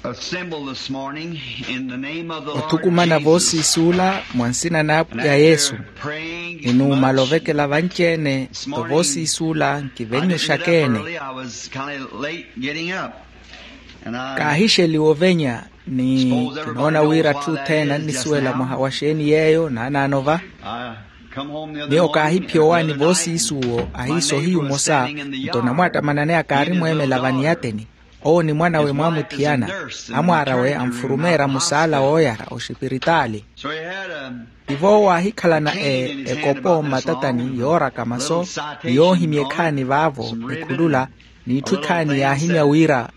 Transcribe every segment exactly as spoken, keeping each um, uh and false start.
Assemble this morning in the name of the Lord Othukumana Jesus. Voosiisuula mwa nsina n'apwiya yesu. Ni numala ovekela vanci-ene. Nto voosiisuula nkivennyuxaka-ene. Kaahixeliwa ovenya. Ni kinoona wira atthu othene annisuwela mwaha wa xeeni yeeyo naanaano va. Miyo kaahiphiya owaani voosiisuwo ahiiso hiyu mmosa. Nto namwattamanani akaari mweemela vaniyateni. Owo ni mwan'awe mwaamuthiyana. Amwaar'awe anfurumeerya musaala wooyara oxipiritaali. Tivo owo aahikhalana ekopo mmatatani yooraka maso ni yoohimya ekhaani vaavo ekhulula. N'itthu ekhaani yaahimya wira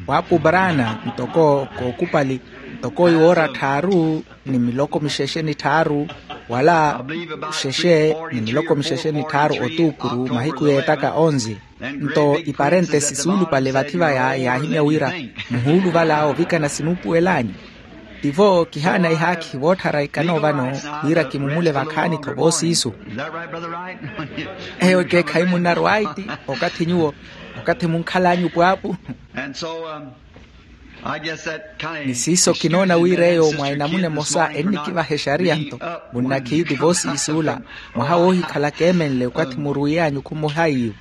pwaapu brana ntoko kookupali ntoko iwoora tthaaru ni miloko mixexe ni tthaaru wala xexe ni miloko mixexe ni tthaaru otuukuru mahiku yeettaka onzi. Nto iparentesi suulupale vathi vaya yaahimya wira muhuuluvala ovikana sinuupuwel'anyu. Tivo kihaana ihaakhi vootthara ikano vano wira kimumule vakhaani-tho voosiisu. Eyo ekeekhayi munnaru aiti okathi nyuwo okathi munkhal'anyu pwaapu. Ni siiso kinoona wira eyo mwa enamuna emosa ennikivaha exariya nto munnakhiiti voosiisuula mwaha woohikhala keemenle okathi muruwiy'anyu khumuhaiyu.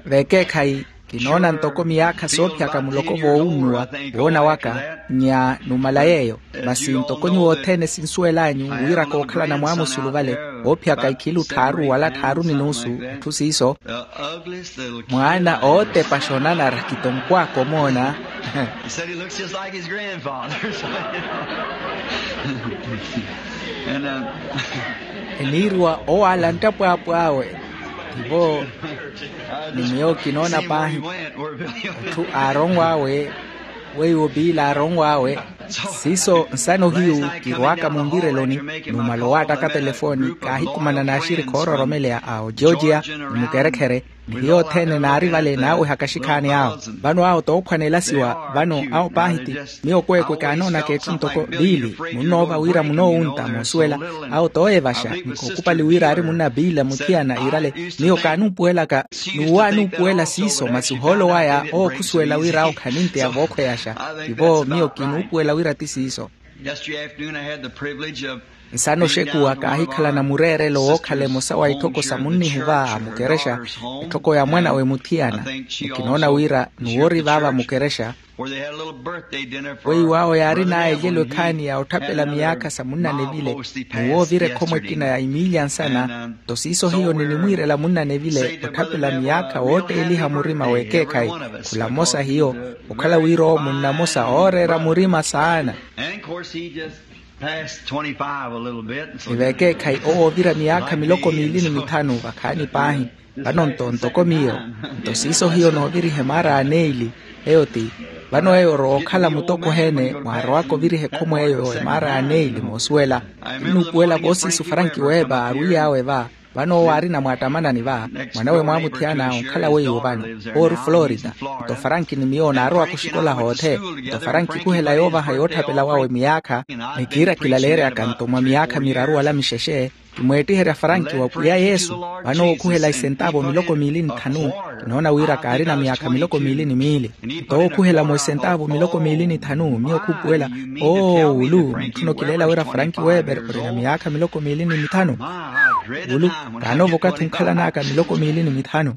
Veekeekhayi kinoona ntoko miyaakha soophiyaka muloko voowunnuwa woona waka. Nya numala yeeyo masi ntoko nyuwo othene sinsuwel'anyu wira kookhalana mwaamusulu vale voophiyaka ikhilu tthaaru wala tthaaru ni nuusu etthu siiso. Mwaana ootepaxa onanara kitonkw'aka omoona. Eniiriwa owaala nttapwaapw'awe. Tivo ni miyo kinoona paahi. Atthu aaronw'awe weiwo biila aaronw'awe. Siiso nsano hiyu kirw'aka munvireloni. Numala owaattaka telefoni kaahikumana n'axirikhi oororomeleya a ogeorgia ni mukerekhere. Ni hiyo othene naari vale naawehaka axikhaani awo. Vano awo toophwanelasiwa vano awo paahi ti miyo kweekwe kaanoonaka etthu ntoko biili munnoova wira munoowunta moosuwela. Awo tooyevaxa ni kookupali wira aari munna biila muthiyana iirale. Miyo kaanuupuwelaka n'uwo aanuupuwela siiso masi ohoolo waya owo khusuwela wira awo khaninteya vookhweyaxa. Tivo miyo kinuupuwela wira ti siiso. Nsana oxekuwa kaahikhalana mureerelo wookhala emosa wa itthoko sa munnihu va a mukerexa. Itthoko ya mwan'awe muthiyana ni kinoona wira nuwo ori vaava mukerexa. Weiwo awo yaarin'aya elyelo ekhaani ya otthapela miyaakha sa munnanevile. Nuwo ovira ekhomo ekina ya imiilya nsana. Nto siiso hiyo ninimwiirela munnanevile otthapela miyaakha wootteeliha murima w'ekeekhayi. Khula mmosa hiyo okhala wira owo munna mmosa ooreera murima saana. Ni veekeekhayi owo oovira miyaakha miloko miili ni mithanu vakhaani paahi. Vano nto ntoko miyo nto siiso hiyo nooviriha emaara aneili. Eyo ti vano eyo orowa okhala mutoko oheene mwaarowaka oviriha ekhomo eyo emaara aneili moosuwela. Kinnuupuwela voosiisu faranki weepa aarwiy'awe va. Vano owo aarina mwaattamanani va mwan'awe mwaamuthiyana onkhala weiwo vano owo ori florida. Nto faranki ni miyo naarowaka oxikola hoothe. Nto faranki khuhela yoovaha yootthapela wawe miyaakha. Ni kiira kilaleeryaka nto mwa miyaakha miraru wala mixexe kimweettiherya faranki wa pwiya yesu. Vano owo khuhela isentaavu miloko miili ni thanu. Kinoona wira kaarina miyaakha miloko miili ni miili. Nto owo khuhela mwa isentaavu miloko miili ni thanu miyo khuupuwela. Oo wulu mutthu nokileela wira faranki weeper orina miyaakha miloko miili ni mithanu. Wulu kaanoova okathi onkhalan'aka miloko miili ni mithanu.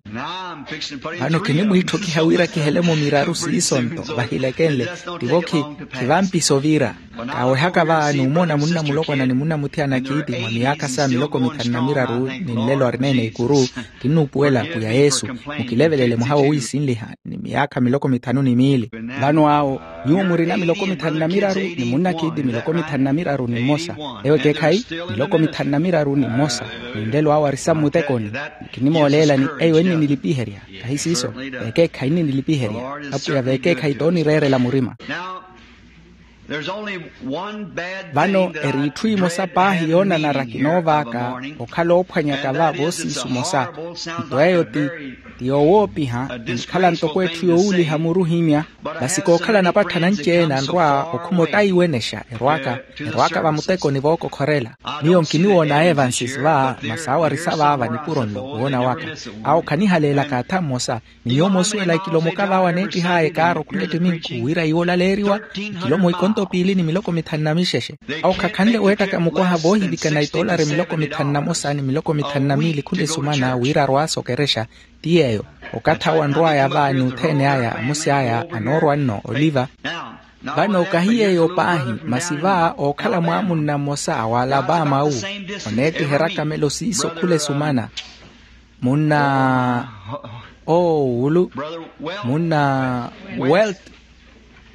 Vano kinimwiitthokiha wira kihele-mo miraru siiso nto vahilekenle. Tivo khi khivampiso vira. Kaawehaka va numona munna mulokwana ni munna muthiyana kiiti mwa miyaakha sa miloko mithanu na miraru ni nlelo arineene ikuru. Kinnuupuwela pwiya yesu mukilevelele mwaha wowiisinliha ni miyaakha miloko mithanu ni miili. Vano awo nyuwo murina miloko mithanu na miraru ni munna kiiti miloko mithanu na miraru ni mmosa. Eyo ekeekhayi miloko mithanu na miraru ni mmosa. Ni nlelo awo arisa mmutekoni. Kinimooleelani eyo enninilipiherya. Kahi siiso veekeekhayi enninilipiherya. Apwiya veekeekhayi toonireerela murima. Vano eri itthu imosa paahi yoonanara kinoovaaka okhala oophwanyaka va voosiisu mosa. Nto eyo ti ti yowoopiha, inkhala ntoko etthu yowuuliha muru ohimya. Masi kookhala napatthana anci-ene anrwa okhuma ottaiwenexa erwaka erwaka vamutekoni vookokhorela. Miyo nkiniwoona evansis va masi awo arisa vaava nipuro nno woona waka. Awo khanihaleelaka atha mmosa. Ni nyuwo moosuwela ikilomoka vaawa neettih'aya ekaaro khula ettiminku wira iwo olaleeriwa ikilomo ikonto piili ni miloko mithanu na mixexe. Awo khakhanle weettaka mukwaha voohivikana itoolari miloko mithanu na mosa ni miloko mithanu na miili khula esumana wira arwaasa okerexa. Ti yeeyo okathi awo anrw'aya va ni othene aya amusi aya anoorwa nno oliva. Vano kahi yeeyo paahi masi va ookhala mwaamunna mmosa wa alapama wu oneettiherya kamelo siiso khula esumana. Munna oowulu munna welt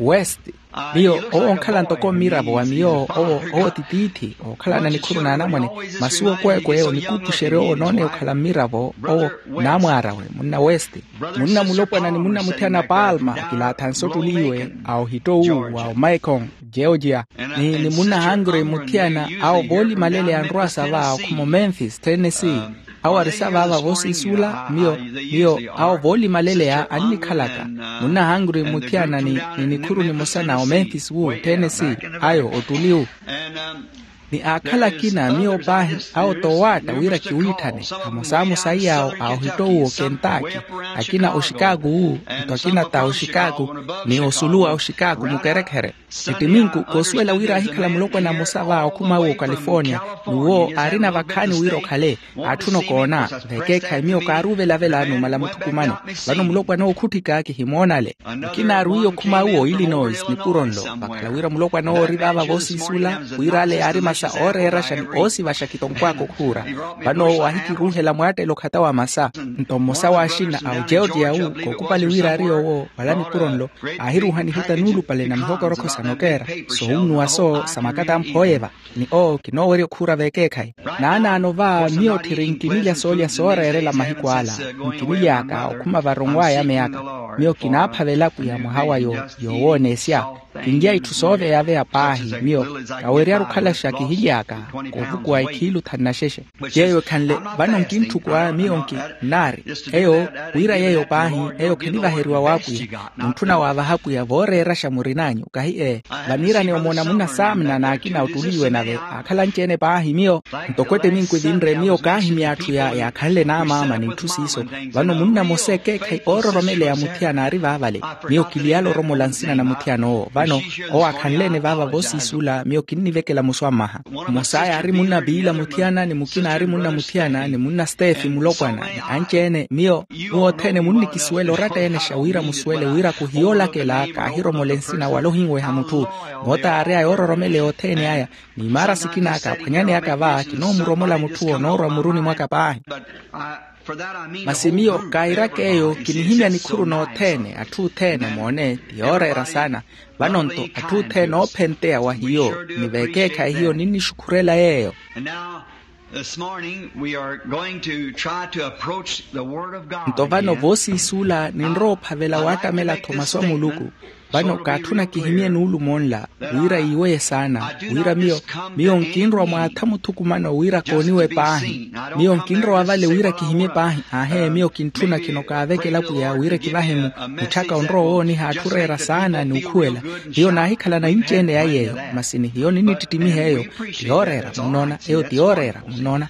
west. Miyo owo onkhala ntoko mmiravo wa miyo owo owo ti tiithi ookhalana nikhuru n'anamwane. Masi owo kweekweyo onikuupuxerya owo onoone okhala mmiravo owo naamwaarawe munna west. Munna mulopwana ni munna muthiyana palma kilaathanse ottuliiwe a ohitto wu wa omaikon georgia ni ni munna hangre muthiyana awo voolimaleleya anrwaasa va okhuma omemphis tennessee. Awo arisa vaava voosiisula miyo miyo awo voolimaleleya annikhalaka munna hangre muthiyana ni ni nikhuru nimosa na omemphis wu tennessee ayo ottuli wu. Ni aakhala akina miyo paahi awo toowaatta wira kiwiitthane amosamosa iyaawo a ohitto wu okentaki akina oxikaku wu nto akina ta oxikaku ni osuluwa oxikaku mukerekhere. Ettiminku koosuwela wira aahikhala mulopwana mmosa va okhuma awo okalifornia ni wo aarina vakhaani wira okhale. Aatthuna okoona vekeekhayi miyo kaaruuvelavela numala mutthukumano. Vano mulopwana owo khutthika kihimoonale. Mukina aarwiiye okhuma awo illinois nipuro nlo vakhala wira mulopwana owo ori vaava voosiisula wira ale yaari masa ooreeraxa ni oosivaxa kitonkwaka okhuura. Vano owo aahikiruuhela mwaattela okhata wa masa nto mmosa w'axina a ogeorgia wu kookupali wira ari owo wala nipuro nlo aahiruuha nihuta nuulupale na mihokorokho sa nokeera soowunnuwa so sa makata amphooyeva. Ni owo kinoowerya okhuura veekeekhayi naanaano va miyo tthiri nkinilya soolya sooreerela mahiku ala. Nkinily'aka okhuma varonw'aya meyaka miyo kinaaphavela pwiya mwaha wa yowooneesya. Kinlya itthu sooveyaaveya paahi miyo kaweryaru okhalaxa kihily'aka koovukuwa ikhiilu thanu na xexe. Yeeyo ekhanle vano nkintthukuwa miyo nki nnaari eyo wira yeeyo paahi eyo khinivaheriwa w'apwiya. Muntthuna waavaha pwiya vooreeraxa murin'anyu kahi ee vaniirani omoona munna saamina n'akina ottuliiwe nave aakhala anci-ene paahi miyo. Ntoko ettiminku evinre miyo kaahimya atthu yaakhanle n'amaama ni itthu siiso. Vano munna mmosa ekeekhayi oororomeleya muthiyana aari vaavale miyo kiliyala oromola nsina na muthiyana owo vano owo aakhanle-ene vaava voosiisula miyo kinnivekela muswammaha. Mmosa yaari munna piila muthiyana ni mukina aari munna muthiyana ni munna stefi mulopwana ni anci-ene miyo muwo othene munnikisuwela oratta-enexa wira musuwele wira kuhiyoolakela kaahiromole nsina wala ohinweha mutthu. Moota aari aya oororomeleya othene aya ni imaara sikina kaaphwanyaneyaka va kinoomuromela mutthu onoorwa muruni mwaka paahi. Masi miyo kairaka eyo kinihimya nikhuru n'othene atthu othene moone ti yooreera saana. Vano-nto atthu othene oophenteya wa hiyo ni veekeekhayi hiyo ninnixukhurela yeeyo. Nto vano voosiisuula ninrowa ophavela waattamela-tho masu a muluku. Vano kaatthuna kihimye nuulumo nla wira yiiweye saana wira miyo miyo nkinrowa mwaatha muthukumano wira kooniwe paahi. Miyo nkinrowa vale wira kihimye paahi aahe miyo kintthuna khino kaavekela pwiya wira kivahe-mu mutthaka onrowa owooniha atthu oreera saana ni okhuwela. Hiyo naahikhalana inci-ene ya yeeyo masi ni hiyo ninnittittimiha eyo ti yooreera munnoona eyo ti yooreera munnoona.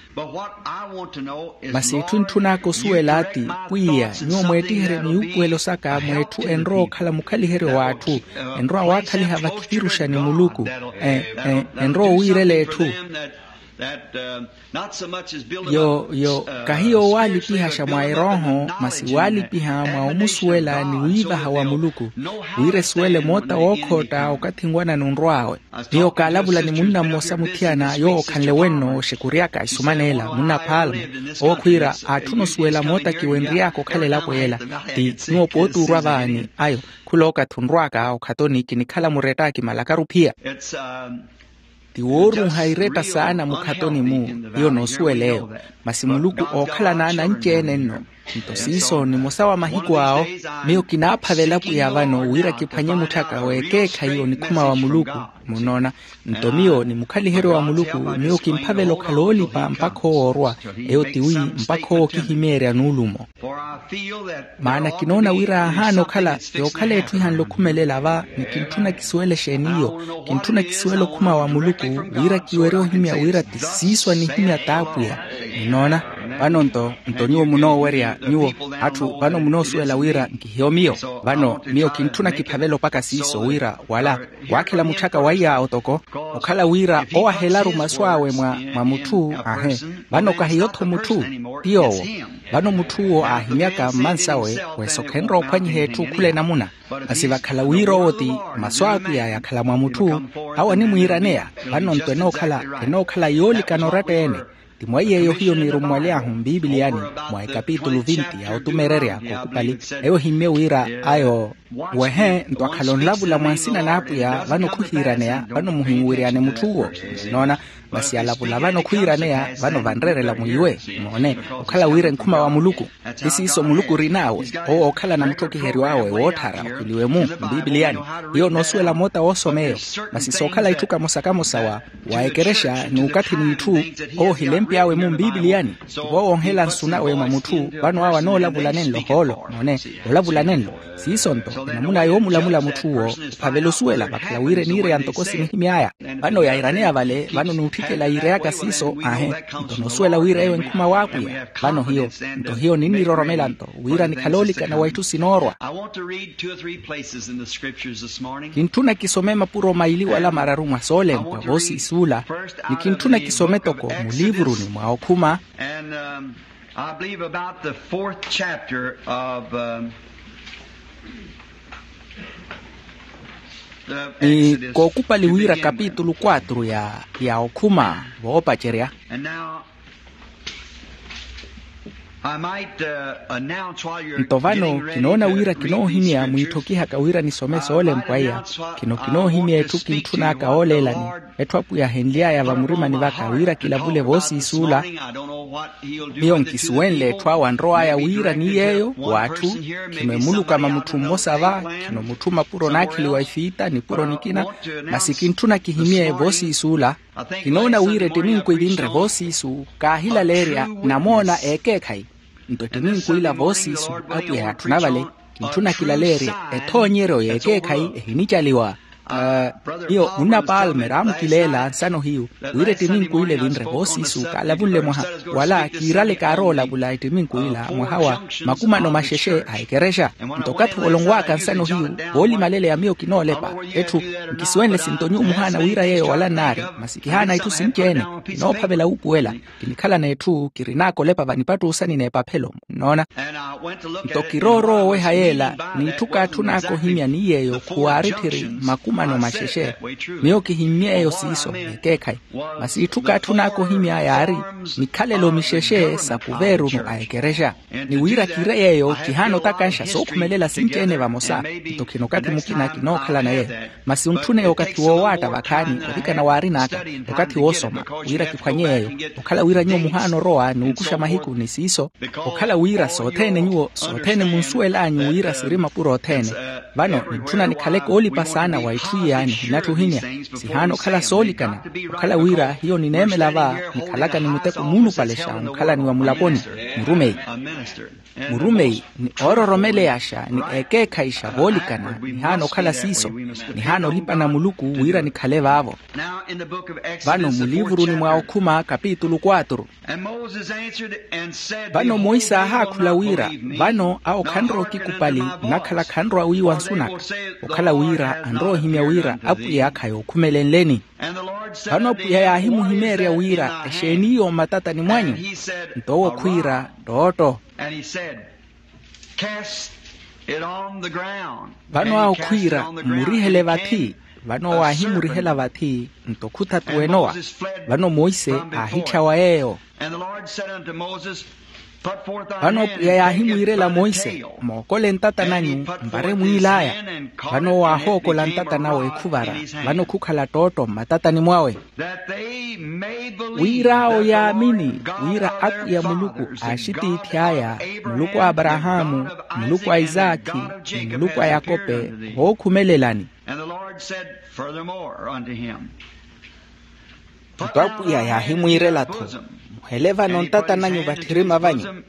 Masi itthu entthun'aka osuwela ti pwiya nyuwo mweettiherye miyuupuwelo saka mweetthu enrowa okhala mukhaliheryo w'atthu enrowa waakhaliha vakhipiruxa ni muluku enrowa owiirela etthu. Yo yo kahiyo owaalipihaxa mwa erooho masi waalipiha mwa omusuwela ni wiivaha wa muluku wira esuwele moota wookhootta okathi nwanana onrw'awe. Miyo kaalavula ni munna mmosa muthiyana yoowo okhanle wenno oxekuryaka isuman'ela munna palma owo khwiira aatthuna osuwela moota kiwenry'aka okhala elapo y'ela. Ti nyuwo pooti orwa vaani ayo khula okathi onrw'aka okhatoni kinikhala muretta kimalakaru phiya. Ti wooruuha iretta saana mukhatoni-mu hiyo noosuwela eyo. Masi muluku ookhalana nanci-ene nno Nto siiso nimosa wa mahiku awo, miyo kinaaphavela pwiya vano wira kiphwanye mutthaka w'ekeekhayi onikhuma wa muluku. Munoona? Nto miyo ni mukhaliheryo wa muluku, miyo kimphavela okhala oolipa mpakha owo orwa. Eyo tiwi, mpakha owo okihimeerya nuulumo. Maana kinoona wira ahaana okhala, yookhala etthu ihanle okhumelela va, ni kintthuna kisuwele exeeni iyo. Kintthuna kisuwele okhuma wa muluku, wira kiwerye ohimya wira ti siiso anihimya t'apwiya. Munoona? Vano nto, nto nyuwo munoowerya, nyuwo atthu vano munoosuwela wira nkihiyo miyo. Vano miyo kintthuna kiphavela opaka siiso wira wala, waakhela mutthaka wa iyaawo toko, okhala wira owahelaru masu awe mwa, mwa mutthu. Ahe. Vano kahiyo-tho mutthu, ti yoowo. Vano mutthu owo aahimyaka mmansawe, wesokhenre ophwanyiha etthu khula enamuna. Masi vakhala wira owo ti masu a apwiya yakhala mwa mutthu, awo animwiiraneya. Vano nto enookhala, enookhala yoolikana oratta-ene. Ti mwa iy'eyo hiyo niirummwaly'ahu mbiibiliyani, mwa ekapitulu vinti ya otumeererya kookupali, eyo ehimmye wira ayo. Wehe nto akhala onlavula mwa nsina n'apwiya vano khuhiiraneya, vano muhinwiryane mutthu uwo. Noona? Masi alavula vano khuhiiraneya vano vanreerela mwiiwe. Moone, okhala wira enkhuma wa muluku. Ti siiso muluku orin'awe, owo ookhalana mutthokiheryo awe wootthara okhweliwe-mu mbiibiliyani. Hiyo noosuwela moota woosoma eyo. Masi sookhala itthu kamosa kamosa wa, wa ekerexa n'ukathi n'itthu, owo ohilempi awe-mu mbiibiliyani. Tivo woonhela nsu nawe mwa mutthu vano awe anoolavula nenlo hoolo. Moone, olavula nenlo. Siiso nto enamuna yoomulamula mutthu uwo, ophavela osuwela vakhala wira eniireya ntoko sinihimy'aya. Vano yairaneya vale vano n'utthikela yiireyaka siiso. Ahe. Nto noosuwela wira eyo enkhuma w'apwiya vano hiyo. Nto hiyo ninniroromela nto wira nikhale oolikana wa itthu sinoorwa. Kintthuna kisome mapuro maili wala mararu mwa soolempwa voosiisuula. Ni kintthuna kisome toko muliivuruni mwa okhuma. I believe about the fourth chapter of, um, the ni Exodus kookupali to wira begin with. Kapitulu quatro ya, ya okhuma voopacerya. And now, I might, uh, announce while you're nto vano getting ready kinoona to wira read these kinoohimya scriptures, mwiitthokihaka wira nisome uh, soolempwa might iya. Announce what I want to speak to you, what the Lord Etthu apwiya ahenly'aya vamurimani vaka wira kilavule voosiisuula. Miyo nkisuwenle etthu awo anrow'aya wira ni yeeyo w'atthu. Khino emulukama mutthu mmosa va. Khino mutthu mapuro naakheliwa ifiita nipuro nikina. Masi kintthuna kihimye voosiisuula. Kinoona wira ettiminku evinre voosiisu kaahilaleerya namoona ekeekhayi. Nto ettiminku ila voosiisu apwiya yaatthuna vale. Kintthuna kilaleerye ethoonyeryo y'ekeekhayi ehinicaliwa. Miyo munna palmer aamukileela nsano hiyu wira ettiminku ila evinre voosiisu kaalavunle mwaha wala kiirale kaaroolavula ettiminku ila mwaha wa makumano maxexe a ekerexa. Nto okathi olonwaaka nsano hiyu voolimaleleya miyo kinoolepa etthu. Nkisuwenle sinto nyuwo muhaana wira yeeyo wala nnaari masi kihaana itthu sinci-ene. Kinoophavela wuupuwela. Kinikhalana etthu kirin'aka olepa vanipattuusani n'epaphelo. Nnoona? Nto kiroorooweha yeela n'itthu kaatthun'aka ohimya ni yeeyo khuwaari tthiri makumano maxexe. Miyo kihimmye eyo siiso ekeekhayi. Masi itthu kaatthun'aka ohimya yaari mikhalelo mixexe sa kuveerunu a ekerexa. Ni wira kire yeeyo kihaana otakanxa sookhumelela sinci-ene vamosa. Nto khina okathi mukina kinookhalana yeeyo. Masi ontthuneya okathi woowaatta vakhaani ovikana waarin'aka okathi woosoma wira kiphwanye yeeyo. Okhala wira nyuwo muhaana orowa n'ukuxa mahiku ni siiso. Okhala wira sothene nyuwo sothene munsuwel'anyu wira siri mapuro othene. Vano nintthuna nikhale koolipa saana wa itthu iya nihinatthuhinya. Sihaana okhala soolikana. Okhala wira hiyo nineemela va nikhalaka ni muteko muulupalexa onkhalani wa mulaponi. Murumeyi. Murumeyi ni oororomeleyaxa ni ekeekhayixa voolikana nihaana okhala siiso. Nihaana olipana muluku wira nikhale vaavo. Vano muliivuruni mwa okhuma kapitulu quatro. Vano monse aahaakhula wira vano awo khanrowa okikupali nnakhala khanrowa wiiwa nsu naka. Okhala wira anrowa ohimya wira apwiya khayookhumele nleni. Vano apwiya yaahimuhimeerya wira exeeni iyo mmatatani mwanyu? Nto owo khwiira ttootto. Vano awo khwiira mmurihele vathi. Vano owo aahimurihela vathi nto khuthatuwa enowa. Vano monse aahitthyawa yeeyo. Vano pwiya yaahimwiirela monse, mookole ntata nanyu mpare mwiil'aya. Vano owo aahookola ntata nawe ekhuvara. Vano khukhala ttootto mmatatani mwawe, wira awo yaamini wira apwiya muluku aaxitiithi aya, muluku a aparahaamu, muluku a isaakhi, ni muluku a yakope, vookhumelelani. Nto apwiya yaahimwiirela-tho, muhele vano ntata nanyu vatthirima vanyu.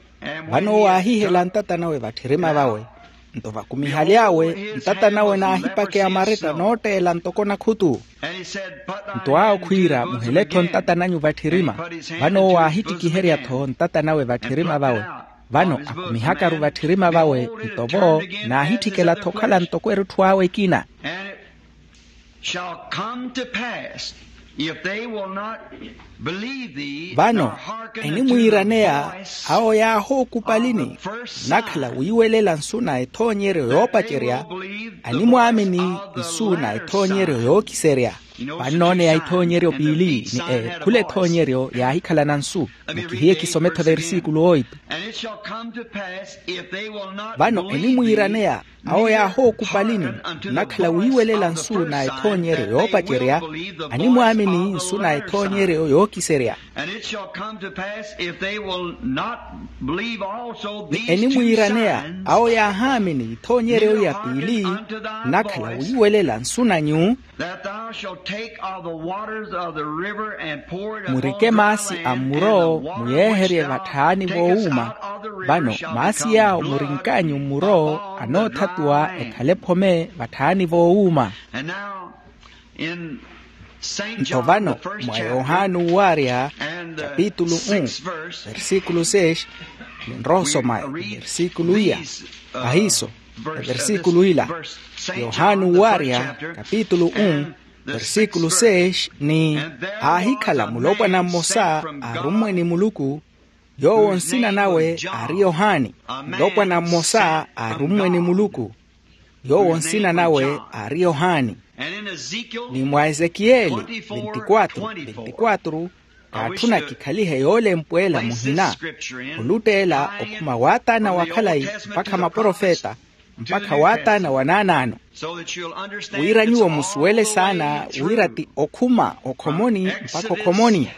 Vano owo aahihela ntata nawe vatthirima vawe. Nto vakumihaly'awe, ntata nawe naahipakeya maretta nootteela ntoko nakhutu. Nto awo khwiira muhele-tho ntata nanyu vatthirima. Vano owo aahittikiherya-tho ntata nawe vatthirima vawe. Vano akumihakaru vatthirima vawe, nto vo naahitthikela-tho okhala ntoko erutthu awe ekina. Shall come to pass, if they will not believe thee. Vano enimwiiraneya awo yaahookupalini, nakhala wiiwelela nsu na ethoonyeryo yoopacerya, animwaamini nsu na ethoonyeryo yookiserya. Vannooneya ethoonyeryo piili ni ekhula ethoonyeryo yaahikhalana nsu. Mukihiye kisome-tho versikulu oitu. Vano enimwiiraneya awo yaahookupalini, nakhala wiiwelela nsu na ethoonyeryo yoopacerya, animwaamini nsu na ethoonyeryo yookiserya. Ni enimwiiraneya awo yaahaamini ethoonyeryo ya piili, nakhala wiiwelela nsu nanyu. Murike maasi a mmuro muyeeherye vatthaani voowuuma. Vano maasi yaawo murink'anyu mmuro anoothatuwa ekhale ephome vatthaani voowuuma. Nto vano mwa yohani uwaarya kapitulu um, versikulu seis, ninrowa osoma versikulu iya. Ahiiso, versikulu ila, yohani uwaarya kapitulu um, versikulu seis ni, aahikhala mulopwana mmosa aarummwe ni muluku, yoowo nsina nawe aari yohani. Mulopwana mmosa aarummwe ni muluku, yoowo nsina nawe aari yohani. Ni mwa ezekiyeli veintiquatro veintiquatro, kaatthuna kikhalihe yoolempweela muhina, olutteela okhuma waataana wa khalayi mpakha maprofeta, mpakha waataana wa naanaano. Wira nyuwo musuwele saana wira ti okhuma okhomoni mpakha okhomoni,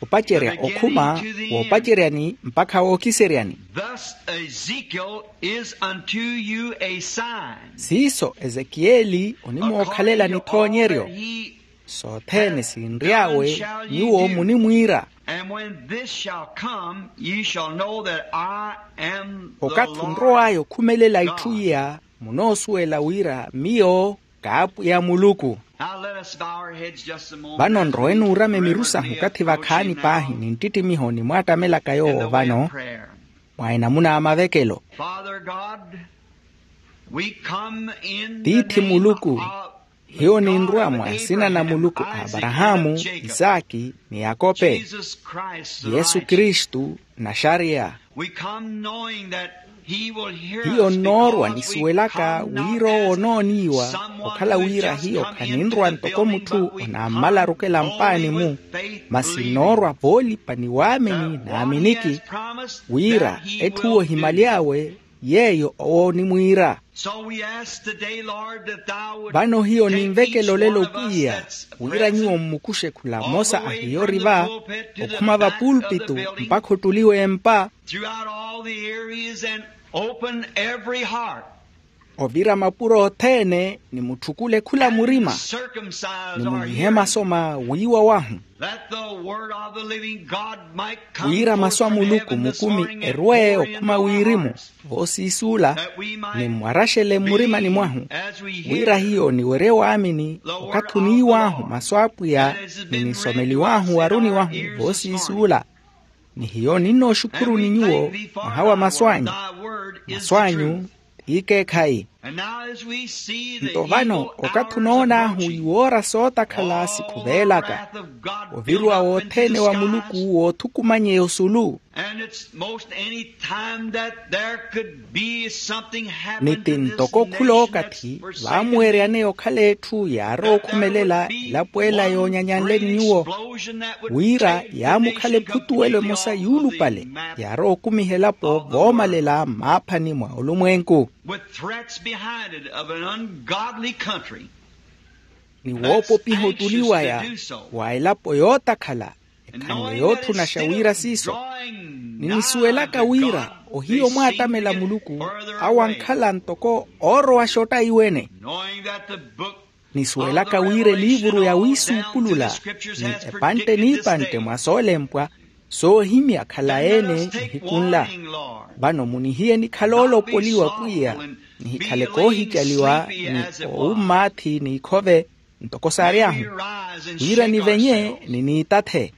opacerya okhuma woopaceryani mpakha wookiseryani. Thus Ezekiel is unto you a sign. Siiso ezekiyeli onimookhalelani ethoonyeryo. Sothene sinry'awe nyuwo munimwiira. And when this shall come, ye shall know that I am the Lord. Okathi onrow'aya okhumelela itthu iya, munoosuwela wira miyo k'apwiya muluku. Now let us bow our heads just a moment. Vano nrowe nuurame miru sahu okathi vakhaani paahi ninttittimiho nimwaattamelaka yoowo vano, mwa enamuna a mavekelo. Father God, we come in the name of the God of Abraham, Isaac, and Jacob. Hiyo ninrwa mwa nsina na muluku a aparahaamu, isaaki, ni yakope. Jesus Christ, the Yesu Christ. Kristu, naxariya. We come knowing that he will hear us. Hiyo noorwa nisuwelaka wira owo onooniiwa, okhala wira hiyo khaninrwa ntoko mutthu onaammala arukela mpaani-mu, masi noorwa voolipa ni waamini naaminiki wira etthu ohimaly'awe yeeyo owo onimwiira. Vano hiyo ninvekela olelo pwiya, wira nyuwo mmukuxe khula mmosa a hiyo oriva, okhuma vapulpitu mpakha ottuliwe empa. Ovira mapuro othene ni mutthukule khula murima, ni munyihe maso ma wiiwa wahu, wira masu a muluku mukumi erwe okhuma wirimu voosiisuula, ni mmwaraxele mmurimani mwahu, wira hiyo niwerye waamini okathi oniiw'ahu masu a apwiya, ni nisomeliw'ahu waruni wahu voosiisuula. Ni hiyo ninnooxukhuruni nyuwo mwaha wa masu anyu. Masu anyu t'ikeekhayi. Nto vano okathi onoon'ahu iwoora sootakhala sikhuveelaka, oviruwa wothene wa muluku woothukumanyeya osulu. Ni ti ntoko khul'okathi vaamuweryaneya okhala etthu yaarowa okhumelela elapo ela yoonyanyanle ni nyuwo, wira yaamukhala ephutuwelo emosa yuulupale yaarowa okumiha elapo voomalela mmaaphani mwa olumwenku. Ni woopopiha otuliwaya wa elapo yootakhala ekhanle yootthunaxa wira siiso. Ninisuwelaka wira ohiya omwaatamela muluku, awo ankhala ntoko oorowaxa ottayi wene. Nisuwelaka wira eliivuru ya wiisuupulula ni epantte n'ipantte mwa soolempwa soohimya khalayi-ene nihiku nla. Vano munihiye nikhala oolopoliwa pwiya, nihikhala koohicaliwa ni owummaathi n'ikhove ntoko saaryahu, wira nivenye ni niitathe.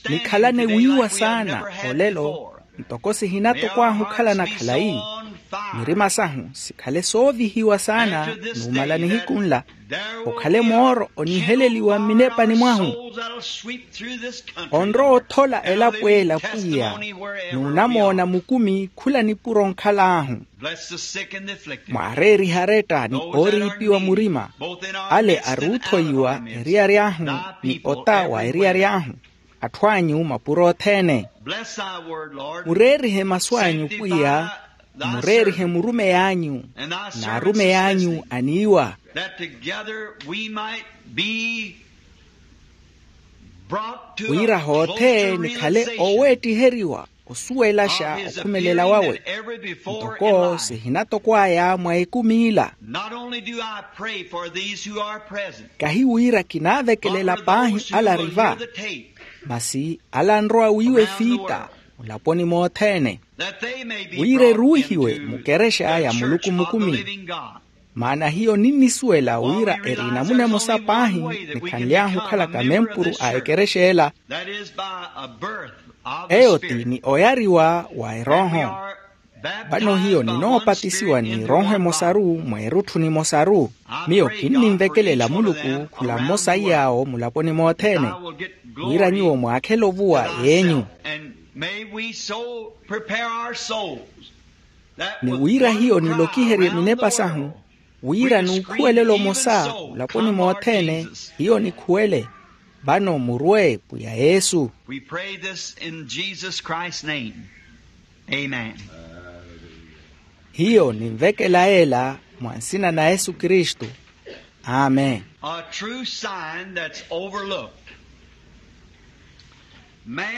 Nikhalane wiiwa saana olelo ntoko sihinatokwahu okhalana khalayi. Mirima sahu sikhale soovihiwa saana numala nihiku nla, okhale mooro oniheleliwa mminepani mwahu. Onrowa othola elapo ela pwiya, nuunamoona mukumi khula nipuro onkhal'ahu. Mwaareerihe aretta ni ooriipiwa murima, ale ari othoyiwa eriyari ahu ni ota wa eriyari ahu, atthu anyu mapuro othene. Mureerihe masu anyu pwiya, mureerihe murumeyi anyu n'arumeyi anyu aniiwa, wira hoothe nikhale ooweettiheriwa osuwelaxa okhumelela wawe ntoko sihinatokwaya mwa ekumi ila. Kahi wira kinaavekelela paahi ala ari va, masi ala anrowa wiiwa efiita mulaponi mothene, wira eruuhiwe mukerexa ya muluku mukumi. Maana hiyo ninnisuwela wira eri enamuna emosa paahi nikhanly'ahu okhalaka mempuru a ekerexa ela. Eyo ti ni oyariwa wa erooho. Vano hiyo ninoopatisiwa n'erooho emosaru mwa erutthu nimosaru. Miyo kinninvekelela muluku khula mmosa iy'awo mulaponi mothene, wira nyuwo mwaakhele ovuwa y'enyu. Ni wira hiyo nilokiherye minepa sahu, wira n'ukhuwelela omosa mulaponi mothene, hiyo nikhuwele. Vano murwe pwiya yesu. Hiyo ninvekela yeela mwa nsina na yesu kristu. Amen.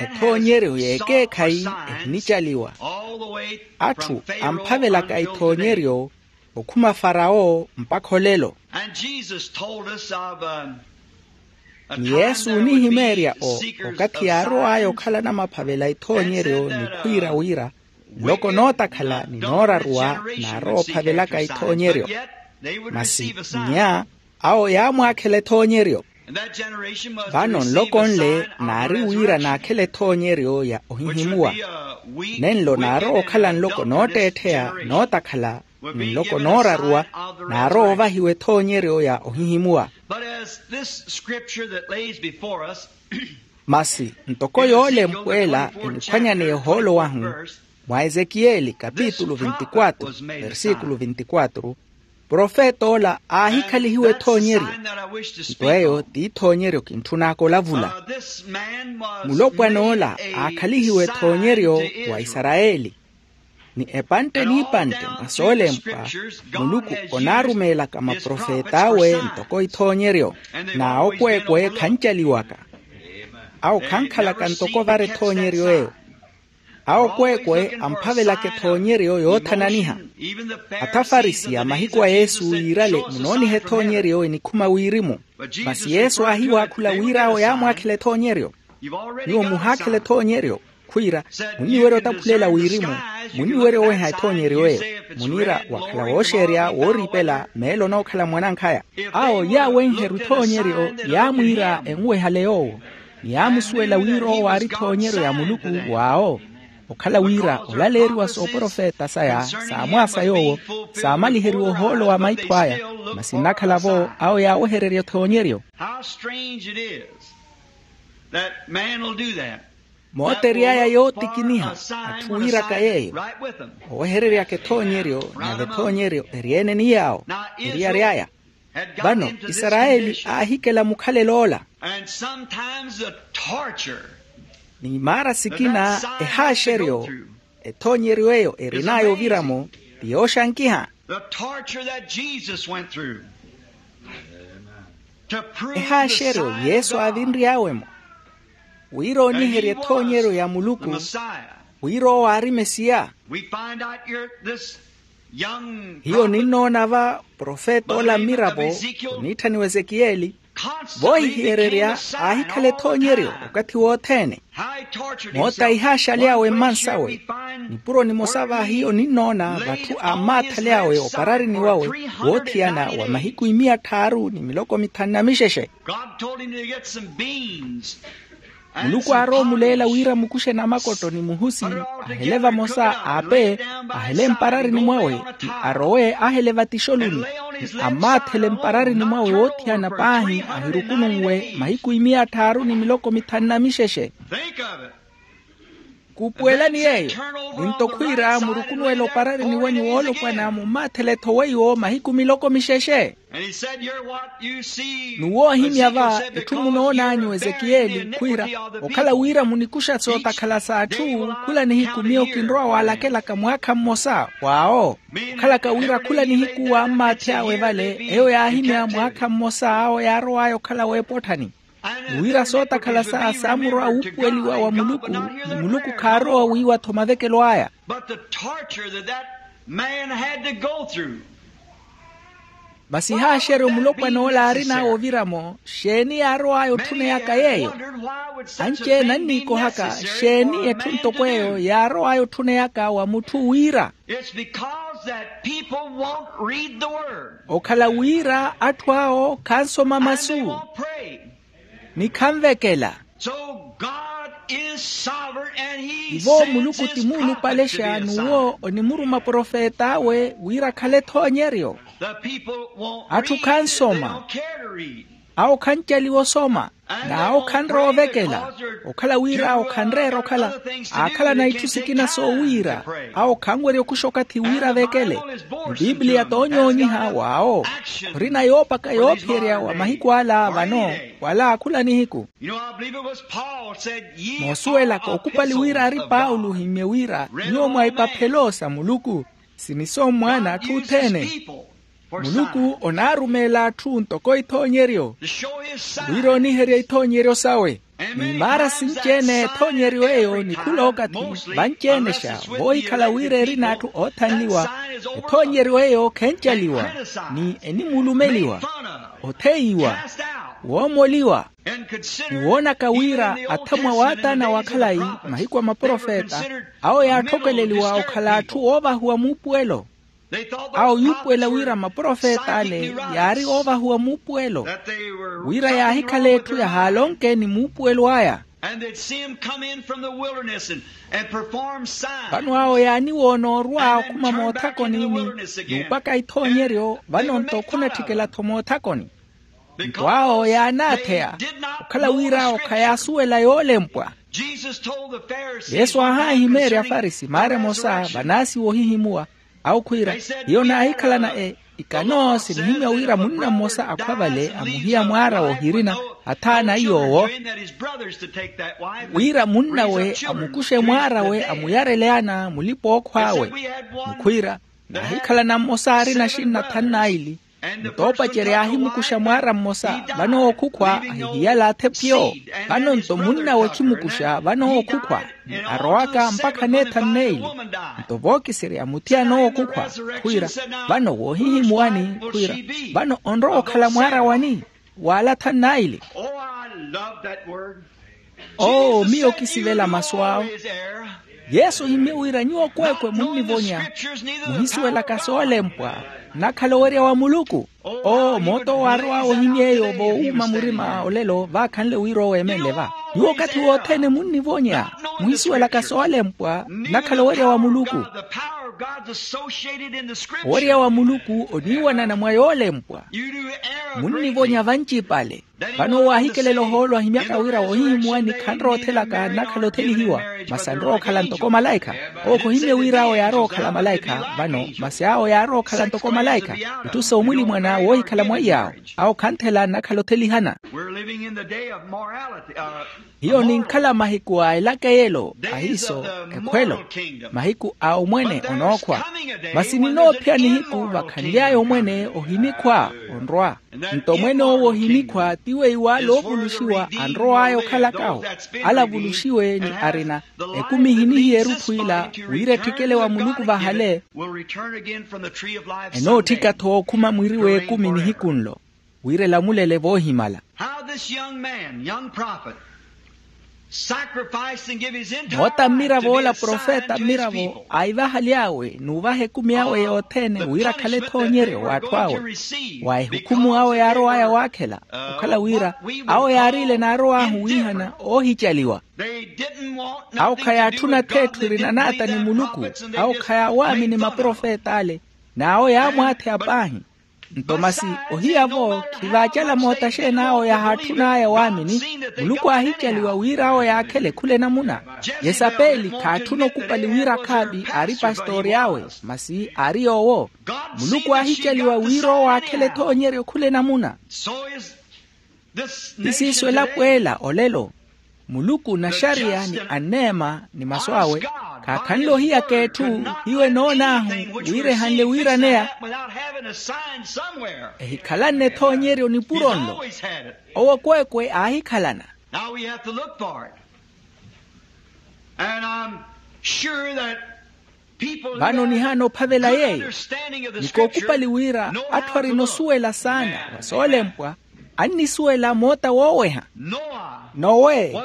Ethoonyeryo y'ekeekhayi ehinicaliwa. Atthu amphavelaka ethoonyeryo okhuma farawo mpakha olelo. Ni yesu onihimeerya o okathi yaarow'aya okhala namaphavela ethoonyeryo nikhwiira wira nloko nootakhala ni nooraruwa naarowa ophavelaka ethoonyeryo. Masi nnya awo yaamwaakhela ethoonyeryo. Vano nloko nle naari wira naakhele ethoonyeryo ya ohihimuwa. Nenlo naarowa okhala nloko nootteettheya nootakhala ni nloko nooraruwa naarowa ovahiwa ethoonyeryo ya ohihimuwa. Masi ntoko yoolempwa ela eniphwanyaneya ohoolo wahu mwa ezekiyeli kapitulu vinti-quatro versikulu vinti-quatro, profet'ola aahikhalihiwa ethoonyeryo. Nto eyo t'ithoonyeryo kintthun'aka olavula. Mulopwan'ola aakhalihiwa ethoonyeryo wa isarayeli. Ni epantte n'ipantte mwa soolempwa muluku onaarumeelaka maprofet'awe ntoko ithoonyeryo. N'awo kweekwe khancaliwaka. Awo khankhalaka ntoko ovara ethoonyeryo eyo. Awo kweekwe amphavelaka ethoonyeryo yoothananiha. Atha farisiya mahiku a yesu yiirale munooniha ethoonyeryo enikhuma wirimu. Masi yesu aahiwaakhula wira awo yaamwaakhela ethoonyeryo. Nyuwo muhaakhela ethoonyeryo khwiira munniwerya otaphulela wirimu. Munniwerya oweha ethoonyeryo eyo. Muniira wakhala wooxeerya wooriipela meelo onookhala mwanankhaya. Awo yaawenheru ethoonyeryo yaamwiira enwehale yoowo ni yaamusuwela wira owo aari ethoonyeryo ya muluku w'awo. Okhala wira olaleeriwa sooprofeta saya saamwaasa yoowo, saamaliheriwa ohoolo wa maitho aya, masi nnakhala-vo awo yaawehererya ethoonyeryo. How strange it is that man will do that. Mootery'aya yootikiniha atthu wiiraka yeeyo, owehereryaka ethoonyeryo nave ethoonyeryo eri-ene ni yaawo. Eriyari aya vano isarayeli aahikela mukhalelo ola. And sometimes the torture. Ni maara sikina ehaaxeryo ethoonyeryo eyo erin'aya oviramo ti yooxankiha. The torture that Jesus went through. Ehaaxeryo yesu aavinry'awe-mo wira ooniherya ethoonyeryo ya muluku, wira owo aari mesiya. Hiyo ninnoona va profeta ola mmiravo oniitthaniwa ezekiyeli, voohihiyererya aahikhala ethoonyeryo okathi wothene. Moota ihaaxaly'awe mmansawe. Nipuro nimosa va hiyo ninnoona vatthu aammaathale awe opararini wawe woothiyana wa mahiku imiya tthaaru ni miloko mithanu na mixexe. Muluku aarowa omuleela wira mukuxe namakotto ni muhusi, ahele vamosa aape, ahele mpararini mwawe, ni arowe ahele vatixoluni, ni ammaathele mpararini mwawe woothiyana paahi ahirukununwe mahiku imiya tthaaru ni miloko mithanu na mixexe. Kuupuwelani yeeyo, ni nto khwiira murukunuwela opararini wenyu woolopwana mummaathele-tho weiwo mahiku miloko mixexe. Ni woohimya va etthu munoon'anyu ezekiyeli khwiira, okhala wira munikuxa sootakhala s'atthu, khula nihiku miyo kinrowa waalakelaka mwaakha mmosa w'awo. Okhalaka wira khula nihiku waammaathy'awe vale eyo yaahimya mwaakha mmosa awo yaarow'aya okhala w'epotthani. Ni wira sootakhala saya saamurowa wuupuweliwa wa muluku, ni muluku khaarowa wiiwa-tho mavekelo aya. But the torture that that man had to go through. Masi haaxeryo mulopwana ola aarin'awe oviramo, xeeni yaarow'aya otthuneyaka yeeyo? Anci-ene anniikohaka xeeni etthu ntoko eyo yaarow'aya otthuneyaka wa mutthu wira? It's because that people won't read the word. Okhala wira atthu awo khansoma masu. Ni khanvekela. Ivo muluku ti muulupalexa n'uwo onimuruma profet'awe wira akhale ethoonyeryo. Atthu khansoma. Awo khancaliwa osoma. N'awo khanrowa ovekela. Okhala wira awo khanreera okhala aakhalana itthu sikina soowiira. Awo khanwerya okuxa okathi wira avekele. Ni pipiliya toonyoonyiha w'awo. Khurina yoopaka yoophiyerya wa mahiku ala vano wala khula nihiku. Moosuwelaka okupali wira ari paulo ohimmye wira nyuwo mwa ipaphelo sa muluku, siniso mwaana atthu othene. Muluku onaarumeela atthu ntoko ithoonyeryo wira oniherya ithoonyeryo sawe. Ni maara sinci-ene ethoonyeryo eyo ni khula okathi vanci-enexa voohikhala wira erina atthu oothanliwa. Ethoonyeryo eyo khencaliwa ni enimuulumeliwa, otheyiwa, woomoliwa. Ni woonaka wira athamwa waataana wa khalayi mahiku a maprofeta awo yaatthokeleliwa okhala atthu oovahuwa muupuwelo. Awo yuupuwela wira maprofeta ale yaari oovahuwa muupuwelo wira yaahikhala etthu yahaalonke ni muupuwelo aya. Vano awo yaaniwoona orwa okhuma moothakoni ni nuupaka ithoonyeryo vano nto khunatthikela-tho moothakoni. Nto awo yaanaatheya okhala wira awo khayaasuwela yoolempwa. Yesu aahaahimeerya afarisi maara emosa vanaasiwa ohihimuwa. Awo khwiira, hiyo naahikhalana e ikano sinihimya wira munna mmosa akhwa vale amuhiya mwaara w'ohirina athaana iy'owo, wira munnawe amukuxe mwaarawe amuyarele ana mulipa-ookhw'awe. Mukhwiira, naahikhalana mmosa aarina axinna thanu n'aili. Nto oopacerya aahimukuxa mwaara mmosa vano ookhukhwa ahihiyala athe pyo. Vano nto munnawe khimukuxa vano ookhukhwa ni arowaka mpakha neethanu n'eili. Nto vookiserya muthiyana ookhukhwa khwiira, vano woohihimuwani khwiira, vano onrowa okhala mwaara wani? Waala thanu n'aili. Oo miyo kisivela masu awo. Yesu ohimmye wira nyuwo kweekwe munnivonya, muhisuwelaka soolempwa, nnakhala owerya wa muluku. Oo moota owo aarow'awe ohimya eyo voowuuma murima olelo vaakhanle wira oweemenle va. Nyuwo okathi wothene munnivonya, muhisuwelaka soolempwa nnakhala owerya wa muluku. Owerya wa muluku oniiwanana mwa yoolempwa. Munnivonya vancipale. Vano owo aahikelela ohoolo ahimyaka wira wohihimuwani khanrowa othelaka nnakhala othelihiwa. Masi anrowa okhala ntoko malaikha. Owo khohimye wira awo yaarowa okhala malaikha vano masi awo yaarowa okhala ntoko malaikha. Itthu soomwilimwana woohikhala mwaiy'awo. Awo khanthela nnakhala othelihana. Hiyo ninkhala mahiku a elaka eyelo ahiiso ekhwelo. Mahiku a omwene onookhwa. Masi ninoophya nihiku vakhanly'aya omwene ohinikhwa onrwa. Nto mwene owo ohinikhwa ti weiwo ale oovuluxiwa anrow'aya okhalakahu. Ale avuluxiwe ni arina ekumi ehinihiya erutthu ila wira etthikele wa muluku vahale. Enootthika-tho okhuma mwiri w'ekumi nihiku nlo wira elamulele voohimala. How this young man, young prophet, sacrificed and give his entire moota mmiravo ola profeta mmiravo aivahaly'awe n'uvaha ekumi awe yothene wira akhale ethoonyeryo w'atthu awe. Wa ehukhumu awe yaarow'aya waakhela okhala wira awo yaariile naarow'ahu wiihana oohicaliwa. Awo khayaatthuna-tho etthu erina naata ni muluku. Awo khayaawaamini maprofet'ale. N'awo yaamwaatheya paahi. Nto masi ohiyavo khivaacala moota xeeni awo yahaatthun'aya waamini. Muluku aahicaliwa wira awo yaakhele khula enamuna. Yesapeli khaatthuna okupali wira akhaavi aari pastoori awe. Masi aari yoowo. Muluku aahicaliwa wira owo aakhele ethoonyeryo khula enamuna. Ti siiso elapo ela olelo. Muluku naxariya ni aneema ni masu awe khaakhanle ohiyaka etthu. Hiyo enoon'ahu wira ehanle wiiraneya. Ehikhalanne ethoonyeryo nipuro nlo. Owo kweekwe aahikhalana. Now we have to look for it. And I'm sure that vano nihaana ophavela yeeyo. Ni kookupali wira atthu arina osuwela saana wa soolempwa annisuwela moota wooweha. Nowe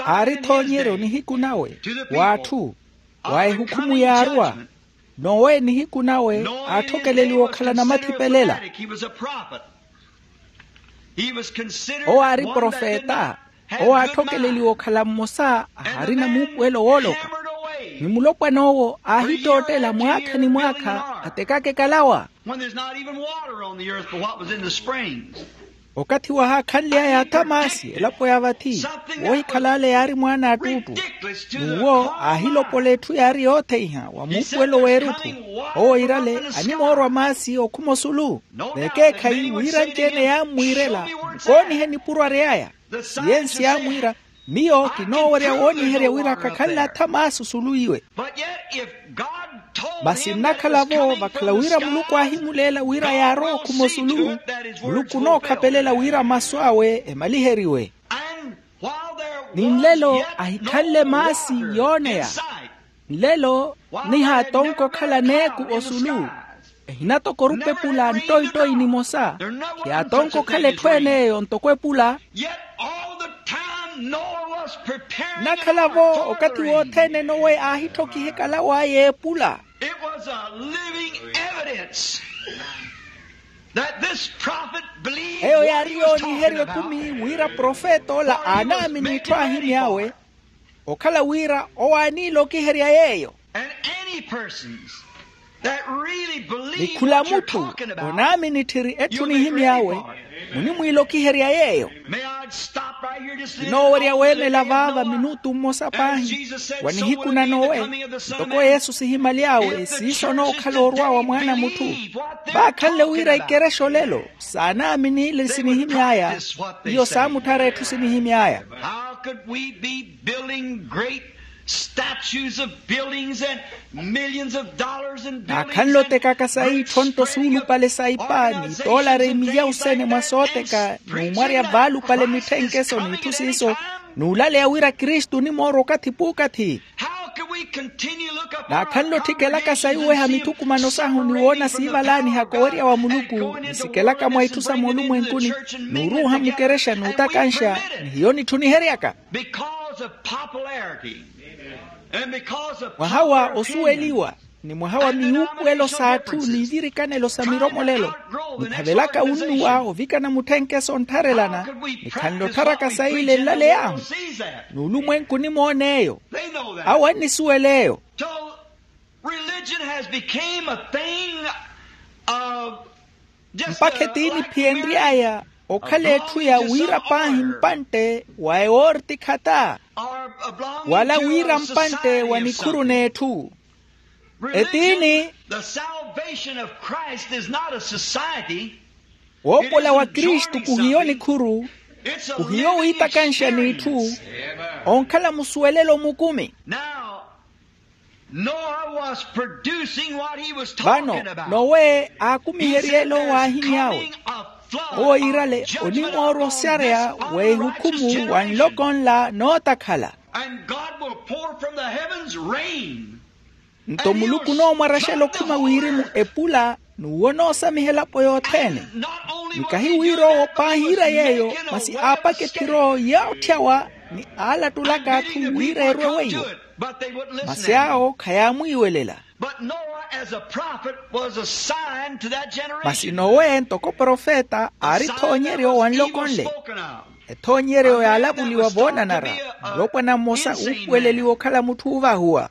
aari ethoonyeryo nihiku nawe w'atthu wa ehukhumu yaarwa. Nowe nihiku nawe aatthokeleliwa okhala namathipelela. Owo aari profeta. Owo aatthokeleliwa okhala mmosa ahaarina muupuwelo wooloka. Ni mulopwan'owo aahittottela mwaakha ni mwaakha atekaka ekalawa. Okathi wahaakhanly'aya atha maasi elapo ya vathi woohikhala ale yaari mwaana a ttuuttu. N'uwo aahilopola etthu yaari yootheiha wa muupuwelo w'erutthu. Owo iirale animoorwa maasi okhuma osulu. Vekeekhayi wira anci-ene yaammwiirela mukoonihe nipuro ary'aya. Siyensi yaamwiira miyo kinoowerya wooniherya wira khakhanle atha maasi osulu iwe. Masi nnakhala-vo vakhala wira muluku aahimuleela wira yaarowa okhuma osulu. Muluku onookhapelela wira masu awe emaliheriwe. Ni nlelo ahikhanle maasi yooneya. Nlelo nihaatonka okhala neeku osulu. Ehinatokorupa epula ntoitoi nimosa. Khiyaatonka okhala etthu-ene eyo ntoko epula. Nnakhala-vo okathi wothene nowe aahittokiha ekalaw'aya epula. Eyo yaari yooniherya ekumi wira profeta ola aanaamini itthu aahimy'awe. Okhala wira owo aaniilokiherya yeeyo. Ni khula mutthu onaamini tthiri etthu nihimy'awe munimwiilokiherya yeeyo. Kinoowerya weemela vaava minutu mmosa paahi wa nihiku na nowe. Ntoko yesu sihimaly'awe siiso onookhala orwa wa mwaana a mutthu. Vaakhanle wira ikerexa olelo saanaaminiile sinihimy'aya. Iyo saamutthara etthu sinihimy'aya. How could we be building great statues of buildings and millions of dollars in buildings? Naakhanle otekaka sayi itthu onto suulupale sa ipaani toolari milyawu sene mwa sooteka n'umwarya vaalupale mitthenkesoni itthu siiso n'ulaleya wira kristu onimoorwa okathi p'ukathi. Naakhanle otthikelaka sayi oweha mithukumano sahu ni woona siivalaanihaka owerya wa muluku nisikelaka mwa itthu sa moolumwenkuni n'uruuha mukerexa n'utakanxa ni hiyo nitthuniheryaka. Mwaha wa osuweliwa ni mwaha wa miwuupuwelo s'atthu n'ivirikanelo sa miromolelo, niphavelaka wunnuwa ovikana mutthenke s'onttharelana, nikhanle ottharaka sayi ile nlaley'ahu. N'ulumwenku onimoon'eyo. Awo annisuwel'eyo. Mpakha etiini phi enry'aya okhala etthu ya wira paahi mpantte wa ewoortikhata, wala wira mpantte wa nikhuru n'etthu. Etiini. Woopola wa kristu kuhiyo nikhuru, kuhiyo wiitakanxa n'itthu, onkhala musuwelelo mukumi. Vano nowe aakumiherye elo waahiny'awe. Owo yiirale onimoorwa osareya w'ehukhumu wa nloko nla nootakhala. Nto muluku onoomwaraxela okhuma wirimu epula n'uwo onoosamiha elapo yothene. Ni kahi wira owo paahiira yeeyo, masi aapaka ephiro yootthyawa ni aalattulaka atthu wira erwe weiwo. Masi awo khayaamwiiwelela. Masi nowe ntoko profeta aari ethoonyeryo wa nloko nle. Ethoonyeryo yaalavuliwa voonanara, mulopwana mmosa uupuweleliwa okhala mutthu oovahuwa.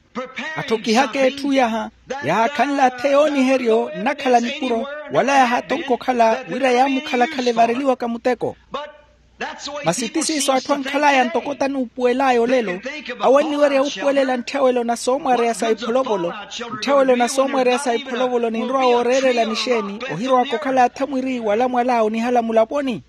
Atthokihaka etthu yaha, yahaakhanle athe yooniheryo nnakhala nipuro, wala yahatonka okhala wira yaamukhalakhala evareliwaka muteko. Masi ti siiso atthu ankhal'aya ntoko tanuupuwel'aya olelo. Awo anniwerya wuupuwelela ntthawelo na soomwareya sa ipholovolo. Ntthawelo na soomwareya sa ipholovolo ninrowa wooreerela nixeeni, ohirowaka okhala athamwiri wala mwal'awe onihala mulaponi.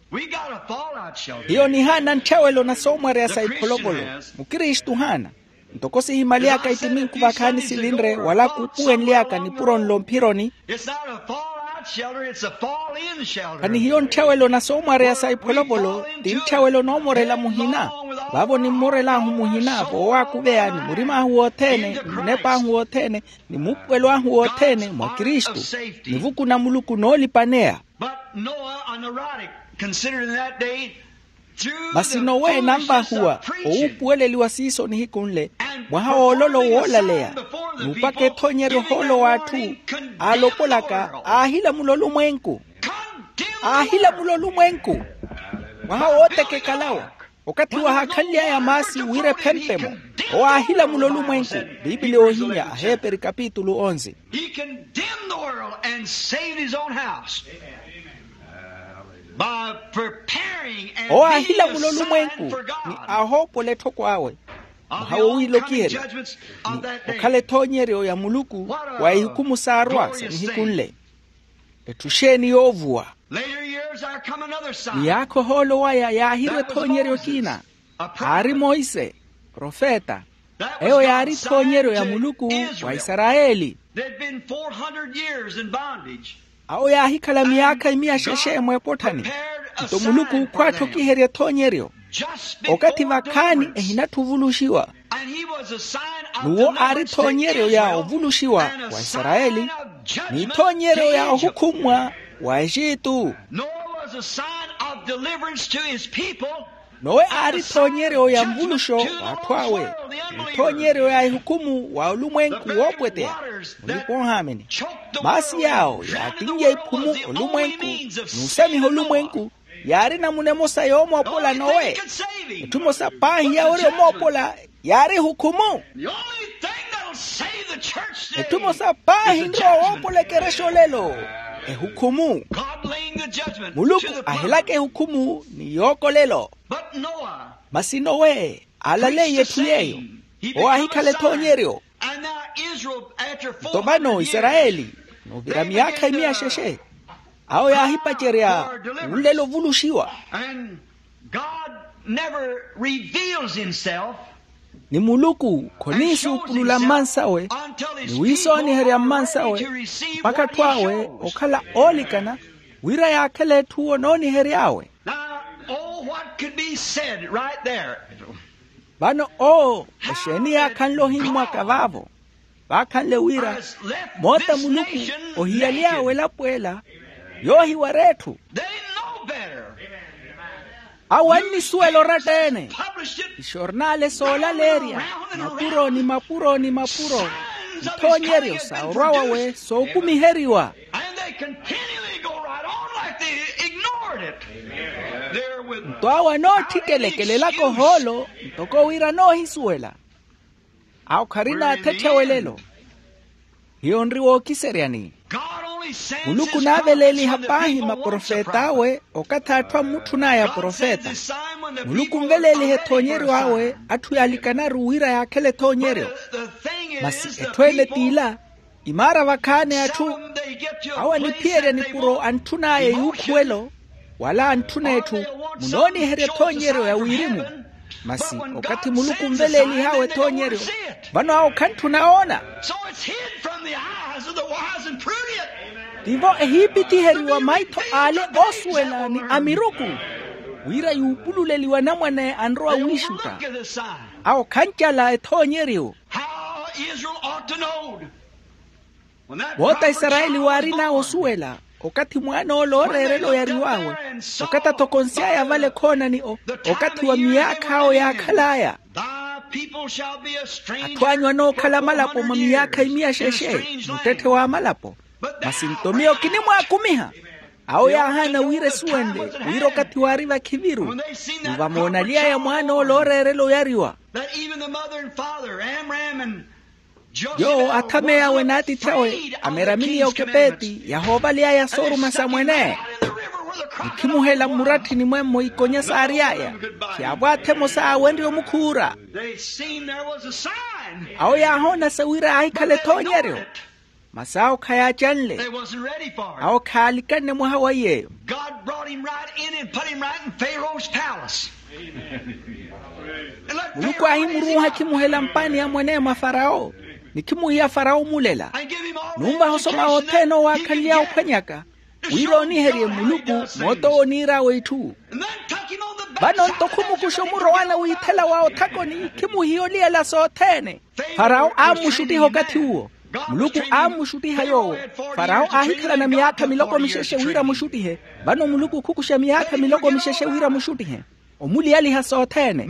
Hiyo nihaana ntthawelo na soomwareya sa ipholovolo. Mukristu ohaana. Ntoko sihimaliyaka itiminku vakhaani sivinre wala kuupuwenlyaka nipuro nlo mphironi. Khanihiyo ntthawelo na soomwareya sa ipholovolo, ti ntthawelo noomorela muhina. Vaavo nimmorel'ahu muhina voowaakuveya ni murim'ahu wothene ni munep'ahu wothene, ni muupuwelo ahu wothene mwa kristu. Nivuku na muluku noolipaneya. Masi nowe nanvahuwa owuupuweleliwa siiso nihiku nle, mwaha w'ololo woolaleya, n'upaka ethoonyeryo ohoolo w'atthu, aalopolaka aahilamula olumwenku. Aahilamula olumwenku. Mwaha wootekekalawa, okathi wahaakhanly'aya maasi wira ephempemo, owo aahilamula olumwenku. Piipili oohimya aheeperi kapitulu onze. He condemned the world and saved his own house by preparing and owo aahilamula olumwenku ni ahoopola etthoko awe. Mwaha wowiilokiherya ni okhala ethoonyeryo ya muluku wa ihukhumu saarwa sa nihiku nle. Etthu xeeni yoovuwa? Miyaakha ohoolo waya yaahirwa ethoonyeryo ekina. Aari monse profeta. Eyo yaari ethoonyeryo ya muluku wa isarayeli. Awo yaahikhala miyaakha imiya xexe mw'epotthani. Nto muluku khwaatthokiherya ethoonyeryo okathi vakhaani ehinatthi ovuluxiwa. N'uwo aari ethoonyeryo ya ovuluxiwa wa isarayeli, n'ithoonyeryo ya ohukhummwa wa exitu. Nowe aari ethoonyeryo ya nvuluxo w'atthu awe, n'ithoonyeryo ya ehukhumu wa olumwenku woopweteya. Mulipa ohaamini, maasi yaawo yaatin'ya iphumu olumwenku n'usamiha olumwenku. Yaari namuna emosa yoomoopola nowe. Etthu emosa paahi yawerya omoopola yaari ehukhumu. Etthu emosa paahi nrowa woopola ekerexa olelo, ehukhumu. Muluku ahelaka ehukhumu ni yookolelo. Masi nowe aalaleiye etthu yeeyo. Owo aahikhala ethoonyeryo. Nto vano isarayeli, n'uvira miyaakha imiya xexe, awo yaahipacerya wunlelo ovuluxiwa. Ni muluku khoniisuupulula mmansawe ni wiisooniherya mmansawe mpakha atthu awe okhala oolikana, wira yaakhele etthu onoonihery'awe. Vano oo exeeni yaakhanle ohimmwaka vaavo? Vaakhanle wira moota muluku ohiyaliy'awe elapo ela yoohiwara etthu. Awo annisuwela oratta-ene. Ixornale soolaleerya mapuro ni mapuro ni mapuro. ithoonyeryo sa orwa wawe sookumiheriwa. And they continually go right on like they ignored it. Nto awo anootthikelekelelaka ohoolo ntoko wira anoohisuwela. Awo kharina athetthewelelo. Hiyo nri wookiseryani. Muluku naaveleeliha paahi maprofet'awe okathi atthu ammutthun'aya profeta. Muluku nveleeliha ethoonyeryo awe atthu yaalikanaru wira yaakhele ethoonyeryo. Masi etthu ene t'ila, imaara vakhaani atthu awo aniphiyerya nipuro antthun'aya yuukhuwelo, wala antthuna etthu munooniherya ethoonyeryo ya wirimu. Masi okathi muluku onveleelih'awe ethoonyeryo, vano awo khantthuna oona. Tivo ehiipithiheriwa maitho ale oosuwela ni amiruku, wira yuupululeliwe anamwane anrowa wiixutta. Awo khancala ethoonyeryo. Woota isarayeli waarin'awe osuwela, okathi mwaan'ola ooreerela oyariw'awe, okathi athokonsy'aya vale khoonani okathi wa miyaakha awo yaakhal'aya. Atthu anyu anookhala amalapo mwa miyaakha imiya xexe, muttetthe w'amalapo. Masi nto miyo kinimwaakumiha. Awo yaahaana wira esuwenle, wira okathi waari vakhiviru, ni vamoonaly'aya mwaan'ola ooreerela oyariwa. Yoowo athamey'awe n'atiithi awe, ameramini y'okepeeti yahoovaly'aya sooruma sa mwene. Nikhimuhela mmuratthini mwemmo ikonya saary'aya, khyaavwathe emosa aawenrye omukhuura. Awo yaahoona sa wira aahikhala ethoonyeryo. Masi awo khayaacanle. Awo khaalikanne mwaha wa iy'eyo. Muluku aahimuruuha akhimuhela mpaani ya mwene mwa farawo, ni khimuhiya farawo omulela. Numvaha osoma othene owaakhanly'awe ophwanyaka, wira ooniherye muluku moot'owo oniir'awe itthu. Vano nto khumukuxa omurowana wiithela wa othakoni, khimuhiya oliyela sothene. Farawo aammuxuttiha okathi uwo. Muluku aammuxuttiha yoowo. Farawo aahikhalana miyaakha miloko mixexe wira amuxuttihe. Vano muluku khukuxa miyaakha miloko mixexe wira amuxuttihe. Omuliyaliha sothene,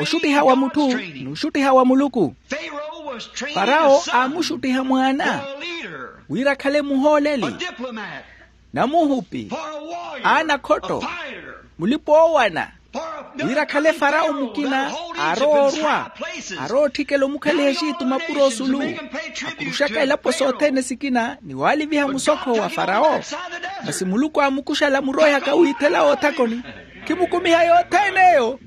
oxuttiha wa mutthu, n'uxuttiha wa muluku. Farawo aamuxuttiha mwaana wira akhale muhooleli, namuhupi, aanakhotto, mulipa-oowana, wira akhale farawo mukina aarowa orwa, arowa otthikela omukhaliha exitu mapuro osulu, akuruxaka elapo sothene sikina ni waaliviha musokho wa farawo. Masi muluku aamukuxala muroihaka wiithela woothakoni, khimukumiha yothene eyo.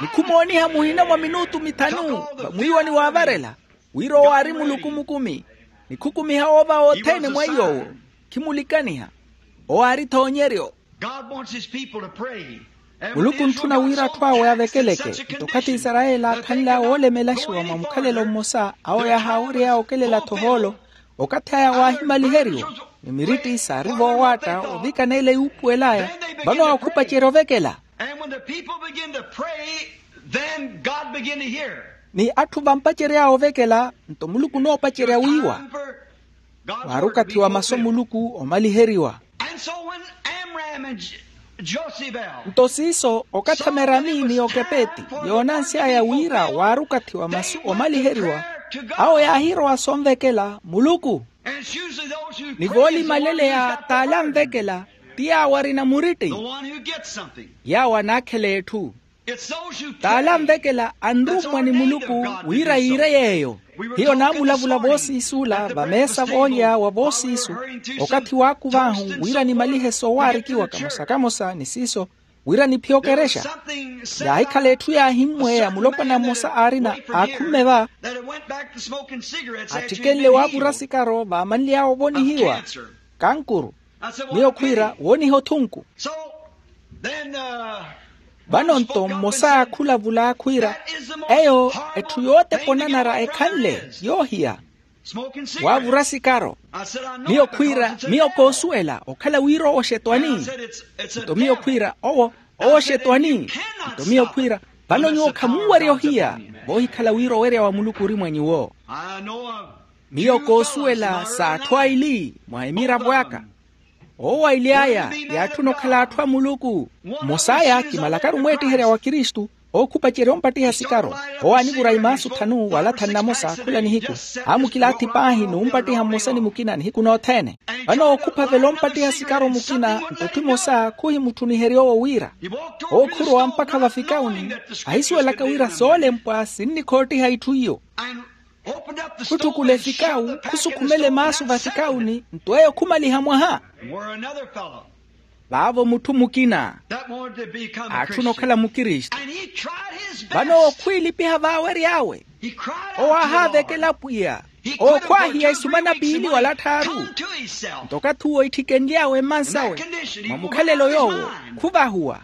Ni khumooniha muhina mwa minutu mithanu vamwiiwani waavarela, wira owo aari muluku mukumi, ni khukumiha oova othene mwa iy'owo. Khimulikaniha. Owo aari thoonyeryo. Muluku ontthuna wira atthu awe avekeleke. Nto okathi isarayeli aakhanle awo oolemelaxiwa mwa mukhalelo mmosa, awo yaahaawery'aya okelela-tho ohoolo. Okathi aya waahimaliheriwa, ni miritti saari voowaatta ovikana ele yuupuwel'aya. Vano awo khupacerya ovekela. Ni atthu vampacery'aya ovekela, nto muluku onoopacerya wiiwa. Waari okathi wa masu a muluku omaliheriwa. Nto siiso okathi amerami ni okepeti yoonansy'aya wira waari okathi wa masu omaliheriwa, awo yaahirowa sonvekela muluku. Ni voolimaleleya t'ale anvekela ti yaawo arina muritti, yaawo anaakhela etthu. T'ale anvekela anrummwa ni muluku wira yiire yeeyo. Hiyo naamulavula voosiis'ula vameesa voolya wa voosiisu, okathi waakuv'ahu wira nimalihe soowaarikiwa kamosa kamosa ni siiso, wira niphiye okerexa. Yaahikhala etthu yaahimmweya mulopwana mmosa aarina aakhumme va, atthikenle waavura sikaro vaamanly'awe ovonihiwa kankuru. Miyo khwiira wooniha othunku. Vano-nto mmosa aakhulavula khwiira, eyo etthu yootepa onanara ekhanle yoohiya, waavura sikaro. Miyo khwiira, miyo koosuwela okhala wira owo xetwani. Nto miyo khwiira owo, owo xetwani. Nto miyo khwiira, vano nyuwo khamunwerya ohiya, voohikhala wira owerya wa muluku ori mwa nyuwo. Miyo koosuwela s'atthu aili mwa emiravo aka. Owo aili aya yaatthuna okhala atthu a muluku. Mmosa aya kimalakaru mweettiherya wa kristu. Ookhupacerya ompattiha sikaro. Owo anivura imaasu tthanu wala tthanu namosa khula nihiku. Aamukilaathi paahi n'umpattiha mmosa ni mukina nihiku nothene. Vano ookhupa vela ompattiha sikaro mukina nto tthi mosa khuhimutthuniherya owo wira ookhurowa mpakha vafikawuni. Ahisuwelaka wira soolempwa sinnikhoottiha itthu iyo. Khutthukula efikawu khusukhumela emaasu vafikawuni nto eyo khumaliha mwaha. Vaavo mutthu mukina aatthuna okhala mukristu. Vano ookhwiilipiha vaawery'awe. Owo aahaavekela pwiya. Ookhwaahiya isumana piili wala tthaaru. Nto okathi uwo itthikenly'awe emmansawe mwa mukhalelo yoowo khuvahuwa.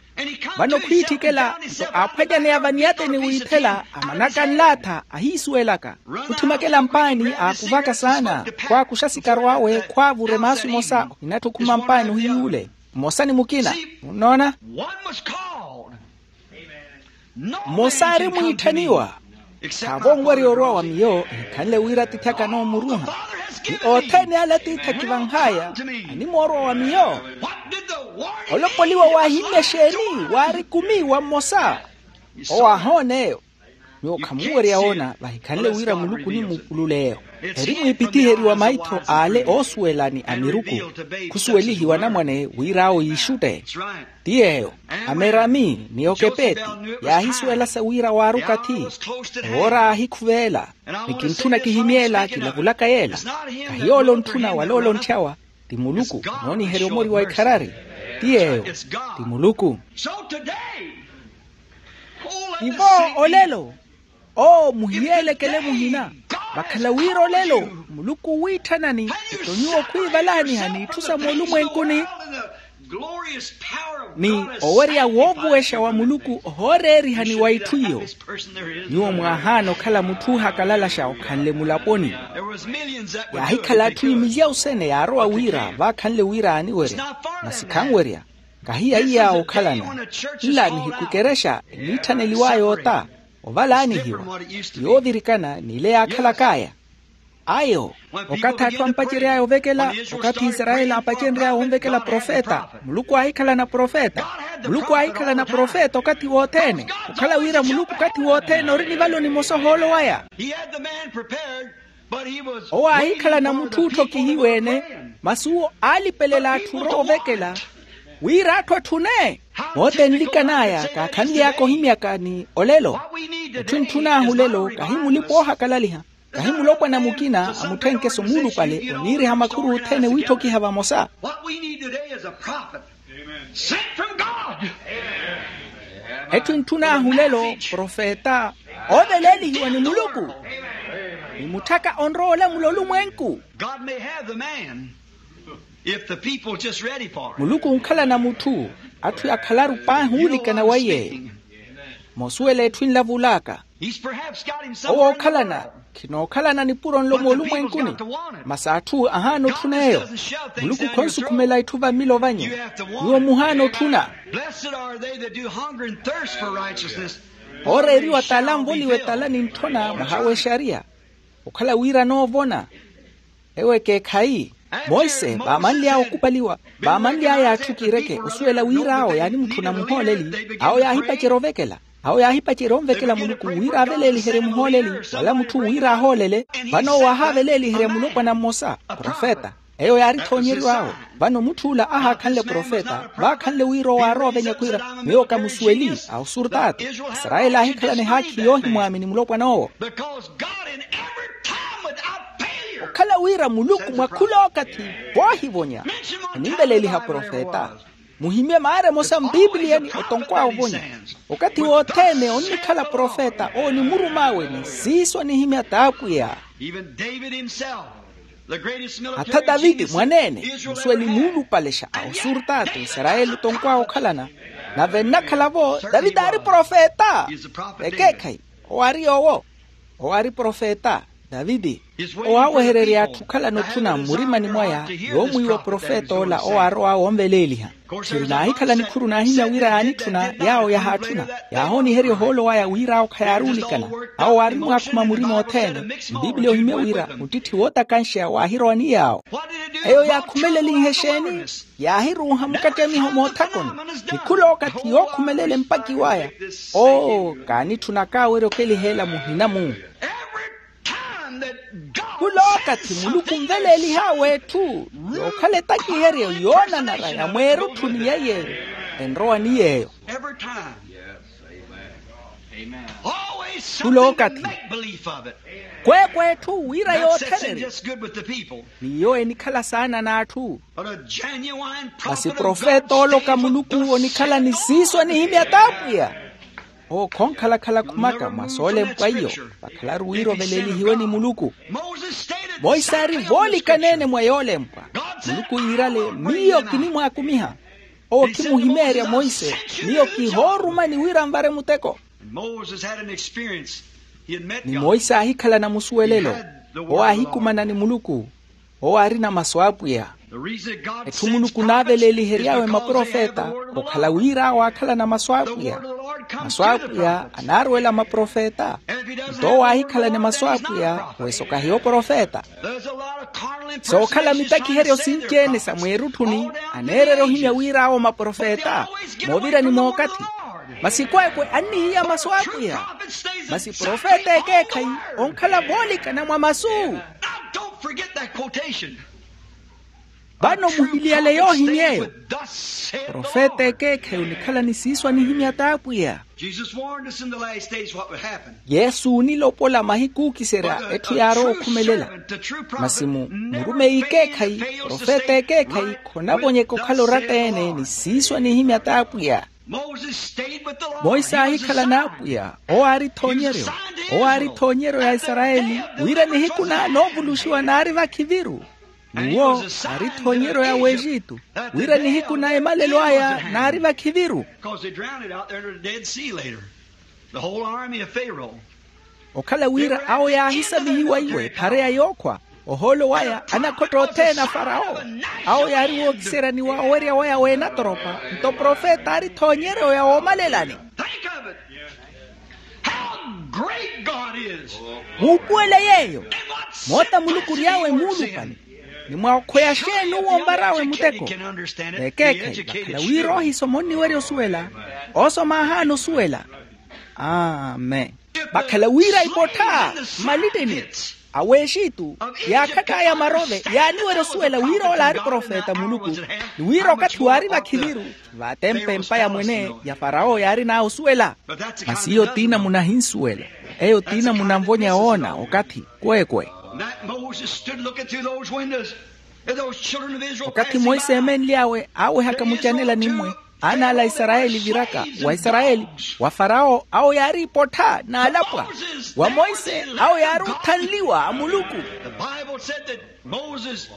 Vano khwiitthikela nto aaphwanyaneya vaniyateni wiithela amanaka nlaatha ahiisuwelaka. Khutthimekela mpaani aakuvaka saana khwaakuxa sikaro awe khwaavura emaasu emosa ohinatthi okhuma mpaani ohiyuule mmosa ni mukina. Munnoona? Mmosa aari mwiitthaniwa. Khaavo onwerya orwa wa miyo ehikhanle wira atiithi aka anoomuruha. Ni othene ale atiithi akivanh'aya animoorwa wa miyo. Olopoliwa waahimmya exeeni waari kumi wa mmosa. Owo aahoona eyo. Nyuwo khamuwerya woona vahikhanle wira muluku onimupulula-eyo. Eri mwiipitiheriwa maitho ale oosuwela ni amiruku. Khusuwelihiwa anamwane wira awo yiixutte. Ti yeeyo. Amerami ni okepeti yaahisuwelasa wira waari okathi. Ewoora aahikhuveela. Ni kintthuna kihimye ela kilavulaka yeela. Kahi yoole ontthuna wala ole ontthyawa. Ti muluku nooniherya omori wa ikharari. Ti yeeyo. Ti muluku. Tivo olelo. Oo muhiyeelekele muhina. Vakhala wira olelo muluku owiitthanani. Nto nyuwo khwiivalaaniha n'itthu sa moolumwenkuni ni owerya woovuwexa wa muluku ohooreerihani wa itthu iyo. Nyuwo mwaahaana okhala mutthu oohakalalaxa okhanle mulaponi. Yaahikhala atthu imilyawu sene yaarowa wira vaakhanle wira aaniwerya. Masi khanwerya. Kahiya iya okhalana nla nihiku ekerexa eniitthaneliw'aya ota ovalaanihiwa. Yoovirikana n'ile yaakhalak'aya. Ayo okathi atthu ampacery'aya ovekela okathi isarayeli aapacenry'aya onvekela profeta. Muluku aahikhalana profeta. Muluku aahikhalana profeta okathi wothene. Okhala wira muluku okathi wothene ori nivalo nimosa ohoolo waya. Owo aahikhalana mutthu ootthokihiwa-ene. Masi owo aalipelela atthu orowa ovekela wira atthu atthune. Moota enlikan'aya kaakhanly'aka ohimyaka ni olelo. Etthu entthun'ahu olelo kahi mulipa oohakalaliha. Kahi mulopwana mukina amutthenkeso muulupale oniiriha makhuru othene wiitthokiha vamosa. What we need today is a prophet sent from God. Etthu entthun'ahu olelo profeta ooveleelihiwa ni muluku. Ni mutthaka onrowa olamula olumwenku. God may have the man if the people just ready for him. Muluku onkhalana mutthu atthu yakhalaru paahi uulikana weiye. Moosuwela etthu enlavul'aka. Owo ookhalana khinookhalana nipuro nlo moolumwenkuni. Masi atthu ahaana otthuna eyo. Muluku khonsukhumela itthu va mmilo vanyu. Nyuwo muhaana otthuna. Ooreeriwa tala anvoliwe tala ni ntthona mwaha w'exariya. Okhala wira anoovona. Ewo ekeekhayi. Monse vaamanly'aya okupaliwa. Vaamanly'aya atthu kiireke osuwela wira awo yaanimutthuna muhooleli. Awo yaahipacerya ovekela. Awo yaahipacerya onvekela muluku wira aveleeliherye muhooleli wala mutthu wira ahoolele. Vano owo aahaaveleeliherya mulopwana mmosa profeta. Eyo yaari ethoonyeryo awo. Vano mutth'ula ahaakhanle profeta vaakhanle wira owo aarowa ovenya khwiira miyo kamusuweli. Awo surtaatu asarayeli aahikhalana ehaakhi yoohimwaamini mulopwana owo. Okhala wira muluku mwa khul'okathi voohivonya onimveleeliha profeta. Muhimye maara emosa mpipiliyani otonkw'awe ovonya. Okathi wothene onnikhala profeta owo ni murum'awe ni siiso anihimya t'apwiya. Hatha taviti mwaneene musuweli muulupalexa a osurtaatu isarayeli otonkw'awe okhalana. Nave nnakhala-vo taviti aari profeta. Ekeekhayi owo aari yoowo. Owo aari profeta. Taviti owo aawehererya atthu okhalana otthuna mmurimani mwaya, yoomwiiwa profeta ola owo aarowa onveleeliha. Tthiri naahikhala nikhuru naahimya wira yaanitthuna yaawo yahaatthuna, yaahooniherya ohoolo waya wira awo khayaari olikana. Awo waarimwaakhuma murima othene. Mpiipili ohimye wira muttitthi wootakanxeya waahirowa ni yaawo. Eyo yaakhumelelihe exeeni? Yaahiruuha mukattamiho moothakoni. Ni khula okathi yookhumelela empaki waya. Oo, kaanitthuna kaawerya okeliheela muhina-mu. Khula okathi muluku onveleelih'awe etthu yookhala etakiheryo yoonanara ya mweerutthuni yeiye enrowa ni yeeyo. Khula okathi kweekwe etthu wira yoothererya. N'iyo enikhala saana n'atthu. Masi profeta ooloka muluku onikhala ni siiso anihimya t'apwiya. Owo khonkhalakhala khumaka mwa soolempwa iyo. Vakhalaru wira oveleelihiwe ni muluku. Monse aari voolikaneene mwa yoolempwa. Muluku yiirale, miyo kinimwaakumiha. Owo khimuhimeerya monse. Miyo kihoorumani wira nvare muteko. Ni monse aahikhalana musuwelelo. Owo aahikumana ni muluku. Owo aarina masu a apwiya. Etthu muluku onaaveleelihery'awe maprofeta okhala wira awo aakhalana masu a apwiya. Masu a apwiya anaaruwela maprofeta. Nto owo aahikhalane masu a apwiya, wesa okahiya oprofeta. Sookhala mitakiheryo sinci-ene sa mweerutthuni aneererya ohimya wira awo maprofeta. Moovirani mookathi. Masi kweekwe annihiya masu a apwiya. Masi profeta ekeekhayi onkhala voolikana mwa masu. Vano muhiliyale yoohimy'eyo. Profeta ekeekhayi onikhala ni siiso anihimya t'apwiya. Yesu oonilopola mahiku ookiserya etthu yaarowa okhumelela. Masi mu murumeyi ekeekhayi, profeta ekeekhayi khonavonyeka okhala oratta-ene ni siiso anihimya t'apwiya. Monse aahikhala n'apwiya. Owo aari ethoonyeryo. Owo aari ethoonyeryo ya isarayeli. Wira nihiku na noovuluxiwa naari vakhiviru. N'uwo aari ethoonyeryo ya w'exitu. Wira nihiku na emalelo aya naari vakhiviru. Okhala wira awo yaahisamihiwa iwe ephareya yookhwa. Ohoolo waya anakhotta othene a farawo. Awo yaari wookiseryaniwa owerya waya w'enatoropa. Nto profeta aari ethoonyeryo ya woomalelani. Muupuwele yeeyo. Moota muluku ory'awe muulupale. Ni mwa okhweya xeeni uwo ompar'awe muteko? N'ekeekhayi vakhala wira oohisoma onniwerya osuwela. Oosoma aahaana osuwela. Amen. Vakhala wira ipottha mmalittini a w'exitu, yaakhatt'aya marove yaaniwerya osuwela wira ola aari profeta a muluku. Ni wira okathi waari vakhiviru, vaatempa empa ya mwene ya farawo yaarin'aya osuwela. Masi eyo tiina munahinsuwela. Eyo tiina munanvonya woona okathi kweekwe. Okathi monse eemenly'awe aawehaka mucanela nimmwe, aana ala a isarayeli viraka wa isarayeli, wa farawo awo yaari ipottha n'alapwa, wa monse awo yaari othanliwa a muluku.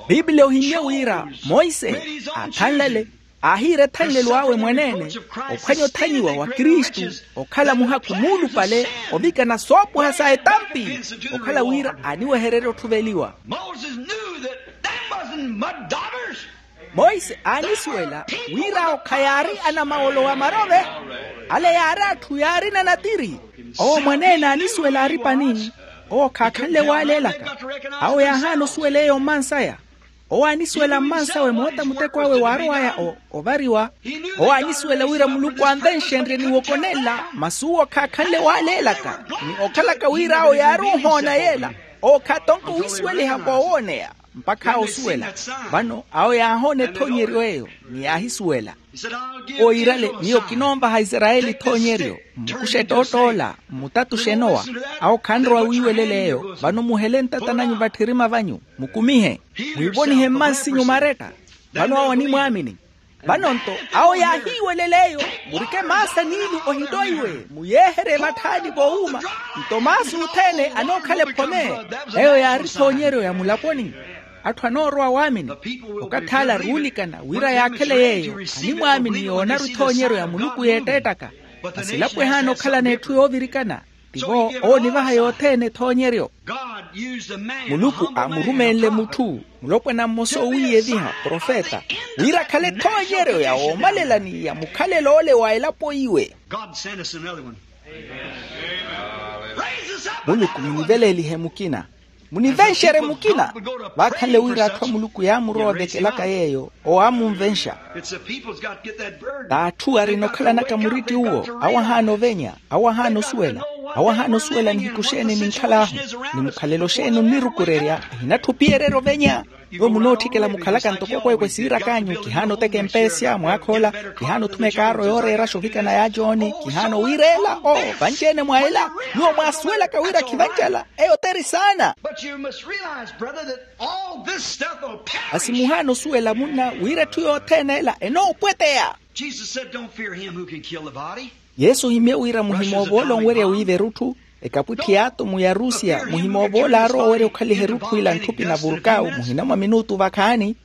Piipili ohimmye wira monse aathanlale, aahiira ethanlelo awe mwaneene, ophwanya othanyiwa wa kristu, okhala muhakhu muulupale, ovikana soopwaha sa etampi, okhala wira aaniwehererye otthuveliwa. Monse aanisuwela wira awo khayaari anamawolo wa marove, ale yaari atthu yaarina natiri. Owo mwaneene aanisuwela aari pani. Owo khaakhanle waaleelaka. Awo yaahaana osuwela eyo mmansaya. Owo aanisuwela mmansawe moota muteko awe waarowaya ovariwa. Owo aanisuwela wira muluku anvenxenrye ni wokonelela masi uwo khaakhanle waaleelaka, ni okhalaka wira awo yaari ohoona yeela. Owo khaatonka owisuweliha voowooneya mpakha awo osuwela. Vano awo yaahoona ethoonyeryo eyo, ni yaahisuwela. Owo yiirale, miyo kinoonvaha isarayeli ethoonyeryo, mmukuxe ettoott'ola mmutatuxe enowa. Awo khanrowa wiiwelela eyo. Vano muhele ntata nanyu vatthirima vanyu, mukumihe, mwiivonihe mmansinyu maretta. Vano awo animwaamini. Vano-nto awo yaahiiwelela eyo, murike maasa n'ilu ohittoiwe, muyeeherye vatthaani voowuuma. Nto maasa othene anookhala ephome. Eyo yaari ethoonyeryo ya mulaponi. Atthu anoorowa waamini. Okathi ala aruulikana wira yaakhele yeeyo animwaamini yoonaru ethoonyeryo ya muluku yeetteettaka. Masi elapo ehaana okhalana etthu yoovirikana. Tivo oonivaha yothene ethoonyeryo. Muluku aamurumenle mutthu, mulopwana mmosa owiiyeviha profeta, wira akhale ethoonyeryo ya woomalela ni ya mukhalelo ole wa elapo iwe. Muluku muniveleelihe mukina, munivenxerye mukina. Vaakhanle wira atthu a muluku yaamurowa ovekelaka yeeyo, owo aamunvenxa. T'atthu arina okhalanaka muritti uwo, awo ahaana ovenya, awo ahaana osuwela, awo ahaana osuwela nihiku xeeni ninkhal'ahu, ni mukhalelo xeeni onnirukurerya. Ehinatthu opiyererya ovenya. Nyuwo munootthikela mukhalaka ntoko ekweekwe siirak'anyu, kihaana oteka empeesya mwaakhoola, kihaana othuma ekaaro yooreeraxa ovikana ya jooni, kihaana owiireela o vanci-ene mwa ela. Nyuwo mwaasuwelaka wira khivanci-ela, eyo t'eri saana. Masi muhaana osuwela munna wira etthu yothene ela enoopweteya. Yesu ohimye wira muhimoova ole onwerya wiiva erutthu. Ekapwitthi y'atomu ya rusiya muhimoova ole aarowa owerya okhaliha erutthu ila ntthupi na vulkau muhina mwa minutu vakhaani.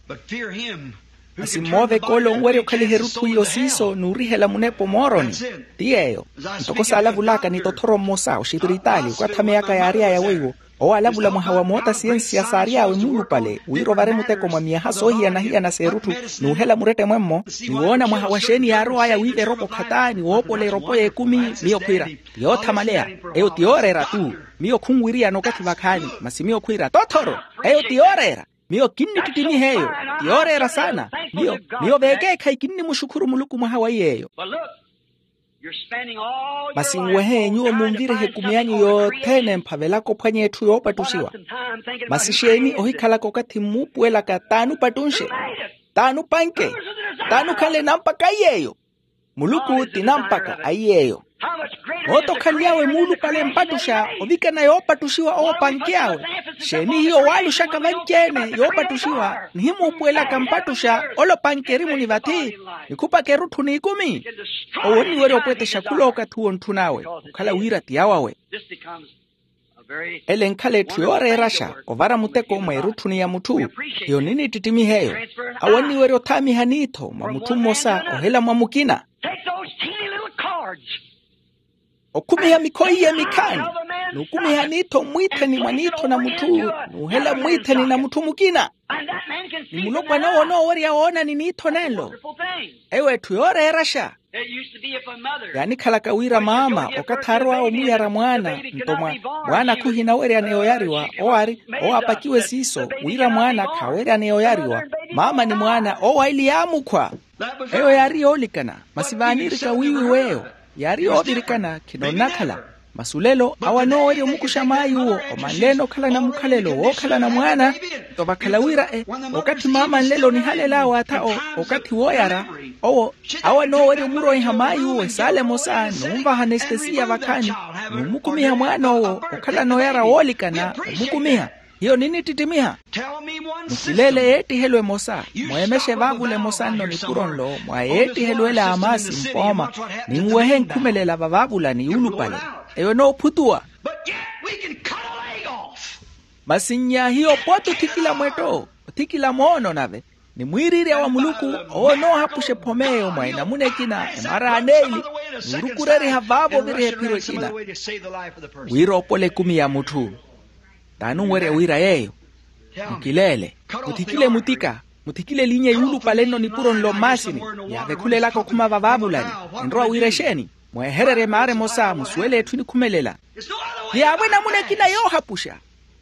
Masi mmooveke ole onwerya okhaliha erutthu iyo siiso n'urihela munepa omooroni. Ti yeeyo. Ntoko saalavulaka ni tothoro mmosa oxipiritaali okathi ameyaka yaary'aya weiwo, owo alavula mwaha wa moota siyensiya saary'awe muulupale wira ovare muteko mwa miyaha soohiyana-hiyana s'erutthu, n'uhela murette mwemmo, ni woona mwaha wa xeeni yaarow'aya wiiva eropo khata ni woopola eropo y'ekumi. Miyo khwiira, ti yoothamaleya. Eyo ti yooreera-tu. Miyo khunwiriyana okathi vakhaani, masi miyo khwiira tothoro. Eyo ti yooreera. Miyo kinnittittimiha eyo. Ti yooreera saana. Miyo, miyo veekeekhayi kinnimuxukhuru muluku mwaha wa iy'eyo. Masi nwehe nyuwo munvirihe ekumi anyu yothene mphavelaka ophwanya etthu yoopattuxiwa. Masi xeeni ohikhalaka okathi mmuupuwelaka t'anupattunxe, t'anupanke, t'anukhanle nampaka aiy'eyo? Muluku ti nampaka aiy'eyo. Moota okhanly'awe muulupale mpattuxa ovikana yoopattuxiwa owo opanke awe. Xeeni hiyo waaluxaka vanci-ene yoopattuxiwa nihimuupuwelaka mpattuxa ole opanke erimuni vathi, nikhupaka erutthu n'ikumi? Owo onniwerya opwetexa khula okathi uwo ntthun'awe okhala wira ti awawe. Ele enkhala etthu yooreeraxa ovara muteko mwa erutthuni ya mutthu. Hiyo ninittittimiha eyo. Awo anniwerya othaamiha aniitho mwa mutthu mmosa ohela mwa mukina. Okhumiha mikho iye mikhaani, n'ukhumiha aniitho mmwiitheni mwa niitho na mutthu, n'uhela mmwiitheni na mutthu mukina. Ni mulopwana owo onoowerya woonani niitho nenlo. Eyo etthu yooreeraxa. Yaanikhalaka wira maama okathi aarow'awe omuyara mwaana, nto mwa mwaana khuhinaweryaneya oyariwa owo aari, owo aapakiwe siiso wira mwaana khaaweryaneya oyariwa. Maama ni mwaana owo aili yaamukhwa. Eyo yaari yoolikana, masi vaaniirika wiiwi w'eyo yaari yoovirikana khinoonnakhala. Masi olelo awo anoowerya omukuxa maay'uwo omanle-ene okhalana mukhalelo wookhalana mwaana. Nto vakhala wira e okathi maama nlelo onihalel'awe atha okathi wooyara, owo awo anoowerya omuroiha maay'uwo esaala emosa n'unvaha anestesiya vakhaani, n'umukumiha mwaan'owo okhalana oyara woolikana omukumiha. Hiyo ninittittimiha. Mukileele yeettihelo emosa, mweemexe vaavula emosa nno nipuro nlo mwa yeettihelo ela a maasi mpooma, ninwehe nkhumelela vavaavulani yuulupale. Eyo enoophutuwa. Masi nnya hiyo pooti othikila mwetto, othikila moono nave ni mwiiriirya wa muluku owo onoohapuxa ephom'eyo mwa enamuna ekina emara aneeli, n'urukureriha vaavo oviriha ephiro ekina. Wira oopole ekumi ya mutthu. T'anunwerya wira yeeyo. Mukileele, muthikile mutika, muthikile elinya yuulupale nno nipuro nlo mmaasini, yaavekhulelaka okhuma vavaavulani. Enrowa wira exeeni? Mweehererye maara emosa musuwele etthu enikhumelela. Ti yaavo enamuna ekina yoohapuxa.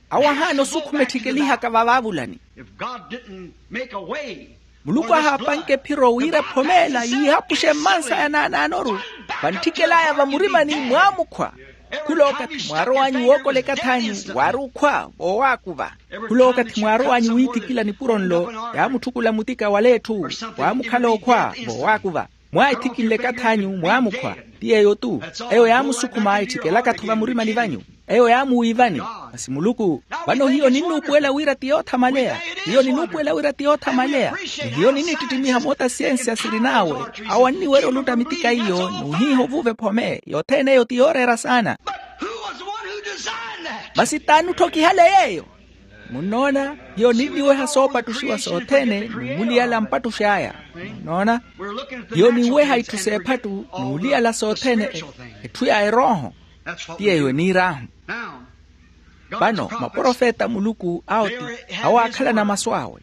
Awo ahaana osukhuma etthikelihaka vavaavulani. Muluku ahaapanke ephiro wira ephom'ela yiihapuxe mmansa ya naanaanoru, vantthikil'aya vamurimani mwaamukhwa. Khul'okathi mwaarow'anyu wookola ekath'anyu waari okhwa voowaakuva. Khul'okathi mwaarow'anyu wiithikila nipuro nlo, yaamutthukulla mutika wala etthu, waamukhala okhwa voowaakuva. Mwaahithikinle ekath'anyu mwaamukhwa. Ti yeeyo-tu. Eyo yaamusukhuma etthikelaka-tho vamurimani vanyu. Eyo yaamuwiivani. Masi muluku, vano hiyo ninnuupuwela wira ti yoothamaleya. Hiyo ninnuupuwela wira ti yoothamaleya. Ni hiyo ninnittittimiha moota siyensiya sirin'awe. Awo anniwerya olutta mitika iyo n'uhiiha ovuuva ephome yothene eyo ti yooreera saana. Masi t'anutthokihale yeeyo? Munnoona, hiyo ninniweha soopattuxiwa sothene n'umuliyala mpattux'aya. Munnoona, hiyo ninweha itthu s'ephattu n'uliyala sothene, etthu ya erooho. Ti yeeyo eniir'ahu. Vano maprofeta a muluku awo ti awo aakhalana masu awe.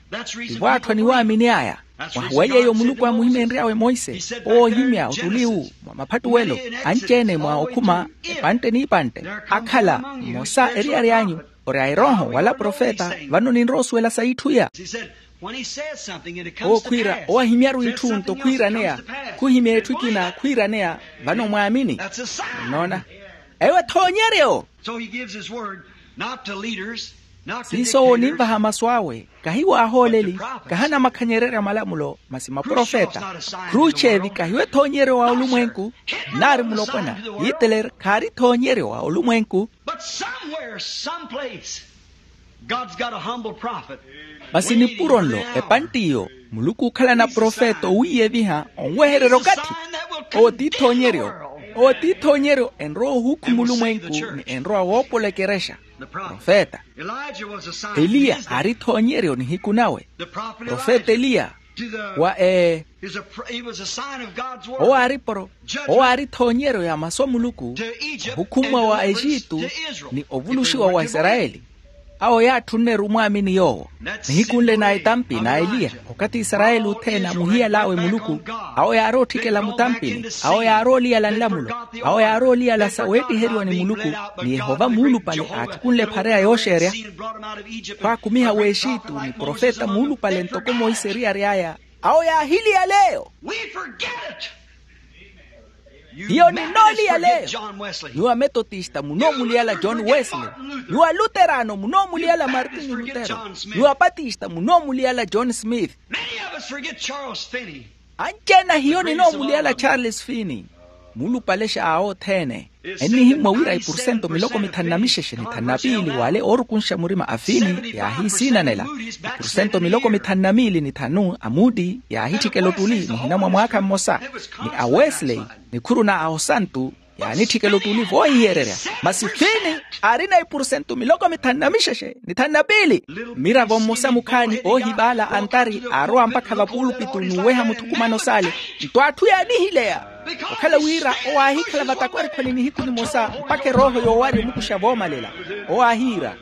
Tivo atthu aniwaamini aya. Mwaha wa yeeyo muluku aamuhimeenry'awe monse owo ohimya ottuli wu mwa maphattuwelo, anci-ene mwa okhuma epantte n'ipantte akhala mmosa eriyari anyu. Ori a erooho wala profeta. Vano ninrowa osuwela sa itthu iya. Owo khwiira owo ahimyaru itthu nto khwiiraneya. Khuhimya etthu ekina khwiiraneya. Vano mwaamini. Nnoona eyo ethoonyeryo. Siiso owo ninvaha masu awe kahi waahooleli, kahi anamakhanyererya malamulo masi maprofeta. Khruchevi kahiwe ethoonyeryo wa olumwenku. Nari mulopwana hitler khaari ethoonyeryo wa olumwenku. But somewhere someplace god's got a humble prophet. Masi nipuro nlo epantt'iyo muluku ookhalana profeta owiiyeviha onwehererya okathi. Owo ti ethoonyeryo. Owo ti ethoonyeryo enrowa ohukhuma olumwenku ni enrowa woopola ekerexa. Profeta eliya aari ethoonyeryo nihiku nawe. Profeta eliya wa e owo aari poro owo aari ethoonyeryo ya masu a muluku. Ohukhummwa wa exitu ni ovuluxiwa wa isarayeli. Awo yaatthunneru omwaamini yoowo. Nihiku nle na etampi na eliya okathi isarayeli othene amuhiyal'awe muluku. Awo yaari otthikela mutampini. Awo yaari oliyala nlamulo. Awo yaari oliyala sa weettiheriwa ni muluku. Ni yehova muulupale aatthukunle ephareya yooxeerya khwaakumiha w'exitu ni profeta muulupale ntoko monse eriyari aya. Awo yaahiliyaleyo. Hiyo ninooliyaleyo. Nyuwo ametotista munoomuliyala john wesley. Nyuwo aluterano munoomuliyala martinyu lutero. Nyuwo apatista munoomuliyala john smith. Anci-ene hiyo ninoomuliyala charles fini. Muulupalexa awo othene. Ennihimmwa wira ipurusento miloko mithanu na mixexe ni thanu na piili w'ale oorukunxa murima a fini yaahiisiinanela. Ipurusento miloko mithanu na miili ni thanu a muti yaahitthikela ottuli muhina mwa mwaakha mmosa. Ni a wesley nikhuru na a osantu yaanitthikela ottuli voohihererya. Masi fini aarina ipurusento miloko mithanu na mixexe ni thanu na piili. Mmiravo mmosa mukhaani oohivaala antari aarowa mpakha vapuulupitu n'uweha muthukumano s'ale. Nto atthu yaanihileya okhala wira owo aahikhala vatakwarikhwani nihiku nimosa mpakha erooho yoowari omukuxa voomalela. Owo aahiira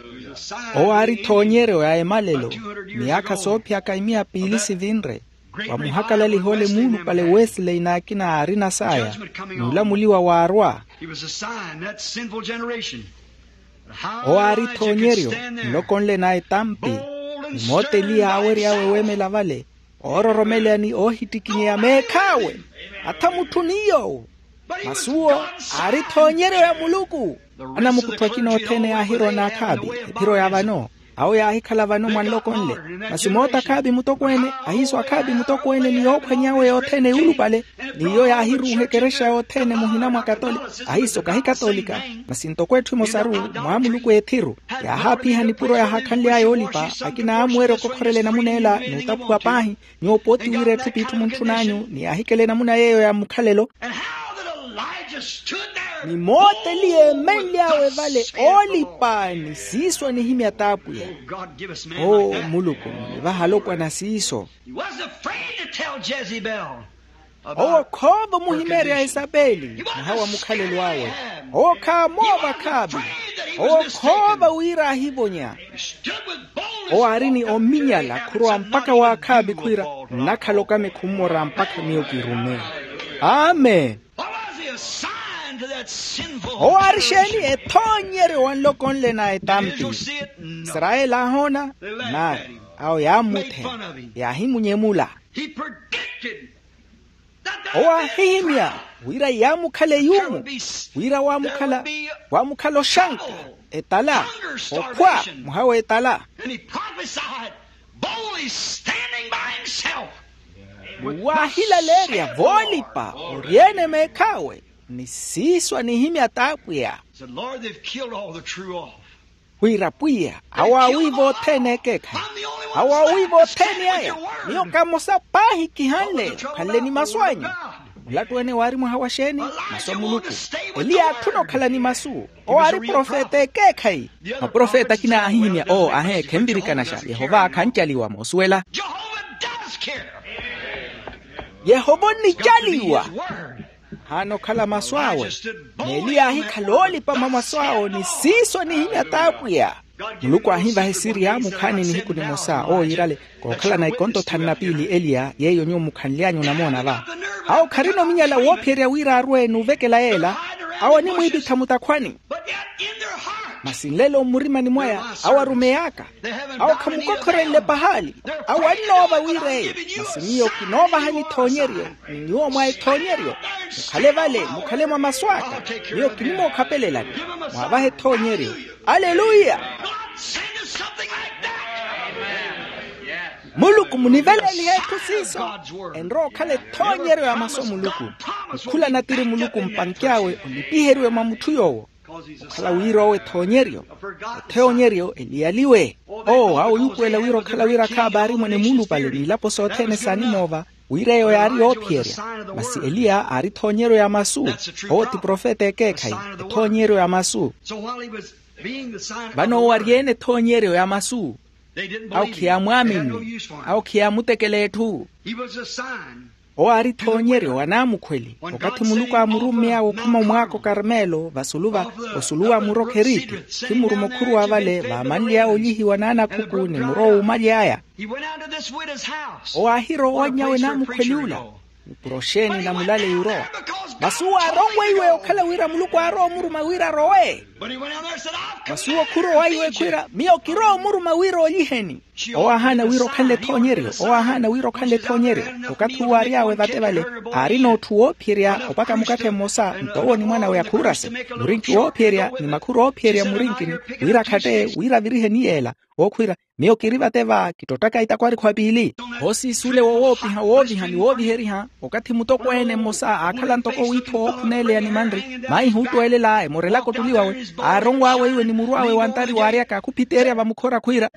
owo aari ethoonyeryo ya emalelo. Miyaakha soophiyaka imiya piili sivinre. Vamuhakalaliha ole muulupale wesley n'akina aarina saya. N'ulamuliwa waarwa. Owo aari ethoonyeryo nloko nle na etampi. Ni moota eliya aawery'awe weemela vale oororomeleya ni oohittikinyeya meekh'awe. Atha mutthu ni yoowo. Masi owo aari ethoonyeryo ya muluku. Anamukuttho akina othene yaahiroona akhaavi ephiro ya vano. Awo yaahikhala vano mwa nloko nle. Masi moota akhaavi mutokweene ahiiso akhaavi mutokweene ni yoophwany'awe yothene yuulupale. N'iyo yaahiruuha ekerexa yothene muhina mwa katolika. Ahiiso kahi katolika. Masi ntoko etthu emosaru mwaamuluku eethiru. Yaahaapiha nipuro yaahakhanly'aya oolipa. Akina aamuwerya okokhorela enamuna ela n'utaphuwa paahi. Nyuwo pooti wira etthu p'itthu muntthun'anyu ni yaahikela enamuna yeeyo ya mukhalelo. Ni moota eliya eemenly'awe vale oolipa ni siiso anihimya t'apwiya. Oo muluku nivaha alopwana siiso. Owo khoova omuhimeerya esapeli mwaha wa mukhalelo awe. Owo khaamoova khaavi. Owo khoova wira ahivonya. Owo aari ni ominyala khurowa mpakha waakhaavi khwiira nnakhala okami khummora mpakha miyo kirume. Amen. Owo aari exeeni ethoonyeryo wa nloko nle na etampi. Israyeli aahoona nari awo yaammutheya yaahimunyemula. Owo aahihimya wira yaamukhala eyuumu wira waamukhala waamukhala oxanka etala okhwa mwaha w'etala. Waahilaleerya voolipa ori-ene meekh'awe ni siiso anihimya t'apwiya. Wira pwiya awo aawiiva othene ekeekhayi. Awo aawiiva othene aya. Miyo kamosa paahi kihanle okhanle ni masu anyu. Mulattu-ene waari mwaha wa xeeni? Masu a muluku. Eliya aatthuna okhala ni masu. Owo aari profeta ekeekhayi. Maprofeta akina aahihimya oo ahe khenvirikanaxa yehova khancaliwa moosuwela. Yehova onnicaliwa. Ahaana okhala masu awe. N'eliya aahikhala oolipa mwa masu awo ni siiso nihimya t'apwiya. Muluku aahivaha esiri ya mukhaani nihiku nimosa owo yiirale kookhalana ikonto thanu na piili eliya yeiyo nyuwo mukhanly'anyu onamoona va. Awo kharina ominyala woophiyerya wira arwe n'uvekela yeela. Awo animwiipitha mutakhwani. Masi nlelo mmurimani mwaya awo arumey'aka. Awo khamukokhorenle pahaali. Awo annoova wira eyo. Masi miyo kinoovahani ethoonyeryo. Ni nyuwo mwa ethoonyeryo mukhale vale mukhale mwa masu aka. Miyo kinimookhapelelani. Mwaavahe ethoonyeryo. Aleluya. Muluku munivelelihe etthu siiso. Enrowa okhala ethoonyeryo ya masu a muluku. Mukhula natiri muluku mpanky'awe olipiheriwe mwa mutthu yoowo. Okhala wira owo ethoonyeryo. Ethoonyeryo eliyaliwe. Oo awo yuupuwela wira okhala wira khaapaarimwe ni muulupale n'ilapo sothene saanimoova. Wira eyo yaari yoophiyerya. Masi eliya aari ethoonyeryo ya masu. Owo ti profeta ekeekhayi. Ethoonyeryo ya masu. Vano owo ari-ene ethoonyeryo ya masu. Awo khiyamwaamini. Awo khiyamutekela etthu. Owo aari ethoonyeryo wa naamukhweli okathi muluku aamurummy'awe okhuma omwaako karmelo vasulu va osulu wa muro kheriti. Khimuruma okhuruwa vale vaamanly'awe olihiwa n'anakhuku ni muro wuumaly'aya. Owo aahirowa owanny'awe naamukhweli ula. Ni puro xeeni na mulale yurowa? Masi uwo aaronweiwe okhala wira muluku aarowa omuruma wira arowe. Masi uwo khurowa iwe khwira miyo kirowa omuruma wira oliheni. Owo aahaana wira okhanle ethoonyeryo owo aahaana wira okhanle ethoonyeryo. Okathi uwo aary'awe vate vale aarina otthu woophiyerya opaka mukatthe mmosa nto owo ni mwan'awe akhuurase murinki woophiyerya ni makhuru oophiyerya mmurinkini wira akhatteye wira aviriheni yeela. Owo khwira miyo kiri vate va kittottaka itakwarikhwa piili. Oosiisulewa owoopiha wooviha ni wooviheriha. Okathi mutokweene mmosa aakhala ntoko wiitho wookhuneeleya ni manri maihi ootweelela emorelaka ottuli wawe aaronw'awe iwe ni muru awe wantari waaryaka khuphiteerya vamukhora khwiira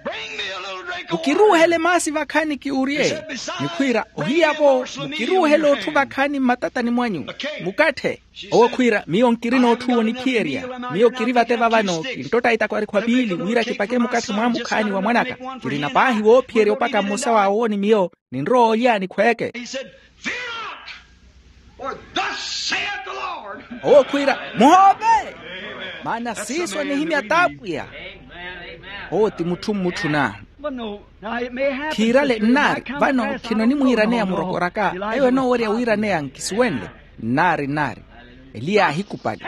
mukiruuhele maasi vakhaani kiurye. Ni khwiira ohiya-vo mukiruuhele otthu vakhaani mmatatani mwanyu mukatthe. Owo khwiira miyo nkirina otthu woniphiyerya. Miyo kiri vate va vano kinttotta itakwarikhu apiili wira kipake mukatthe mwaamukhaani wa mwanaka. Kirina paahi woophiyerya opaka mmosa w'awo ni miyo ninrowa olya ni khweeke. Owo khwiira muhoove maana siiso anihimya t'apwiya. Owo ti mutthu mmutthuna. Khiirale nnaari vano khino nimwiiraneya murokoraka. Eyo enoowerya wiiraneya nkisuwenle. Nnaari nnaari eliya aahikupali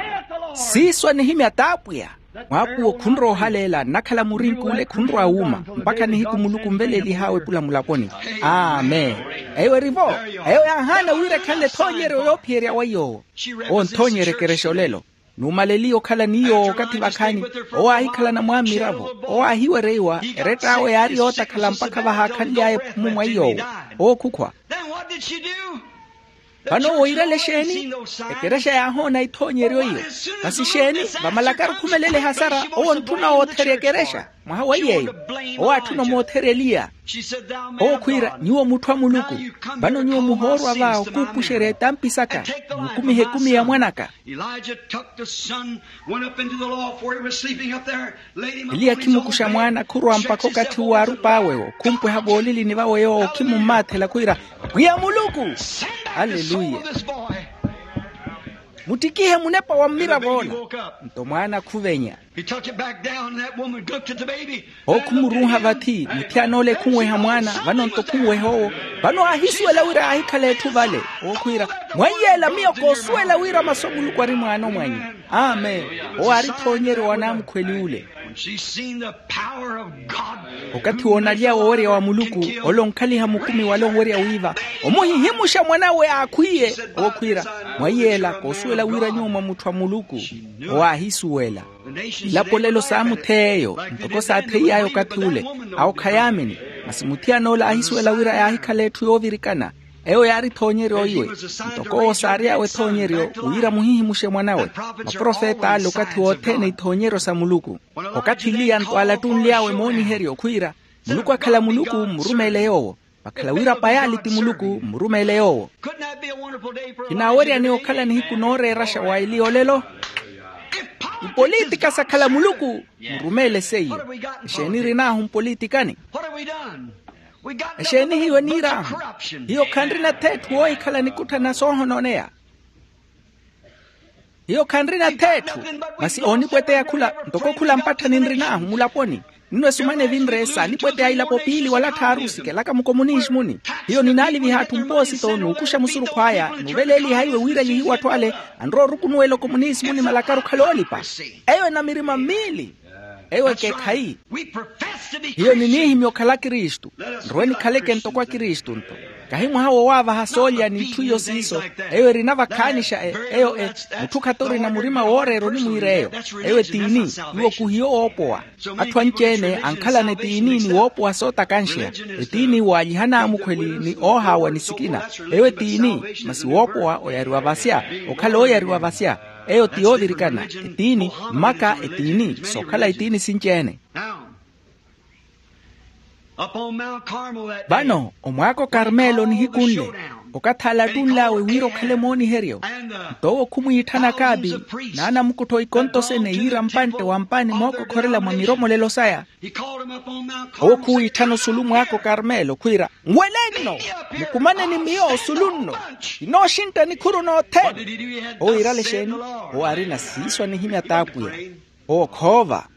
siiso anihimya t'apwiya. Mwaakuwo khunrowa ohaleela nnakhala murinki ole khunrowa wuuma mpakha nihiku muluku nveleelih'awe epula mulaponi. Amen. Eyo eri-vo. Eyo yaahaana wira ekhanle ethoonyeryo yoophiyerya weiy'owo. Owo nthoonyerya ekerexa olelo. Nuumaleliye okhala ni yoowo okathi vakhaani. Owo aahikhalana mwaammiravo. Owo aahiwereiwa erett'awe yaari yootakhala mpakha vahaakhanly'aya ephumu mwa iy'owo. Owo khukhwa. Vano owo iirale exeeni? Ekerexa yaahoona ithoonyeryo iyo. Masi xeeni? Vamalakari okhumelela ehasara owo ontthuna owootherya ekerexa. Mwaha wa iy'eyo owo aatthuna omootherya eliya. Owo khwiira nyuwo mutthu a muluku. Vano nyuwo muhoorwa va okuupuxerya etampi saka mukumihe ekumi ya mwanaka. Eliya khimukuxa mwaana khurowa mpakha okathi uwo aarup'awe-wo khumpweha voolilini vawe yoowo khimummathela khwiira, pwiya muluku. Aleluya. Muttikihe munepa wa mmirav'ola. Nto mwaana khuvenya. Owo khumuruuha vathi muthiyana ole khunweha mwaana. Vano nto khunweha owo. Vano aahisuwela wira aahikhala etthu vale. Owo khwiira, mwaiyela miyo koosuwela wira masu a muluku ari mwaano mwanyu. Amen. Owo aari thoonyeryo wa naamukhweli ule. Okathi woonalya wowerya wa muluku ole onkhaliha mukumi wale onwerya wiiva, omuhihimuxa mwanawe aakhwiye. Owo khwiira, mwaiyela koosuwela wira nyuwo mwa mutthu a muluku. Owo aahisuwela. Ilapolelo saamuthey'eyo ntoko saathey'aya okathi ule. Awo khayaamini. Masi muthiyan'ola aahisuwela wira yaahikhala etthu yoovirikana. Eyo yaari ethoonyeryo iwe. Ntoko owo saary'awe ethoonyeryo wira muhihimuxe mwan'awe. Maprofet'ale okathi wothene ithoonyeryo sa muluku. Okathi eliya nto alattunly'awe mooniheryo khwiira, muluku akhala muluku mmurumeele yoowo. Vakhala wira payaali ti muluku mmurumeele yoowo. Kinaaweryani okhala nihiku nooreeraxa wa eliya olelo? Ipolitika sakhala muluku mmurumeele seiyo. Exeeni erin'ahu mpolitikani? Exeeni hiyo eniir'ahu? Hiyo khanrina-tho etthu woohikhala nikutthana soohonooneya. Hiyo khanrina th'etthu. Masi oonipweteya khula ntoko khula mpatthani nrin'ahu mulaponi. Nno esumana evinre saanipweteya ilapo piili wala tthaaru sikelaka mukomunismuni. Hiyo ninaaliviha atthu mpoosito n'ukuxa musurukhu aya n'uveleeliha iwe wira nihiwa atthu ale anrowa orukunuwela okomunismuni malakaru khala oolipa. Eyo ena mirima miili. Eyo ekeekhayi. Hiyo niniihimya okhala akristu. Nrowe nikhaleke ntoko akristu-nto. Kahi mwaha wowaavaha soolya n'itthu iyo siiso. Eyo erina vakhaanixa eyo e mutthu khatorina murima wooreera onimwiira eyo. Eyo etiini. Iwo khuhiyo woopowa. Atthu anci-ene ankhalana etiini ni woopowa sootakanxeya. Etiini waalyiha n'amukhweli ni oohaawa ni sikina. Eyo etiini. Masi woopowa oyariwa vasya. Okhala ooyariwa vasya. Eyo ti yoovirikana. Etiini. Mmaka etiini sookhala etiini sinci-ene. Vano omwaaka okarmelo nihiku nle. Okathaala attunl'awe wira okhale mooniheryo. Nto owo khumwiitthana akaapi n'anamukuttho ikontosene yiira mpantte wa mpaani mookokhorela mwa miromolelo saya. Owo khuwiitthana osulu mwaaka okarmelo khwiira, nwelenno. Mukumaneni miyo osulu nno. Kinooxintta nikhuru nothene. Owo yiirale exeeni? Owo aarina siiso anihimya t'apwiya. Owo khoova.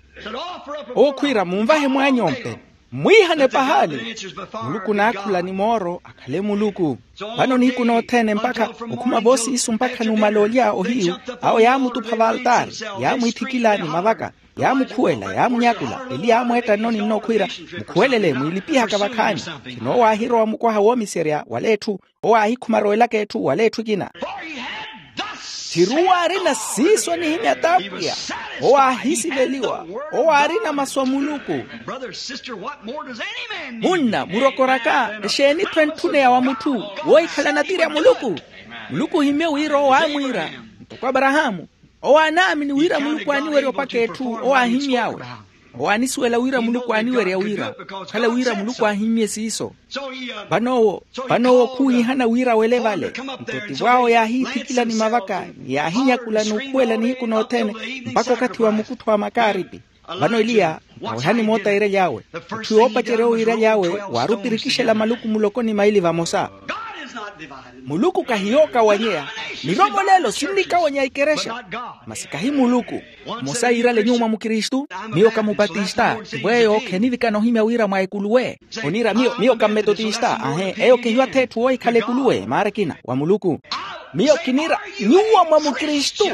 Owo khwiira munvahe mwaany'ompe. Mmwiihane pahaali. Muluku naakhula ni mooro akhale muluku. Vano nihiku nothene mpakha okhuma voosiisu mpakha numala olya ohiyu. Awo yaamutupha valtaari, yaamwiithikila ni mavaka, yaamukhuwela yaamunyakula. Eli yaamweetta nnoni nno khwiira, mukhuwelele mwiilipihaka vakhaani. Khinoowaahirowa mukwaha woomiserya wala etthu. Owo aahikhuma arowelaka etthu wala etthu ekina. Thiru owo aarina siiso anihimya t'apwiya. Owo aahisiveliwa. Owo aarina masu a muluku. Munna murokoraka exeeni-tho entthuneya wa mutthu woohikhala natiri a muluku? Muluku ohimye wira owo aamwiira ntoko aparahaamu. Owo aanaamini wira muluku aaniwerya opaka etthu owo aahimy'awe. Owo aanisuwela wira muluku aaniwerya wira okhala wira muluku aahimmye siiso. Vano owo vano owo khuwiihana wira awele vale. Nto tivo awo yaahiithikila ni mavaka ni yaahinyakula n'ukhuwela nihiku nothene mpakha okathi wa mukuttho wa makaaripi. Vano eliya nkawehani moota yiiraly'awe. Itthu yoopacerya owo yiiraly'awe waari opirikixela maluku muloko ni maili vamosa. Muluku kahiyo okawanyeya. Miromolelo sinnikawanya ikerexa. Masi kahi muluku. Mmosa yiirale nyuwo mwa mukristu, miyo ka mupatista. Tivo eyo khenivikana ohimya wira mwa ekuluwe. Oniira miyo miyo ka mmetotista ahe eyo kehiwa th'etthu woohikhala ekuluwe maara ekina wa muluku. Miyo kiniira nyuwo mwa mukristu.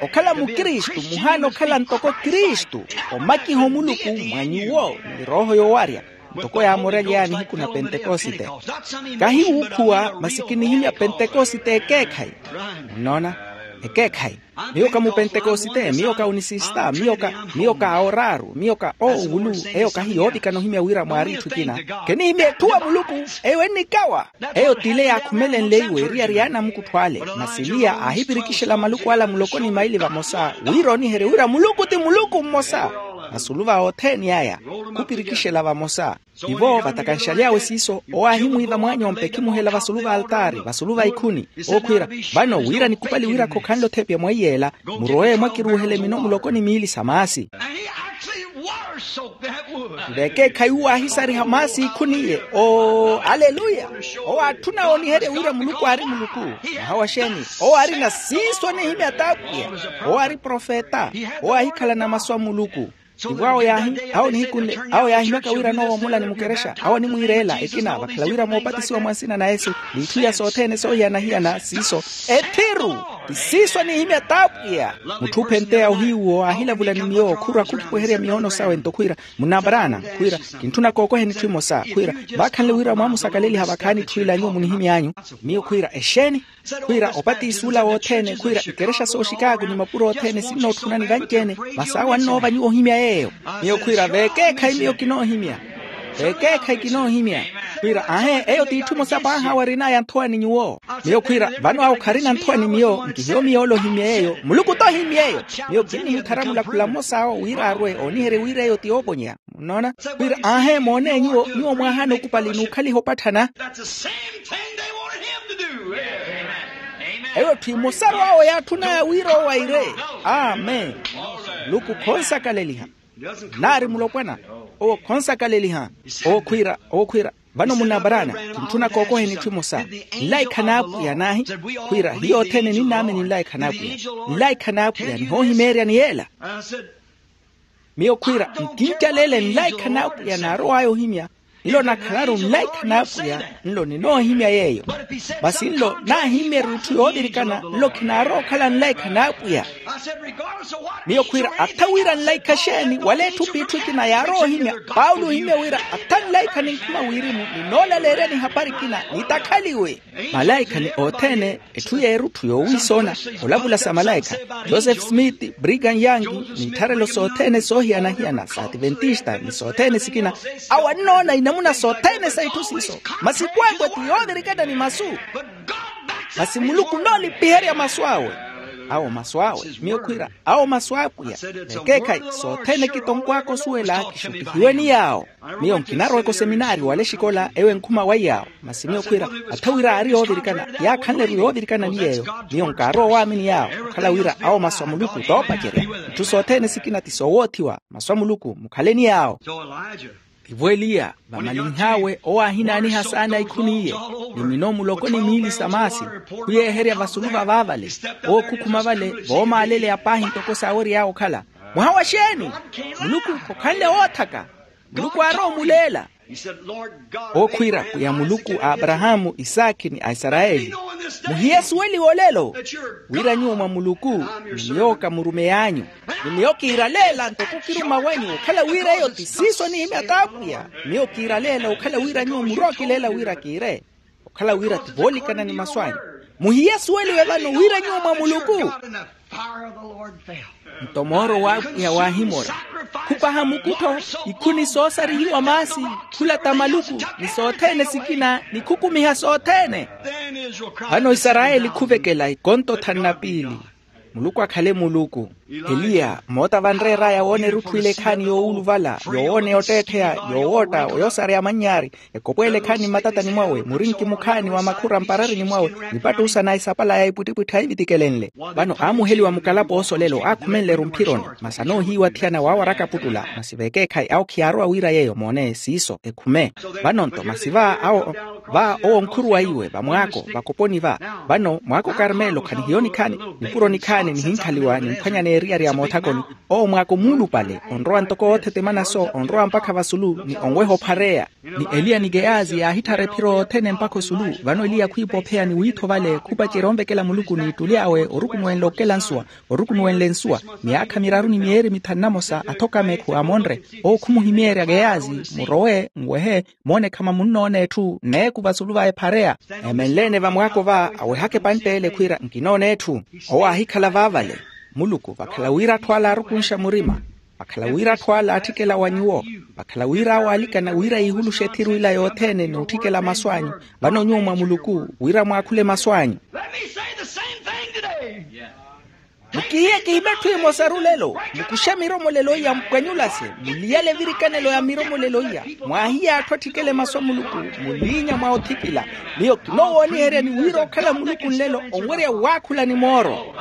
Okhala mukristu muhaana okhala ntoko kristu. Omakiha omuluku mwa nyuwo ni rooho yoowarya. Ntoko yaamorely'aya nihiku na pentekosite. Kahi wuukhuwa masi kinihimya pentekosite ekeekhayi. Munnoona? Ekeekhayi. Miyo ka mupentekosite miyo ka unisista miyo ka miyo ka aoraaru miyo ka oowulu. Eyo kahi yoovikana ohimya wira mwaari itthu ekina. Kenihimya etthu wa muluku. Eyo ennikawa. Eyo t'ile yaakhumelenle iwe eriyari y'anamukuttho ale. Masi eliya aahipirikixela maluku ala muloko ni maili vamosa wira oniherye wira muluku ti muluku mmosa. Vasulu va othene aya khupirikixela vamosa. Tivo vatakanxaly'awe siiso owo aahimwiiva mwaany'ompe ekhimuhela vasulu va altaari vasulu va ikhuni. Owo khwiira, vano wira nikupali wira khokhanle othepya mwa iyeela. Murowe mwakiruuhele mino muloko ni miili sa maasi. Vekeekhayi uwo aahisariha maasi ikhuni iye. Oo aleluya. Owo aatthuna ooniherye wira muluku aari muluku. Mwaha wa xeeni? Owo aarina siiso anihimya t'apwiya. Owo aari profeta. Owo aahikhalana masu a muluku. Tivo awo yaahi awo nihikunle awo yaahimyaka wira anoowomola ni mukerexa awo animwiireela ekina vakhala wira moopatisiwa mwa nsina na yesu. N'itthu iya sothene soohiyana-hiyana siiso ethiru. Ti siiso anihimya t'apwiya. Mutthu ophenteya ohiyu owo aahilavula ni miyo khurwa khukhiweherya miyoono sawe nto khwiira, munna abraana khwiira, kintthuna kookoheni itthu imosa khwiira, vaakhanle wira mwaamusakaleliha vakhaani itthu ila nyuwo munihimy'anyu. Miyo khwiira exeeni? Khwiira opatisi ula wothene khwiira ikerexa sooxikaaku ni mapuro othene sinnootthunani vanci-ene. Masi awo annoova nyuwo ohimya yeeyo. Miyo khwiira vekeekhayi miyo kinoohimya. Vekeekhayi kinoohimya. Khwiira aahe eyo t'itthu emosa paaha awo arin'aya nthowa ni nyuwo. Miyo khwiira vano awo kharina nthowa ni miyo nkihiyo miyo ole ohimya yeeyo muluku t'ohimya eyo. Miyo kinnihittharamula khula mmosa awo wira arwe ooniherye wira eyo ti yooponya. Munnoona? Wira aahe moone nyuwo nyuwo mwaahaana okupali n'ukhaliha opatthana. Eyo etthu emosaru awo yaatthunaya wira owaire. Amen. Muluku khonsakaleliha. Naari mulopwana. Owo khonsakaleliha. Owo khwiira owo khwiira Vano munna abarana, kintthuna kookoheni etthu emosa. Nlaikha n'apwiya naahi? Khwiira hiyo othene ninnaamini nlaikha n'apwiya. Nlaikha n'apwiya nihoohimeeryani yeela. Miyo khwiira nkinca leele nlaikha n'apwiya naarow'aya ohimya. Nlo nakhalaru nlaikha n'apwiya. Nlo ninoohimya yeeyo. Masi nlo naahimmyerya etthu yoovirikana nlo khinaarowa okhala nlaikha n'apwiya. Miyo khwiira atha wira nlaikha xeeni wala etthu p'itthu ekina yaarowa ohimya. Paulo ohimmya wira atha nlaikha ninkhuma wirimu ninoolaleeryani ehapari ekina nitakhaliwe. Malaikha ni othene etthu y'erutthu yoowiisoona. Olavula sa malaikha, joseph smith, brigham young, n'ittharelo sothene soohiyana-hiyana sa ativentista ni sothene sikina. Awo annoona inamuna sothene sa itthu siiso. Masi kwakwe ti yoovirikana ni masu. Masi muluku noolipiherya masu awe. Awo masu awe miyo khwiira awo masu apwiya. Vekeekhayi sothene kitonkw'aka osuwela kixutihiwe ni yaawo. Miyo nkinarowa eko seminaari wala exikola ewo enkhuma wa yaawo. Masi miyo khwiira atha wira aari yoovirikana yaakhanle-ru yoovirikana ni yeeyo. Miyo nkaarowa owaamini yaawo okhala wira awo masu a muluku toopacerya. Itthu sothene sikina ti soowoothiwa. Masu a muluku mukhale ni yaawo. Tivo eliya vamalinh'awe owo aahinaaniha saana ikhu n'iye. Ni mino muloko ni miili sa maasi khuyeeherya vasulu vavaavale. Owo khukhuma vale voomaaleleya paahi ntoko saawery'awe okhala. Mwaha wa xeeni? Muluku khokhanle woothaka. Muluku aarowa omuleela. Owo khwiira pwiya muluku a aparahaamu isaakhi ni a isarayeli. Muhiye asuweliwe olelo wira nyuwo mwa muluku ni miyo kamurumey'anyu. Ni miyo kiiraleela ntoko okiruma wanyu okhala wira eyo ti siiso anihimya t'apwiya. Miyo kiiraleela okhala wira nyuwo murookileela wira kiire. Okhala wira ti voolikana ni masu anyu. Muhiye asuweliwe vano wira nyuwo mwa muluku. Nto mooro w'apwiya waahimora. Khupaha mukuttho ikhuni soosarihiwa maasi khulata maluku ni sothene sikina ni khukumiha sothene. Vano isarayeli khuvekela ikonto thanu na piili. Muluku akhale muluku. Eliya moota vanreer'aya woona erutthu ile ekhaani yoowuluvala yowooneya otteettheya yowootta oyoosareya amanny'ari. Ekopweele ekhaani mmatatani mwawe murinki mukhaani wa makhura mpararini mwawe. Nipattuusa na isapala ya ipwittipwitthi ahivitikele nle. Vano aamuheliwa mukalapo oosolelo aakhumenle-ru mphironi. Masi anoohiiwa athiyana waawaraka aputtula masi vekeekhayi awo khiyaarowa wira yeeyo moone siiso ekhume. Vano-nto masi va awo va owo onkhuruwaiwe vamwaako vakoponi va. Vano mwaako karmelo khanihiyo nikhaani nipuro nikhaani nihinkhaliwa nimphwanya n'eriyari ya moothakoni. Owo mwaako muulupale onrowa ntoko oothetemana-so onrowa mpakha vasulu ni onweha ophareya. Ni eliya ni geyazi yaahitthara ephiro yothene mpakha osulu. Vano eliya khwiipa opheya ni wiitho vale khupacerya onvekela muluku n'ittuli awe orukunuwenle okela nsuwa. Orukunuwenle nsuwa miyaakha miraru ni myeeri mithanu na mosa athoka meekhu amonre. Owo khumuhimeerya geyazi murowe nwehe moone khamamunnoona etthu nneeku vasulu va ephareya. Emenle-ene vamwaako va awehaka epantte ele khwiira nkinoona etthu. Owo aahikhala vaavale. Muluku vakhala wira atthu ala aarukunxa murima. Vakhala wira atthu ala aatthikela wa nyuwo. Vakhala wira awo aalikana wira yiihuluxe ethiru ila yothene n'utthikela masu anyu. Vano nyuwo mwa muluku wira mwaakhule masu anyu. Mukihiye kihime etthu emosaru lelo. Mukuxe miromolelo iya mpwanyulase. Muliyale evirikanelo ya miromolelo iya. Mwaahiye atthu atthikele masu a muluku. Muliinya mwa othikila. Miyo kinoowooniheryani wira okhala muluku nlelo onwerya waakhula ni mooro.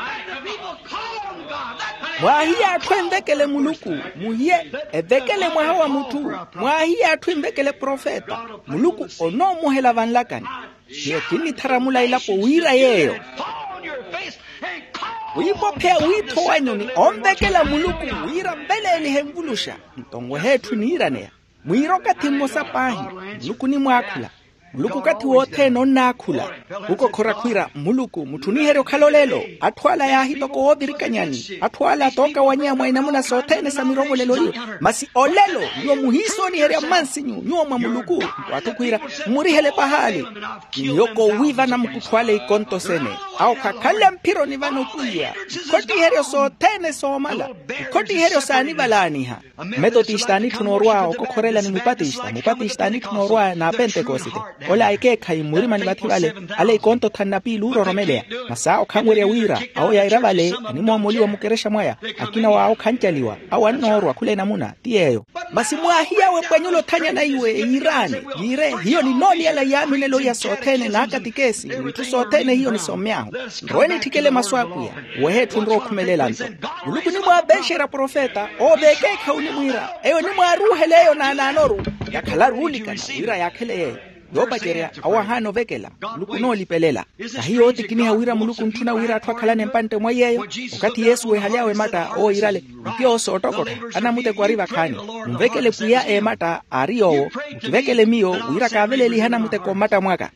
Mwaahiye atthu envekele muluku. Muhiye evekele mwaha wa mutthu. Mwaahiye atthu envekele profeta. Muluku onoomuhela vanlakani. Miyo kinnitharamula elapo wira yeeyo. Wiipopheya wiitho wanyu ni onvekela muluku wira mveleelihe envuluxa. Nto nwehe etthu niiraneya. Mwiire okathi mmosa paahi. Muluku onimwaakhula. Muluku okathi wothene onnaakhula. Khukokhora khwiira muluku mutthuniherye okhala olelo. Atthu ala yaahi toko woovirikanyani. Atthu ala tookawanyeya mwa inamuna sothene sa miromolelo iyo. Masi olelo nyuwo muhiisooniherya mmansinyu nyuwo mwa muluku. Nto atthu khwiira mmurihele pahaali. Ni miyo koowiivana mukuttho ale ikonto sene. Awo khakhanle mphironi vano pwiya. Ikhottiheryo sothene soomala. Ikhottiheryo saanivalaaniha. Mmetotista anitthuna orwa okokhorela ni mupatista mupatista anitthuna orwa n'apentekosite. Ola ekeekhayi mmurimani vathi vale, ale ikonto thanu na piili oororomeleya. Masi awo khanwerya wira awo yaira vale, animoomoliwa mukerexa mwaya. Akina wawo khancaliwa, awo annoorwa khula enamuna ti yeeyo. Masi mwaahiya wepwanyula othanyana iwe yiiraani, yiire hiyo ninooliyala yaaminelo iya sothene n'akatikesi n'itthu sothene hiyo nisommy'ahu. Nrowe nitthikele masu a pwiya, wehe etthu nrowa okhumelela nto. Muluku onimwaapexerya profeta owo v'ekeekhayi onimwiira, eyo onimwaaruuhela eyo naanaanoru, yakhalaru oolikana wira yaakhele yeeyo. Yoopacerya awo ahaana ovekela. Muluku onoolipelela. Kahi yootikiniha wira muluku ontthuna wira atthu akhalane mpantte mwa yeeyo. Okathi yesu weehaly'awe ematta owo iirale, mutiyoosa ottokotha, anamuteko ari vakhaani. Munvekele pwiya ematta aari yoowo, mukivekele miyo wira kaavelelihe anamuteko mmatta mwaka.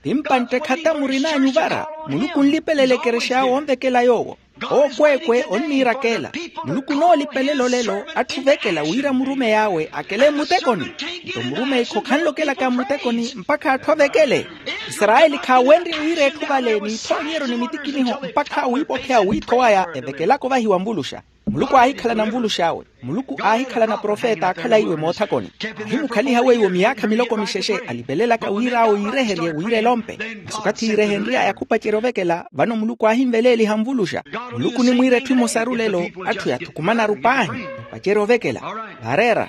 Ti mpantte khata murin'anyu vara. Muluku onlipelela ekerexa awe onvekela yoowo. Ookweekwe onniirakeela. Muluku onoolipelela olelo atthu ovekela wira murumeyi awe akele mmutekoni. Nto murumeyi-kho khanlokelaka mmutekoni mpakha atthu avekele. Isarayeli khaawenrye wira etthu vale n'ithoonyeryo ni mitikiniho mpakha wiipokheya wiitho waya evekelaka ovahiwa nvuluxa. Muluku aahikhalana nvulux'awe. Muluku aahikhalana profeta aakhalaiwe moothakoni. Ahimukhaliha weiwo miyaakha miloko mixexe alipelelaka wira awo yiireherye wira elompe. Masi okathi yiirehenry'aya khupacerya ovekela vano muluku aahinveleeliha nvuluxa. Muluku onimwiira etthu emosaru lelo. Atthu yathukumanaru paahi epacerya ovekela. Vareera.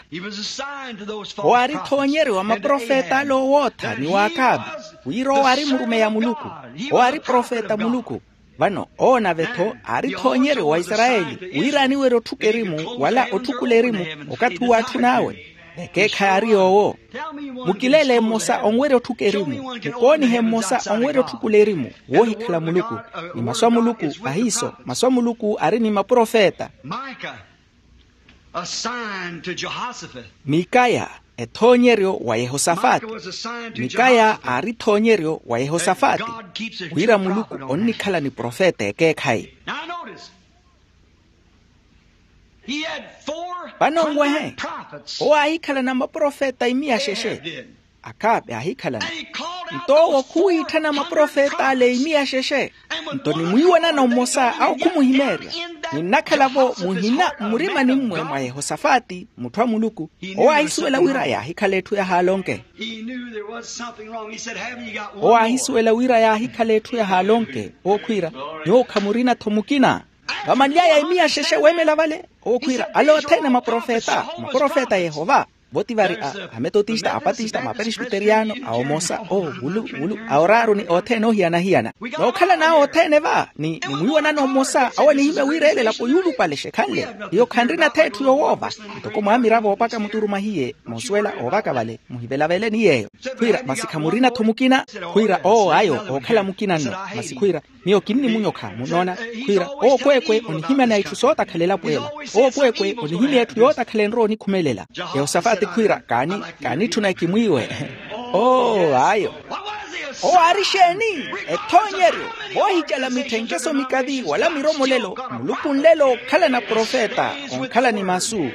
Owo aari ethoonyeryo wa maprofeta ale owootha ni wa akaapi. Wira owo aari murumeyi a muluku. Owo aari profeta a muluku. Vano owo nave-tho aari ethoonyeryo wa isarayeli wira aniwerya otthuka erimu wala otthukula erimu. Okathi uwo atthun'awe. Ekeekhayi aari yoowo. Mukilele mmosa onwerya otthuka erimu. Mukoonihe mmosa onwerya otthukula erimu. Woohikhala muluku. Ni masu a muluku ahiiso masu a muluku aari ni maprofeta. Mikaya, ethoonyeryo wa yehosafati. Mikaya aari ethoonyeryo wa yehosafati wira muluku onnikhala ni profeta ekeekhayi. Vano nwehe, owo aahikhalana maprofeta imiya xexe. Akaapi aahikhalana. Nto owo khuwiitthana maprofeta ale imiya xexe. Nto nimwiiwanano mmosa awo khumuhimeerya. Ninnakhala-vo muhina mmurimani-mwe mwa yehosafati mutthu a muluku. Owo aahisuwela wira yaahikhala etthu yahaalonke. Owo aahisuwela wira yaahikhala etthu yahaalonke. Owo khwiira, nyuwo khamurina-tho mukina. Vamanly'aya imiya xexe weemela vale. Owo khwiira ale othene maprofeta maprofeta a yehova. Vo ti vari a ametotista apatista maperesbiteriyano a omosa o wulu wulu a oraaru ni othene ohiyana-hiyana. Nookhalan'awe othene va ni mwiiwanano mmosa awo anihimya wira ele elapo yuulupale exekhanle. Hiyo khanrina-tho etthu yowoova. Ntoko mwaamiravo opaka muturumahiye moosuwela oovaka vale muhivelavele ni yeeyo. Khwiira masi khamurina-tho mukina. Khwiira owo ayo ookhala mukina nno. Masi khwiira miyo kinnimunyokha munnoona. Khwiira owo kweekwe onihimyana itthu sootakhala elapo ela. Owo kweekwe onihimya etthu yootakhala enrowa onikhumelela. Yehosafati khwiira kaani kaanitthuna ekimwiiwe. Oo ayo. Owo aari exeeni? Ethoonyeryo. Voohicala mitthenkeso mikavi wala miromolelo. Muluku nlelo okhala na profeta onkhala ni masu.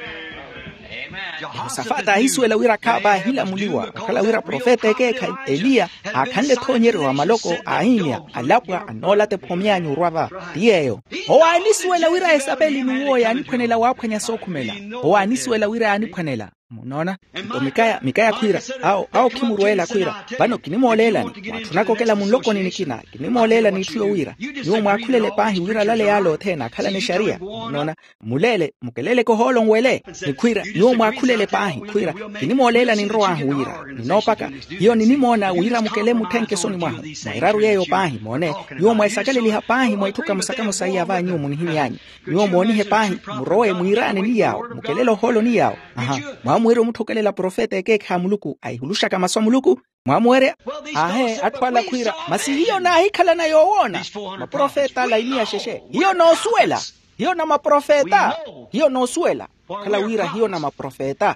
Yehosafati aahisuwela wira akhaapa aahilamuliwa okhala wira profeta ekeekhayi eliya aakhanle ethoonyeryo wa maloko aahimya alapwa annoolata ephomyaanyu orwa va. Ti yeeyo. Owo aanisuwela wira esapeli n'uwo yaaniphwanela waaphwanya sookhumela. Owo aanisuwela wira yaaniphwanela. Munnoona? Nto mikaya mikaya khwiira awo awo khimurweela khwiira vano kinimooleelani mwaatthunaka okela munlokoni nikina. Kinimooleelani itthu yowiira nyuwo mwaakhulele paahi wira alale yaale othene akhalane exariya. Munnoona? Muleele mukeleleke ohoolo nwele. Ni khwiira nyuwo mwaakhulele paahi khwiira kinimooleelani nrow'ahu wira ninoopaka hiyo ninimoona wira mukele mutthenke esoni mwahu. Mwa eraru yeeyo paahi moone nyuwo mweesakaleliha paahi mwa itthu kamosa-kamosa iya va nyuwo munihimy'anyu. Nyuwo moonihe paahi murowe mwiiraane ni yaawo mukelele ohoolo ni yaawo. Aha. Mwaamuwerya omutthokelela profeta ekeekhayi a muluku ahihuluxaka masu a muluku. Mwaamuwerya. Aahe atthu ala khwiira masi hiyo naahikhalana yoowoona. Maprofeta ala imiya xexe hiyo noosuwela. Hiyo na maprofeta. Hiyo noosuwela okhala wira hiyo na maprofeta.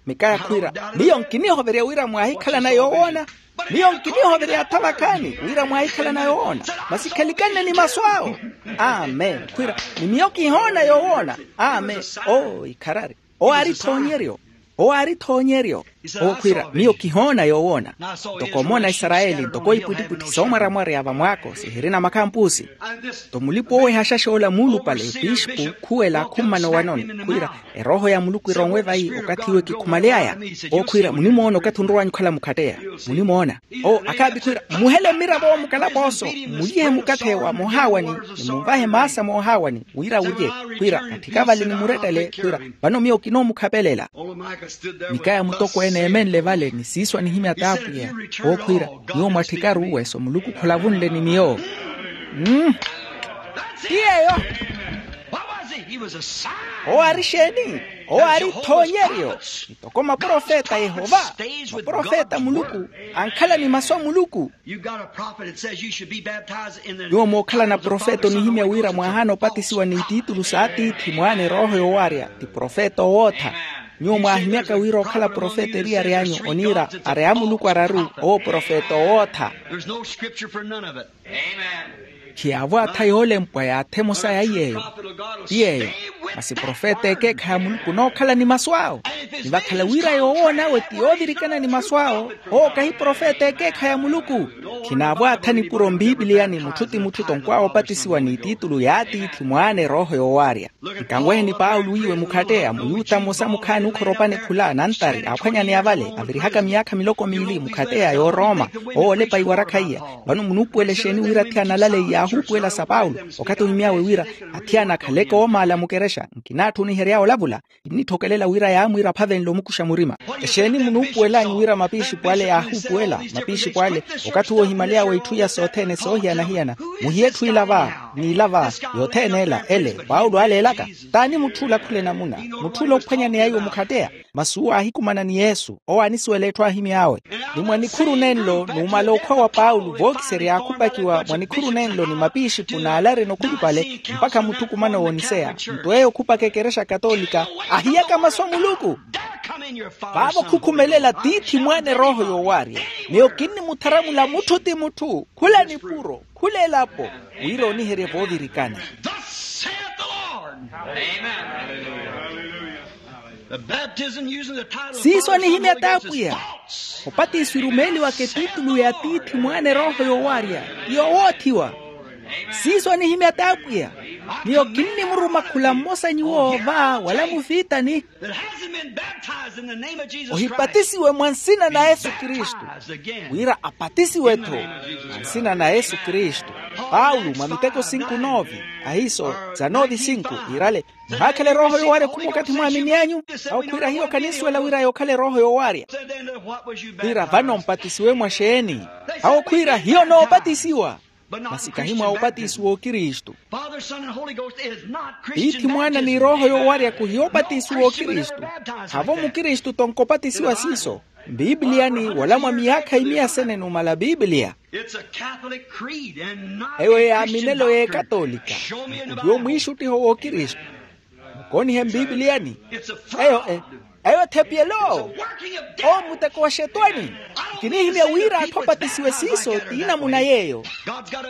Mikaya khwiira miyo nkinihoverya wira mwaahikhalana yoowoona. Miyo nkinihoverya atha vakhaani wira mwaahikhalana yoowoona. Masi khalikanne ni masu awo. Amen khwiira ni miyo kihoona yoowoona. Amen. Oo ikharari. Owo aari ethoonyeryo. Owo aari ethoonyeryo. Owo khwiira, miyo kihoona yoowoona. Ntoko omoona isarayeli ntoko ipwittipwitthi soomwaramwarya vamwaako sihirina makhampusi. Nto mulipa owehaxaxa ola muulupale pixipu khuwela khummana owanoni khwiira, erooho ya muluku ironwe vayi okathi iwe kikhumaly'aya. Owo khwiira munimoona okathi onrowanyu okhala mukhatteya. Munimoona. Owo akhaapi khwiira, muhele mmiravo mukalapooso, mulihe mukathe wa moohaawani, ni munvahe maasa moohaawani wira wulye. Khwiira katthika vale ni murettele khwiira, vano miyo kinoomukhapelela. Nikaya mutokweene eemenle vale ni siiso anihimya t'apwiya. Owo khwiira, nyuwo mwatthikaru weso muluku khulavunle ni miyo. Mm. Ti yeeyo. Owo ari exeeni? Owo ari ithoonyeryo. Ntoko maprofeta a yehova, maprofeta a muluku, ankhala ni masu a muluku. Nyuwo mookhalana profeta onihimya wira mwaahaana opatisiwa n'ititulu s'atiithi mwaana erooho yoowarya ti profeta owootha. Nyuwo mwaahimyaka wira okhala profeta eriyari anyu oniira ari a muluku araru owo profeta owootha. Khiyaavo atha yoolempwa yaathemo saya iy'eyo. Ti yeeyo. Masi profeta ekeekhayi a muluku onookhala ni masu awo. Ni vakhala wira yoowoon'awe ti yoovirikana ni masu awo, owo kahi profeta ekeekhayi a muluku. Khinaavo atha nipuro mpipiliyani mutthu ti mutthu tonkwaawo opatisiwa n'ititulu y'atiithi mwaana erooho yoowarya. Nkanweheni paulo wiiwe mukhatteya muyuta mmosa mukhaani okhoropane khula nantari aaphwanyaneya vale avirihaka miyaakha miloko miili mukhatteya y'oroma. Owo olepa iwarakha iya. Vano munuupuwela exeeni wira athiyana alaleyi yaahuupuwela sa paulo okathi ohimy'awe wira athiyana akhaleke oomaala mukerexa? Nkinaatthu onihery'awe olavula. Kinnitthokelela wira yaamwiira aphavenle omukuxa murima. Exeeni munuupuwel'anyu wira mapixipo ale yaahuupuwela? Mapixipo ale okathi uwo ohimaly'awe itthu iya sothene soohiyana-hiyana. Muhiye etthu ila va, n'ila va, yothene ela ele paulo aleelaka. T'ani mutth'ula khula enamuna? Mutth'ula ophwanyaneya iwo mukhatteya. Masi uwo aahikumana ni yesu owo aanisuwela etthu aahimy'awe. Ni mwa nikhuru nenlo numala okhwa wa paulo vookiserya yaakhupakiwa mwa nikhuru nenlo ni mapixipo n'alarina okhulupale mpakha mutthukumano wooniseya. Nto eyo okhupaka ekerexa katolika ahiyaka masu a muluku. Vaavo khukhumelela tiithi mwaana erooho yoowarya. Miyo kinnimutharamula mutthu ti mutthu khula nipuro khula elapo wira oniherye voovirikana. Siiso anihimya t'apwiya. Opatiso irumeeliwaka etitulu y'atiithi mwaana erooho yoowarya ti yowoothiwa. Siiso anihimya t'apwiya. Miyo kinnimuruma khula mmosa nyuwo va wala mufiitani. Ohipatisiwe mwa nsina na yesu kristu. Wira apatisiwe-tho mwa nsina na yesu kristu. Paulo mwa miteko sinku noovi, ahiiso za noovi sinku iirale, muhaakhale erooho yoowarya khuma okathi mwaamini anyu. Awo khwiira hiyo khanisuwela wira yookhala erooho yoowarya. Khwiira vano mpatisiwe mwa xeeni? Awo khwiira hiyo noopatisiwa. Masi kahi mwa opatisiwa okristu. Tiithi mwaana ni erooho yoowarya khuhiya opatisiwa okristu. Havo mukristu tonkopatisiwa siiso. Mpiipiliyani wala mwa miyaakha imiya sene numala piipiliya. Eyo yaaminelo y'ekatolika. Khuhiya omwiixuttiho w'okristu. Mukoonihe mpiipiliyani. Eyo e eyo thepiyelo. Owo muteko wa xetwani. Nkinihimya wira atthu apatisiwe siiso ti inamuna y'eyo.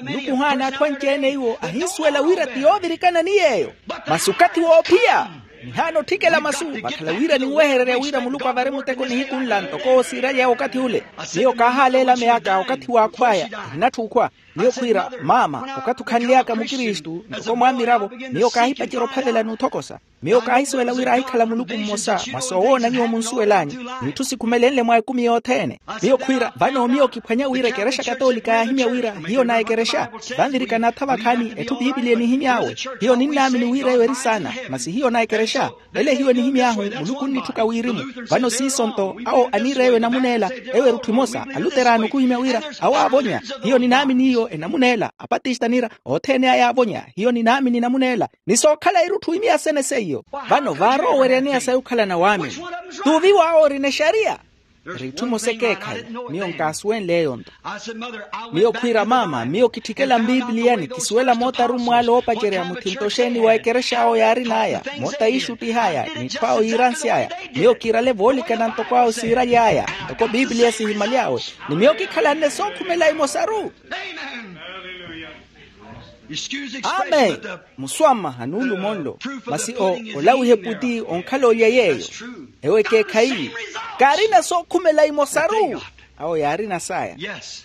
Muluku ohaana atthu anci-ene iwo ahinsuwela wira ti yoovirikana ni yeeyo. Masi okathi woophiya. Nihaana otthikela masu vakhala wira ninwehererya wira muluku avari muteko nihiku nla ntoko owo siiraly'aya okathi ule. Miyo kaahaaleela meyaka okathi w'akhw'aya. Ehinatthu okhwa. Miyo khwiira maama okathi okhanly'aka mukristu ntoko mwaamiravo. Miyo kaahipacerya ophavela n'uthokosa. Miyo kaahisuwela wira ahikhala muluku mmosa mwa soowoona nyuwo munsuwel'anyu. N'itthu sikhumelenle mwa ekumi yothene. Miyo khwiira vano miyo kiphwanya wira ekerexa katolika yaahimya wira hiyo na ekerexa. Vanvirikana atha vakhaani etthu piipiliya enihimy'awe. Hiyo ninnaamini wira eyo eri saana. Masi hiyo na ekerexa ele hiyo enihimy'ahu. Muluku onnitthika wirimu. Vano siiso nto awo aniira eyo enamuna ela. Eyo erutthu emosa aluteraani okhuhimya wira awo aavonya. Hiyo ninaamini iyo enamuna ela apatista aniira othene aya aavonya hiyo ninaamini enamuna ela. Ni sookhala irutthu imiya sene seiyo. Vano vaarooweryaneya sayi okhalana waamini? T'uviwa awo orina exariya. Eri itthu emosa ekeekhayi. Miyo nkaasuwenle eyo nto. Miyo khwiira maama miyo kitthikela mpiipiliyani kisuwela mootarummw'ale oopacerya muthinto oxeeni wa ekerexa awo yaarin'aya moota yiixuttih'aya n'itthu awo yiiransy'aya. Miyo kiirale voolikana ntoko awo siiraly'aya ntoko piipiliya sihimaly'awe. Ni miyo kikhalanne sookhumela imosaru. Amen. Muswammaha nuulumo nlo. Masi o olawihe puti onkhala olya yeeyo. Ewo ekeekhayi, kaarina sookhumela imosaru. Awo yaarina saya.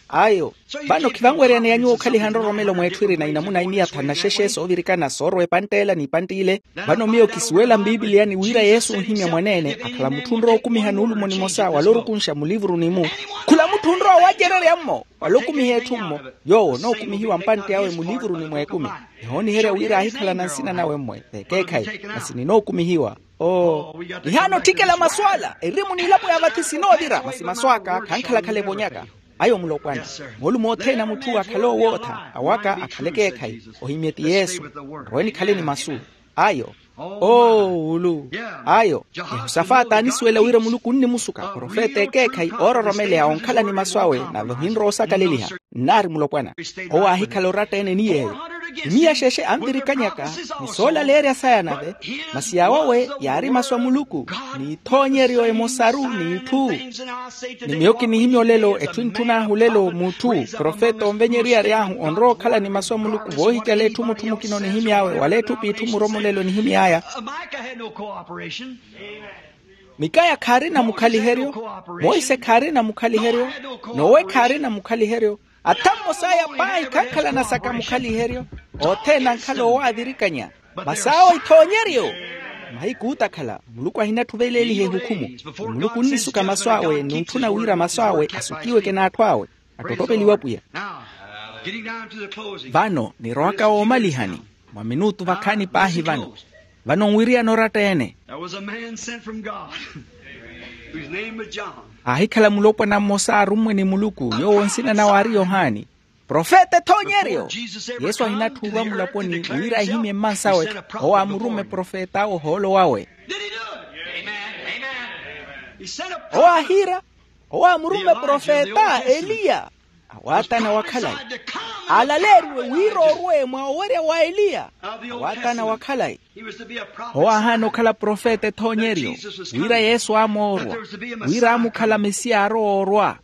Ayo. Vano khivanweryaneya nyuwo okhaliha nroromelo mweetthu erina inamuna imiyathana xexe soovirikana soorwa epantt'ela n'ipantt'ile. Vano miyo kisuwela mpiipiliyani wira yesu onhimya mwaneene akhala mutthu onrowa okumiha nuulumo nimosa wala orukunxa mulivuruni-mu. Khula mutthu onrowa waacererya-mmo wala okumiha etthu-mmo. Yoowo onookumihiwa mpantte awe mulivuruni mweekumi. Nihooniherya wira aahikhalana nsina nawe-mmwe v'ekeekhayi. Masi ninookumihiwa. Oo. Nihaana otthikela masu ala erimu n'ilapo ya vathi sinoovira masi masu aka khankhalakhala evonyaka. Ayo mulopwana. Moolumo othene a mutthu akhale owootha awaka akhale ekeekhayi. Ohimye ti yesu. Nrowe nikhale ni masu. Ayo. Oo wulu. Ayo. Yehosafati aanisuwela wira muluku onnimusuka profeta ekeekhayi oororomeleya onkhala ni masu awe nave ohinrowa osakaleliha. Nnaari mulopwana. Owo aahikhala oratta-ene ni yeeyo. Imiya xexe anvirikanyaka ni soolaleerya saya nave. Masi yaawawe yaari masu a muluku n'ithoonyeryo emosaru n'itthu. Ni miyo kinihimya olelo etthu entthun'ahu olelo mutthu profeta onvenyeryary'ahu onrowa okhala ni masu a muluku voohikela etthu mutthu mukina onihimy'awe wala etthu p'itthu muromolelo enihimy'aya. Mikaya khaarina mukhaliheryo. Monse khaarina mukhaliheryo. Nowe khaarina mukhaliheryo. Atha mmos'aya paahi khankhalana saka mukhaliheryo. Othene ankhala owaavirikanya. Masi awo ithoonyeryo. Mahiku ootakhala muluku ahinatthuveleliha ehukhumu. Muluku onnisuka masu awe n'untthuna wira masu awe asukiweke n'atthu awe. Attottopeliwe apwiya. Vano nirowaka woomalihani. Mwa minutu vakhaani paahi vano. Vano nwiriyana oratta-ene. Aahikhala mulopwana mmosa arummwe ni muluku yoowo nsina nawe aari yohani. Profeta ethoonyeryo. Yesu ahinatthuuva mulaponi wira ahimye mmansawe. Owo aamurumme profet'awe ohoolo wawe. Owo aahiira. Owo aamurumme profeta eliya. Awaatana wa khalayi. Alaleeriwe wira orwe mwa owerya wa eliya. Awaatana wa khalayi. Owo aahaana okhala profeta ethoonyeryo. Wira yesu aamoorwa. Wira aamukhala mesiya aarowa orwa.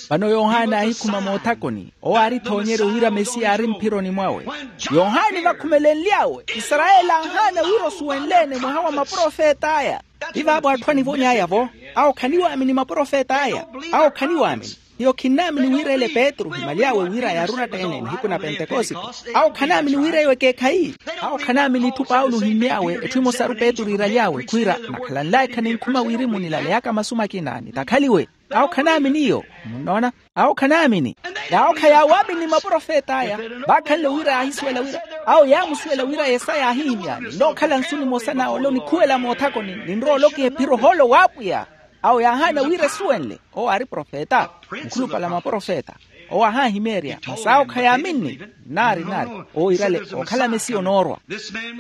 Vano yohani aahikhuma moothakoni owo aari ethoonyeryo wira mesiya aari mphironi mwawe. Yohani vakhumelenly'awe isarayeli aahaana wira osuwenle-ene mwaha wa maprofet'aya. Ti vaavo atthu anivony'aya-vo. Awo khaniwaamini maprofet'aya. Awo khaniwaamini. Hiyo khinnaamini wira ele petru ohimaly'awe wira yaari oratta-ene nihiku na pentekosite. Awo khanaamini wira eyo ekeekhayi. Awo khanaamini itthu paulo ohimmy'awe etthu emosaru petru iiraly'awe khwiira nakhalanl'aya khaninkhuma wirimu nilaleyaka masu makina nitakhaliwe. Awo khanaamini iyo. Munnoona? Awo khanaamini. N'awo khayaawaamini maprofet'aya. Vaakhanle wira yaahisuwela wira awo yaamusuwela wira yesaya aahihimya ninnookhala nsu nimosa n'awe ole onikhuwela moothakoni ninrowa olokiha ephiro ohoolo w'apwiya. Awo yaahaana wira esuwenle. Owo aari profeta. Mukhulupale a maprofeta. Owo aahahimeerya masi awo khayaaminni. Nnaari nnaari. Owo iirale okhala mesiya onoorwa.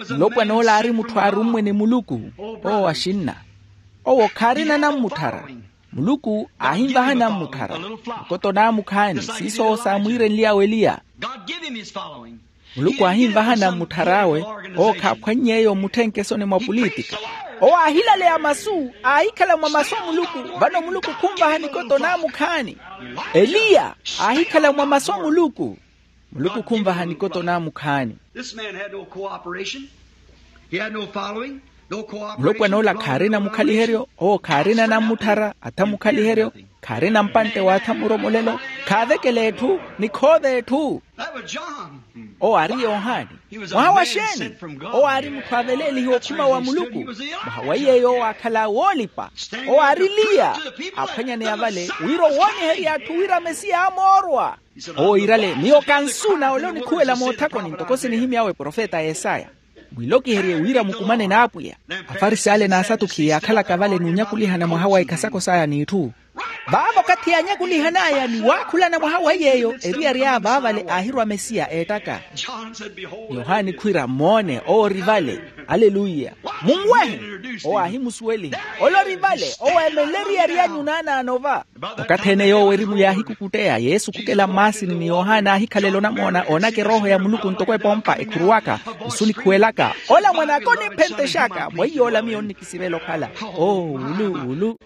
Mulopwana ole aari mutthu aarummwe ni muluku. Owo axinna. Owo khaarina nammutthara. Muluku aahinvaha nammutthara. Nkoto naamukhaani siiso owo saamwiirenly'awe eliya. Muluku aahinvaha nammutthara awe. Owo khaaphwannyeeyo mmutthenke esoni mwa pulitika. Owo aahilaleya masu aahikhala mwa masu a muluku. Vano muluku khunvaha nikoto naamukhaani. Eliya aahikhala mwa masu a muluku. Muluku khunvaha nikoto naamukhaani. Mulopwana ola khaarina mukhaliheryo owo khaarina nammutthara atha mukhaliheryo. Khaarina mpantte waatha muromolelo. Khaavekela etthu ni khoova etthu. Owo aari yohani. Mwaha wa xeeni? Owo aari mutthu aaveleelihiwa okhuma wa muluku. Mwaha wa iyeeyo owo aakhala woolipa. Owo aari eliya. Aaphwanyaneya vale wira owooniherya atthu wira mesiya aamoorwa. Owo iirale miyo kansuuna ole onikhuwela moothakoni ntoko sinihimy'awe profeta yesaya. Mwiilokiherye wira mukumane n'apwiya. Afarisi ale n'asatukhi yaakhalaka vale n'unyakulihana mwaha wa ikhasako saya n'itthu. Vaavo okathi yaanyakulihan'aya ni waakhulana mwaha wa iyeeyo eriyari aya vaavale aahirwa mesiya eettaka. Yohani khwiira moone owo ori vale. Aleluya. Munwehe. Owo aahimusuweliha ole ori vale owo eemenle eriyari anyu naanaano va. Okathi-ene yoowo erimu yaahikukutteya yesu khukela mmaasini ni yohana aahikhalela onamoona oonaka erooho ya muluku ntoko epompa ekhuruwaka. Nsu nikhuwelaka ola mwan'aka oniphentexaka mweiy'ola miyo onnikisivela okhala. Oo wulu wulu.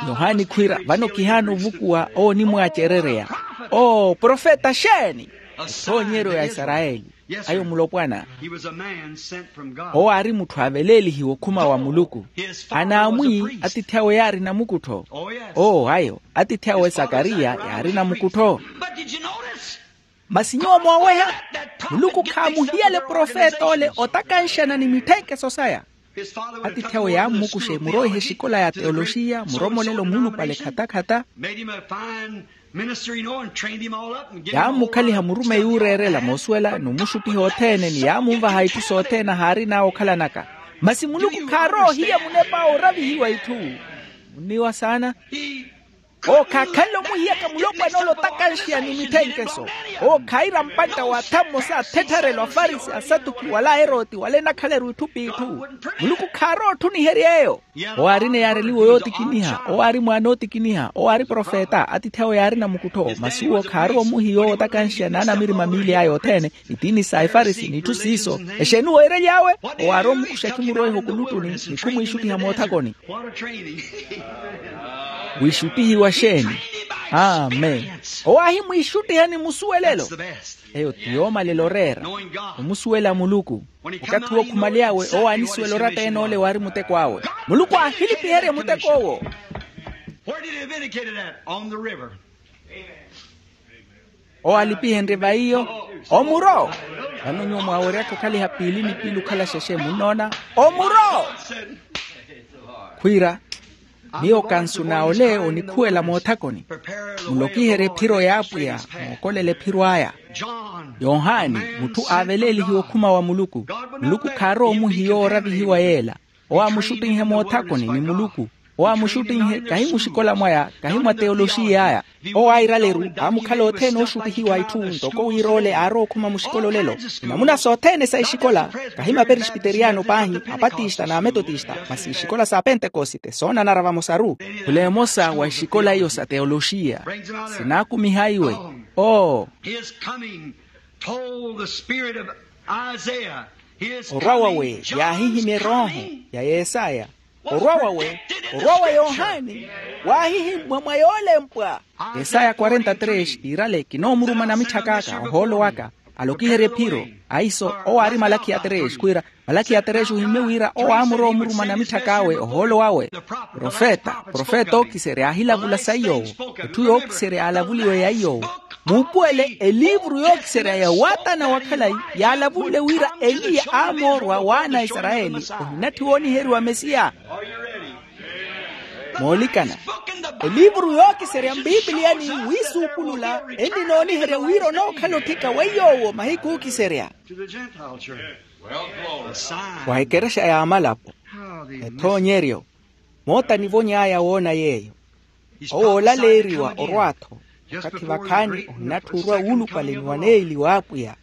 Yohana khwiira vano kihaana ovukuwa owo onimwaacerereya. Oo profeta xeeni? Ethoonyeryo ya isarayeli. Ayo mulopwana. Owo aari mutthu aaveleelihiwa okhuma wa muluku. Anaamwi atiithi awe yaari namukuttho. Oo ayo atiithi awe sakariya yaari namukuttho. Masi nyuwo mooweha, muluku khaamuhiyale profet'ole otakanxana ni mitthenkeso saya. Atiithi awe yaammukuxa emuroiha exikola ya teoloxiya muromolelo muulupale khatakhata. Yaammukhaliha murumeyi ooreerela moosuwela ni omuxuttiha othene ni yaamunvaha itthu sothene ahaarin'awe okhalanaka. Masi muluku khaarowa ohiya munep'awe oravihiwa itthu. Munniwa saana. Owo khaakhanle omuhiyaka mulopwan'ole otakanxiya ni mitthenkeso. Owo khaira mpantta w'atha mmosa athettharelo afarisi asatuki wala aeroti wala enakhala eruitthu p'itthu. Muluku khaarowa otthuniherya eyo. Owo aarina eyaareliwa yootikiniha owo aari mwaana ootikiniha owo aari profeta atiithi awe yaari namukuttho masi uwo khaarowa omuhiya owo otakanxiya n'anamirima miili aya othene. Itiini sa efarisi n'itthu siiso. Exeeni weerely'awe? Owo aarowa omukuxa ekhimurweha okuluttuni ni khumwiixuttiha moothakoni. Wiixuttihiwa xeeni? Amen. Owo aahimwiixuttiha ni musuwelelo. Eyo ti yoomalela oreera. Omusuwela muluku. Okathi owo khumale'awe owo aanisuwela oratta en'ole waari muteko awe. Muluku aahilipiherya muteko owo. Owo alipihenrye va iyo. Omuro. Vano nyuwo mwaaweryaka okhaliha piili ni piili okhala xexe munnoona. Omuro. Khwiira, miyo kansu na ole onikhuwela moothakoni. Mulokiherye ephiro y'apwiya. Mookolela ephiro aya. Yohani, mutthu aaveleelihiwa okhuma wa muluku. Muluku khaarowa omuhiya owo oravihiwa yeela. Owo aamuxuttinhe moothakoni ni muluku. Owo aamuxuttinhe kahi muxikola mwaya kahi mwa teoloxiya aya. Owo airaleru aamukhala othene ooxuttihiwa itthu ntoko wira ole aarowa okhuma muxikola olelo. Inamuna sothene sa ixikola kahi maperespiteriyano paahi, apatista n'ametotista masi ixikola sa pentekosite soonanara vamosaru. Khula emosa wa ixikola iyo sa teoloxiya. Sinaakumiha iwe. Oo. Orwa wawe yaahihimya erooho ya yesaya. Orwa wawe, orwa wa yohani. Waahihimmwa mwa yoolempwa. Yesaya quarenta tres iirale kinoomuruma namitthaka aka ohoolo waka. Alokiherya ephiro. Aiso owo aari malakhiya tres khwiira malakhiya tres ohimmye wira owo aamurowa omuruma namitthaka awe ohoolo wawe. Profeta profeta ookiserya aahilavula sa iy'owo. Etthu yookiserya yaalavuliwe ya iy'owo. Muupuwele eliivuru yookiserya ya waatana wa khalayi yaalavunle wira eliya aamoorwa w'ana a isarayeli. Ohinatthi wooniheriwa mesiya. Moolikana, eliivuru yookiserya mpiipiliyani wiisuupulula enni nooniherya wira onookhala otthika weiy'owo mahiku ookiserya. Wa ekerexa y'amalapo. Ethoonyeryo. Moota nivony'aya woona yeeyo. Owo oolaleeriwa orwa-tho. Okathi vakhaani ohinatthi orwa wuulupale ni waneeli w'apwiya.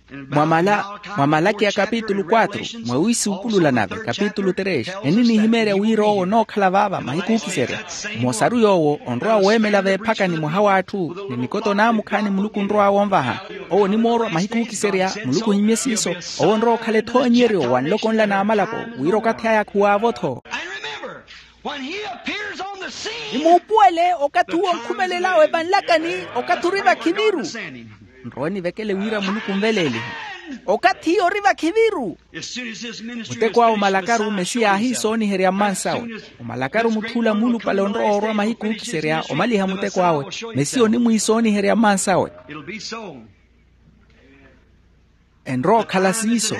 Mwa malakiya kapitulu quatro, mwa wiisuupulula nave kapitulu tres, eninihimeerya wira owo onookhala vaava mahiku ookiserya. Mmosaru yoowo onrowa weemela veephakani mwaha w'atthu ni nikoto naamukhaani muluku onrow'awe onvaha. Owo onimoorwa mahiku ookiserya muluku ohimmye siiso. Owo onrowa okhala ethoonyeryo wa nloko nla n'amalapo wira okathi aya khuwaavo-tho. Ni muupuwele okathi uwo onkhumelel'awe vanlakani. Okathi ori vakhiviru. Nrowe nivekele wira muluku onveleelihe. Okathi iyo ori vakhiviru. Muteko awe omalakaru mesiya aahiisooniherya mmansawe. Omalakaru mutth'ula muulupale onrowa orwa mahiku ookiserya omaliha muteko awe. Mesiya onimwiisooniherya mmansawe. Enrowa okhala siiso.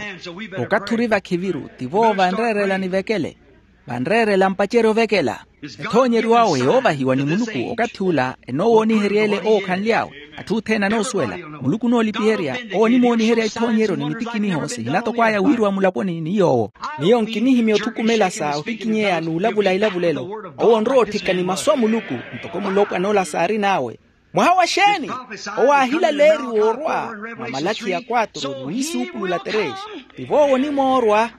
Okathi ori vakhiviru tivo vanreerela nivekele. Vanreerela mpacerya ovekela. Ethoonyeriw'awe yoovahiwa ni muluku okathi ula enoowoonihery'ele owo okhanly'awe. Atthu othene anoosuwela. Muluku onoolipiherya. Owo onimooniherya ithoonyeryo ni mitikiniho sihinatokw'aya wiiriwa mulaponi ni yoowo. Miyo nkinihimya otthukumela sa ohikinyeya n'ulavula ilavulelo. Owo onrowa otthika ni masu a muluku ntoko mulopwana ola saarin'awe. Mwaha wa xeeni? Owo aahilaleeriwa orwa mwa malakhiya quatro niwiisuupulula tres. Tivo owo onimoorwa.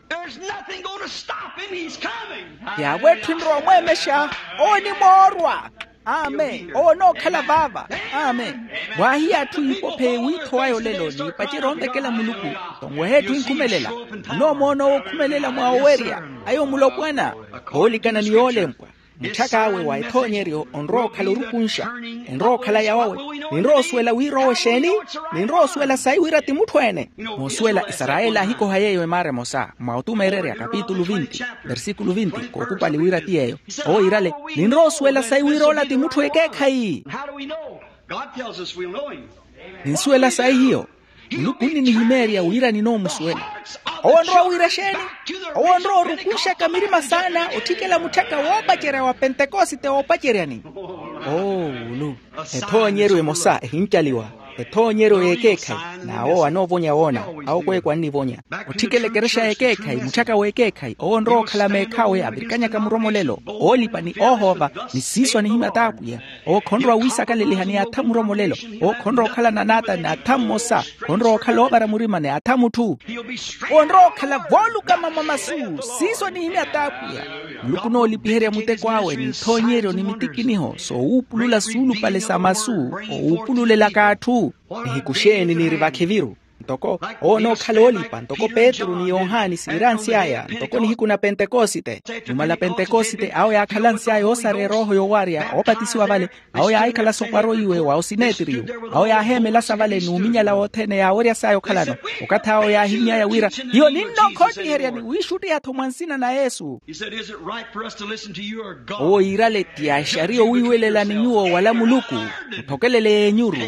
Yaavo etthu enrowa omweemexa. Owo onimoorwa. Amen. Owo onookhala vaava. Amen. Mwaahiya atthu iipophe wiithowaya olelo n'ipacerya onvekela muluku. Tonweha etthu enkhumelela. Onoomoona owo okhumelela mwa owerya. Ayo mulopwana. Khoolikana ni yoolempwa. Mutthak'awe wa ethoonyeryo onrowa okhala orukunxa. Enrowa okhala yawawe. Ninrowa osuwela wira owo exeeni? Ninrowa osuwela sayi wira ti mutthu ene. Moosuwela isarayeli aahikoha yeeyo emaara emosa mwa otumeererya kapitulu vinti, versikulu vinti kookupali wira ti yeeyo. Owo iirale, ninrowa osuwela sayi wira ola ti mutthu ekeekhayi. Ninsuwela sayi hiyo? Muluku onninihimeerya wira ninoomusuwela. Owo onrowa wira exeeni? Owo onrowa orukunxaka mirima saana otthikela mutthaka woopacerya wa pentekosite woopaceryani. Oo wulu. Ethoonyeryo emosa ehincaliwa. Ethoonyeryo y'ekeekhayi. N'awo anoovonya woona. Awo kweeko annivonya. Otthikela ekerexa y'ekeekhayi mutthaka w'ekeekhayi owo onrowa okhala meekhaawe avirikanyaka muromolelo, oolipa ni oohoova, ni siiso anihimya t'apwiya. Owo khonrowa wiisakaleliha ni atha muromolelo. Owo khonrowa okhala nanaata ni atha mmosa. Khonrowa okhala oovara murima ni atha mutthu. Onrowa okhala voolukama mwa masu. Siiso anihimya t'apwiya. Muluku onoolipiherya muteko awe ni ithoonyeryo ni mitikiniho soowuupulula suulupale sa masu. Owuupululelaka atthu. Nihiku xeeni niiri vakhiviru? Ntoko owo onookhala oolipa ntoko petru ni yohani siiransy'aya ntoko nihiku na pentekosite. Numala pentekosite awo yaakhalansy'aya oosara erooho yowarya oopatisiwa vale. Awo yaahikhala sopwaro iwe wa osineetiriyo. Awo yaaheemelasa vale n'uminyala wothene yaaweryas'aya okhalano. Okathi awo yaahimy'aya wira hiyo ninnookhoottiherya ni wiixuttiha-tho mwa nsina na yesu. Owo yiirale ti axariya owiiwelelani nyuwo wala muluku. Muthokelele yeenyuru.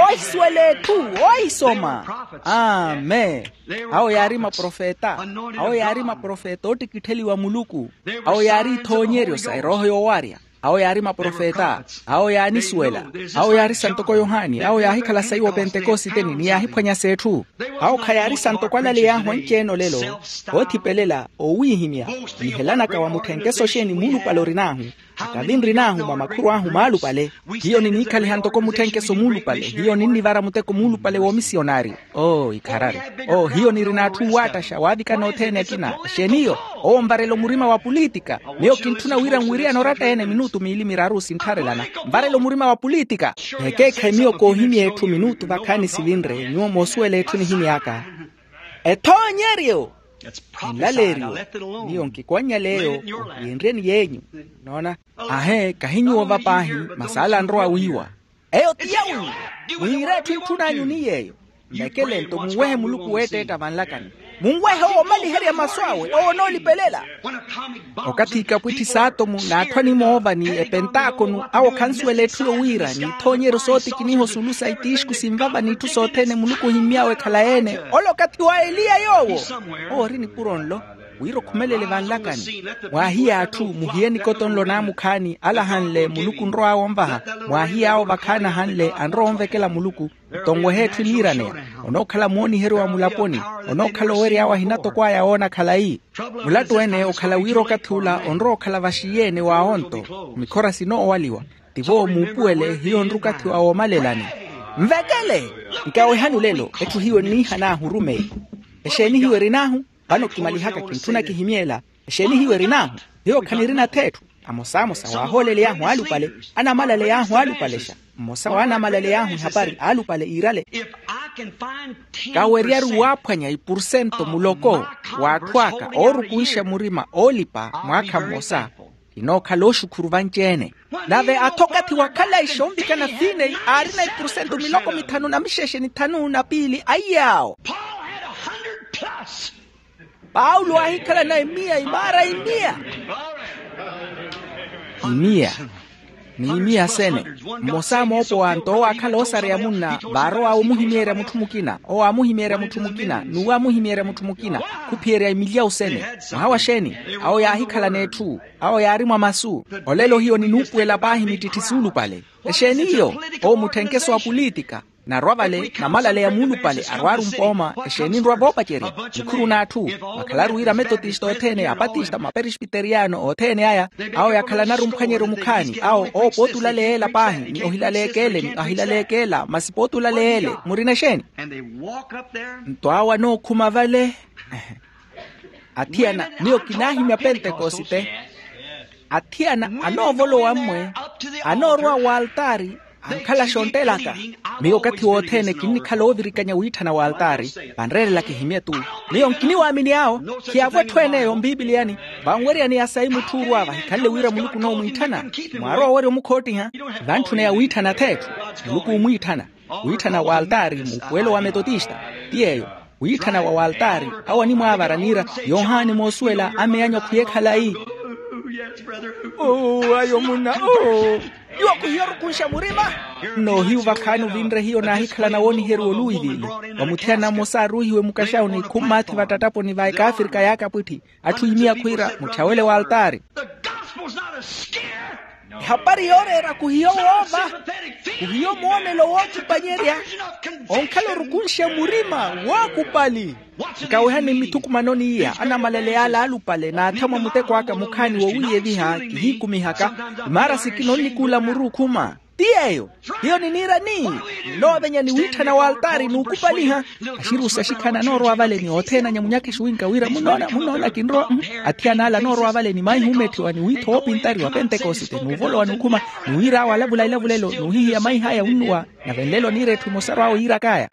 Ohisuwela etthu. Ohisoma. Amen. Awo yaari maprofeta. Awo yaari maprofeta oottikittheliwa muluku. Awo yaari ithoonyeryo sa erooho yoowarya. Awo yaari maprofeta. Awo yaanisuwela. Awo yaari santoko yohani awo yaahikhala sayi wo pentekositeni ni yaahiphwanya s'etthu. Awo khayaari santoko alaleyahu anci-ene olelo. Oothipelela owiihimya. Nihelanaka wa mutthenkeso xeeni muulupale orin'ahu. Akavi nrin'ahu mwa makhuru ahu maalupale. Hiyo niniikhaliha ntoko mutthenkeso muulupale hiyo ninnivara muteko muulupale w'omisiyonari. Oo ikharari. Oo hiyo nirina atthu owaattaxa waavikana othene akina. Exeeni iyo? Owo nvarela omurima wa pulitika. Miyo kintthuna wira nwiriyane oratta-ene minutu miili miraru sinttharelana. Nvarela omurima wa pulitika. Ekeekhayi miyo koohimya etthu minutu vakhaani sivinre nyuwo moosuwela etthu nihimy'aka. Ethoonyeryo. Nlaleeryo. Miyo nkikwannyaleeyo. Ohiyenryeni yeenyu. Noona? Ahe kahi nyuwo va paahi. Masi ala anrowa wiiwa. Eyo ti yawi. Mwiire etthu entthun'anyu ni yeeyo. Nvekele nto munwehe muluku weetteetta vanlakani. Munwehe owo omaliherya masu awe owo onoolipelela. Okathi ikapwitthi s'atomu n'atthu animoova ni epentaakonu awo khansuwela etthu yowiira n'ithoonyeryo sootikiniha osulu sa ittiixku sinvava n'itthu sothene muluku ohimmy'awe ekhalayi-ene. Ole okathi wa eliya yoowo. Owo ori nipuro nlo. Wira okhumelele vanlakani. Mwaahiye atthu muhiye nikoto nlo naamukhaani alahanle muluku onrow'awe onvaha. Mwaahiye awo vakhaani ahanle anrowa onvekela muluku. Nto onwehe etthu eniiraneya. Onookhala mooniheryo wa mulaponi. Onookhala owery'awe ahinatoko aya woona khalayi. Mulattu-ene okhala wira okathi ula onrowa okhala vaxiiye-ene wa onto. Mikhora sinoowaliwa. Tivo muupuwele hiyo nrukathi wa woomalelani. Nvekele. Nkawehani olelo etthu hiyo eniihan'ahu orumeyi. Exeeni hiyo erin'ahu? Vano kimalihaka kintthuna kihimy'ela. Exeeni hiyo erin'ahu? Hiyo khanirina ath'etthu. Amosamosa waahooleley'ahu aalupale. Anamalaley'ahu aalupalexa. Mmosa w'anamalaley'ahu ehapari aalupale iirale. Kaweryaru waaphwanya ipurusento muloko w'atthu aka oorukunxa murima oolipa mwaakha mmosa. Kinookhala oxukhuru vanci-ene. Nave ath'okathi wa khalayi xonvikana fineyi aarina ipurusento miloko mithanu na mixexe ni thanu na piili aiy'awo. Paulo aahikhalana emiya imaara imiya. Imiya. Ni imiya sene. Mmosa moopowa nto owo aakhala oosareya munna vaarowa omuhimyeerya mutthu mukina owo aamuhimyeerya mutthu mukina n'uwo aamuhimyeerya mutthu mukina. Khuphiyerya imilyawu sene. Mwaha wa xeeni? Awo yaahikhalana etthu. Awo yaari mwa masu. Olelo hiyo ninuupuwela paahi mittitthi suulupale. Exeeni iyo? Owo mutthenkeso wa pulitika. Narwa vale namalaleya muulupale arwaaru mpooma. Exeeni nrwa voopacerya? Mukhuru n'atthu. Vakhalaru wira ametotista othene apatista maperesbiteriyano othene aya. Awo yakhalanaru mphwanyeryo mukhaani awo owo pooti ulaleya ela paahi ni ohilaleeka ele ni ahilaleeka ela masi pooti ulaleya ele murina exeeni? Nto awo anookhuma vale. Athiyana miyo kinaahimya pentekosite. Athiyana anoovolowa mmwe anoorowa w'altaari. ankhala xontelaka. Miyo okathi wothene kinnikhala oovirikanya wiitthana wa altaari. Vanreerela kihimye-tu. Miyo nkiniwaamini awo. Khiyaavo etthu en'eyo mpipiliyani. Vanweriyani ya sayi mutthu orwa vahikhanle wira muluku onoomwiitthana. Mwaarwa owerya omukhottiha. Vantthuna ya wiitthana atheetthu. Muluku oomwiitthana. Wiitthana wa altaari muupuwelo wa metotista. Ti yeeyo. Wiitthana wa waltaari. Awo animwaavara niira. Yohani moosuwela ameyanyo khwiye khalayi. Oo ayo munna. Oo. Nyuwo khuhiyo orukunxa murima. Nnoohiyu vakhaani ovinre hiyo naahikhala nawooniheriwa oluwiviili. Vamuthiyana mmosa aaruuhiwe mukaxawuni khummaathi vattattaponi va ekaafirika yaakapwitthi. Atthu iimiya khwiira mutthawele waltaari. Ehapari yooreera khuhiyo woova. Khuhiyo moonelo wookipanyerya. Onkhala orukunxe murima wookupali. Nkawehani mmithukumanoni iya anamalele yaala alupale naathamwa muteko aka mukhaani wowiiyeviha kihiikumihaka. Imaara sikina onnikuula muru okhuma. Ti yeeyo. Hiyo niniira ni nnoovenya ni wiitthana wa altaari n'ukupaliha. Axiruusi axikhaani anoorwa vale ni othene anyamunyaka exiwinka wira munnoona munnoona kinrowa. Athiyana ale anoorwa vale ni maihi oometthiwa ni wiitho woopintariwa pentekosite n'uvolowa n'ukhuma. Ni wiir'awe alavula ilavulelo n'uhihiya maih'aya wunnuwa. Nave nlelo niira etthu emosaru awe yiirak'aya.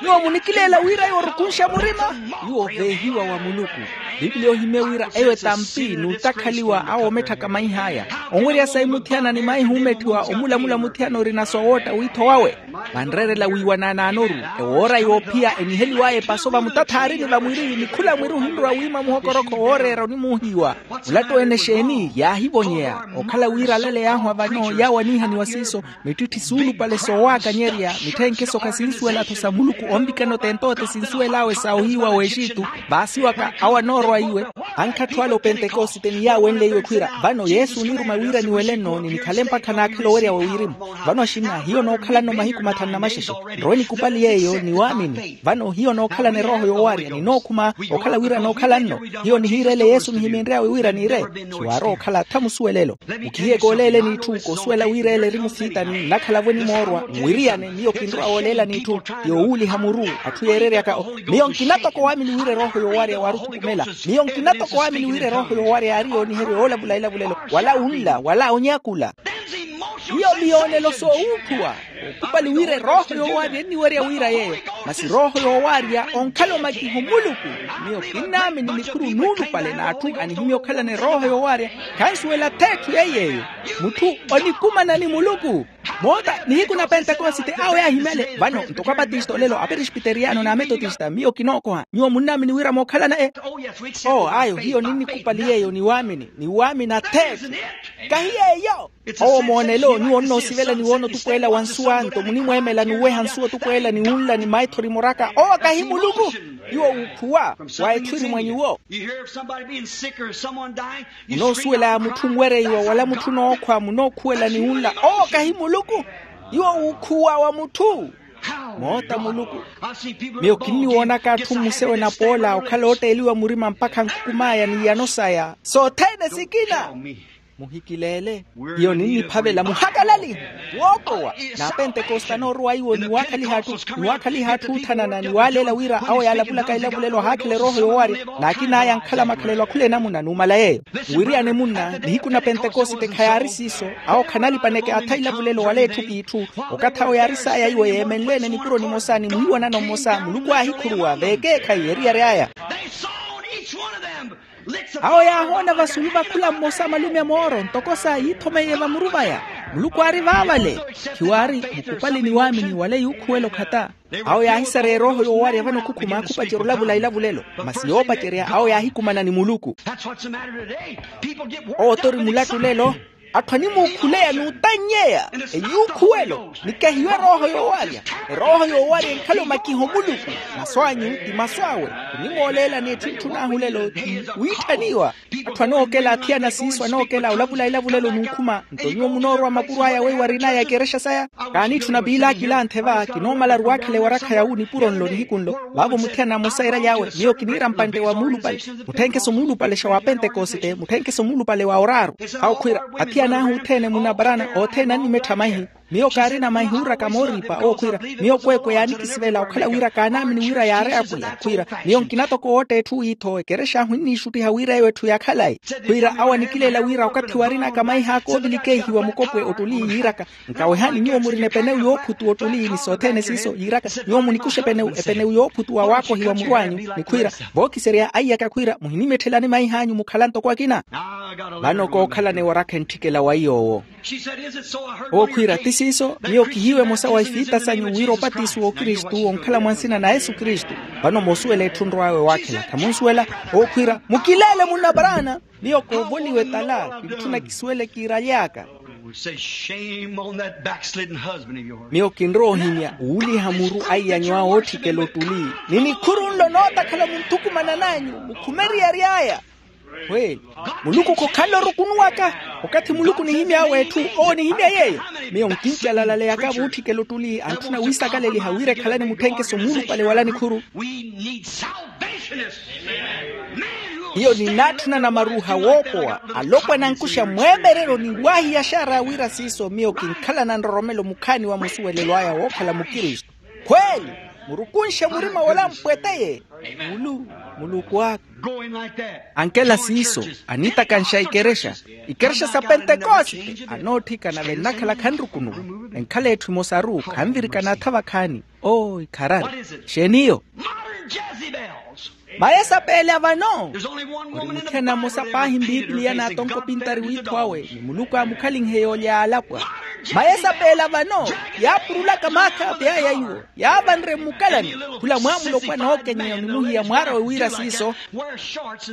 Nyuwo munikileela wira eyo orukunxa murima. Nyuwo oveehiwa wa muluku. Pipilia ohimye wira eyo etampi n'utakhaliwa awo ometthaka maih'aya. Onwerya sayi muthiyana ni maihi oometthiwa omulamula muthiyana orina soowootta wiitho wawe. Vanreerela wiiwanaanaanoru. Ewoora yoophiya eniheliw'aya epaso vamutathaari ni vamwiri ni khula mwiri ohinrowa wiima muhokorokho wooreera onimuuhiwa. Mulattu ene exeeni yaahivonyeya. Okhala wira alale yaahwa vano yaawo aniihaniwa siiso. Mittitthi suulupale soowaakanyerya mitthenkhe sokha sinsuwela-tho sa muluku onvikana otentoote sinsuwel'awe sa ohiiwa w'exitu. Vaasiwaka awo anoorwa iwe. Ankha atthu ale opentekosite ni yaawenle iwe khwiira vano yesu oniiruma wira niwele-nno ni nikhale mpakha naakhala owerya wa wirimu. Vano axinna hiyo nookhala-nno mahiku mathanu na maxexe. Nrowe nikupali yeeyo ni waamini vano hiyo nookhalana erooho yoowarya ninookhuma. Okhala wira nookhala-nno hiyo nihiirele yesu nihiminry'awe wira niire. Khiwaarowa okhala tha musuwelelo. Mukhihiye kooleeleni itthu koosuwela wira ele eri musiitani nnakhala-vo enimoorwa mwiriyane miyo kinrowa wooleelani itthu. Yoowuuliha muru atthu yeereryaka miyo nkina toko waamini wira erooho yoowarya waari othukumela. Miyo nkina toko waamini wira erooho yoowarya yaari yooniherya yoolavula ilavulelo wala unla wala onyakula. Hiyo miyoonelo soowuutthuwa. Okupali wira erooho yoowarya enniwerya wira yeeyo masi erooho yoowarya onkhala omakiho muluku. Miyo kinnaamini nikhuru nuulupale n'atthu anihimya okhalana erooho yoowarya. Khansuwela atheetthu yeiy'eyo. Mutthu onikumana ni muluku. Moota nihiku na pentekosite awo yaahimyale vano ntoko apatista olelo aperispiteriyano n'ametotista miyo kinookoha nyuwo munnaamini wira mookhalana e. Oo ayo hiyo ninnikupali yeeyo ni waamini ni waamini atheetthu. Kahi yeeyo. Owo moonelo nyuwo onnoosivela ni woona otupweela wa nsuwa nto munimweemela n'uweha nsuwa otupweela ni wunla ni maithori muraka owo kahi muluku. Nyuwo wuukhuwa wa etthu eri mwa nyuwo. Munoosuwela mutthu onwereiwa wala mutthu onookhwa munookhuwela ni wunla owo kahi muluku. Nyuwo wuukhuwa wa mutthu. Moota muluku. Miyo kinniwoonaka atthu mmusewe napoola okhala ootteeliwa murima mpakha nkhukum'aya n'iyano saya sothene sikina. Muhikileele. Iyo ninniphavela muhakalalihe woopowa. N'apentekoste anoorowa iwo niwaakhaliha atthu niwaakhaliha atthu oothanana niwaaleela wira awo yaalavulaka ilavulelo ahaakhela erooho yoowarya. N'akin'aya ankhala makhalelo akhula enamuna numala yeeyo. Muwiriyane munna nihiku na pentekoste khayaari siiso. Awo khanalipaneke atha ilavulelo wala etthu k'itthu. Okathi awo yaari saaya iwo yeemenle-ene nipuro nimosa ni mwiiwanano mmosa muluku aahikhuruwa veekeekhayi eriyari aya. Awo yaahoona vasulu va khula mmosa malume a mooro ntoko sa yiithomeiye vamuru vaya. Muluku aari vaavale. Khiwaari mukupali ni waamini wale yuukhuwela okhata. Awo yaahisareya erooho yoowarya vano khukhuma khupacerya olavula ilavulelo. Masi yoopacerya awo yaahikumana ni muluku. Owo tori mulattu lelo. Atthu animuukhuleya n'utannyeya eyuukhuwelo. Nikehiwe erooho yoowarya. Erooho yoowarya enkhala omakiha omuluku. Masu anyu ti masu awe. Onimooleelani etthu etthu n'ahulelo ti wiitthaniwa. Atthu anookela athiyana siiso anookela olavula ilavulelo n'ukhuma nto nyuwo munoorwa mapuro aya weiwarin'aya ekerexa saya. Kaaniitthuna piilaki ilanthe va kinoomalaru waakhela ewarakha yawu nipuro nlo nihiku nlo. Vaavo muthiyana mmosa iiraly'awe miyo kiniira mpantte wa muulupale. Mutthenkeso muulupalexa wa pentekoste mutthenkeso muulupale wa oraaru. Awo khwiira athiyana ahu othene munaparana othene annimettha maihi. Miyo kaarina maihuuraka mooripa owo khwiira, miyo kweekwe yaanikisivela okhala wira kaanaamini wira yaari apwiya khwiira, miyo nkina toko wootta etthu wiitho ekerexa ahu enniixuttiha wira eyo etthu yaakhalayi. Khwiira awo anikileela wira okathi waarinaka maihaaka oovilikeihiwa mukopwe ottuli yiiraka, nkawehani nyuwo murina epenewu yoophutuwa ottuli ni sothene siiso yiiraka, nyuwo munikuxa epenewu epenewu yoophutuwa waakohiwa muru anyu, ni khwiira vookiserya aiyaka khwiira muhinimetthelani maih'anyu mukhala ntoko akina. Vano kookhalana ewarakha entthikela wa iy'owo. Ookhwiira ti siiso, miyo kihiiwa emosa wa ifiita sanyu wira opatiso w'okristu onkhala mwa nsina na yesu kristu. Vano moosuwela etthu nrw'awe waakhela khamunsuwela. Ookhwiira mukileele munnaparana. Miyo koovoliwa etala kintthuna kisuwele kiiraly'aka. Miyo kinrowa ohimya wuuliha muru aiyanyu awo ootthikela ottuli ni nikhuru nlo nootakhala munthukumana n'anyu mukhumeriyari aya. Khweeli, muluku khokhala orukunuwaka. Okathi muluku onihimy'awe etthu owo onihimya yeeyo. Miyo nkincalalaleya aka vuutthikela ottuli antthuna wiisakaleliha wira ekhalani mutthenkeso muulupale wala nikhuru. Hiyo ninnaatthuna namaruuha woopowa alopwana ankuxa mweeverero ni waahiyaxara wira siiso miyo kinkhalana nroromelo mukhaani wa musuwelelo aya wookhala mukristu. Khweeli, murukunxe murima wala mpweteye. Mulu muluku aka. Ankela siiso aniitakanxa ikerexa, ikerexa sa pentekoste anootthikana vennakhala khanrukunuwa. Enkhala etthu emosaru khanvirikana atha vakhaani. Oo ikharari. Xeeni iyo? Mayesapeele a vano. Ori muthiyana mmosa paahi mpiipiliya naatonka opintari wiitho awe ni muluku aamukhalinhe yoolya yaalapwa. Mayesapeele a vano yaapurulaka maakhapi aya iwo yaavanre mmukalani. Khula mwaamulopwana ookenyeya onimuhiya mwaarawe wira siiso.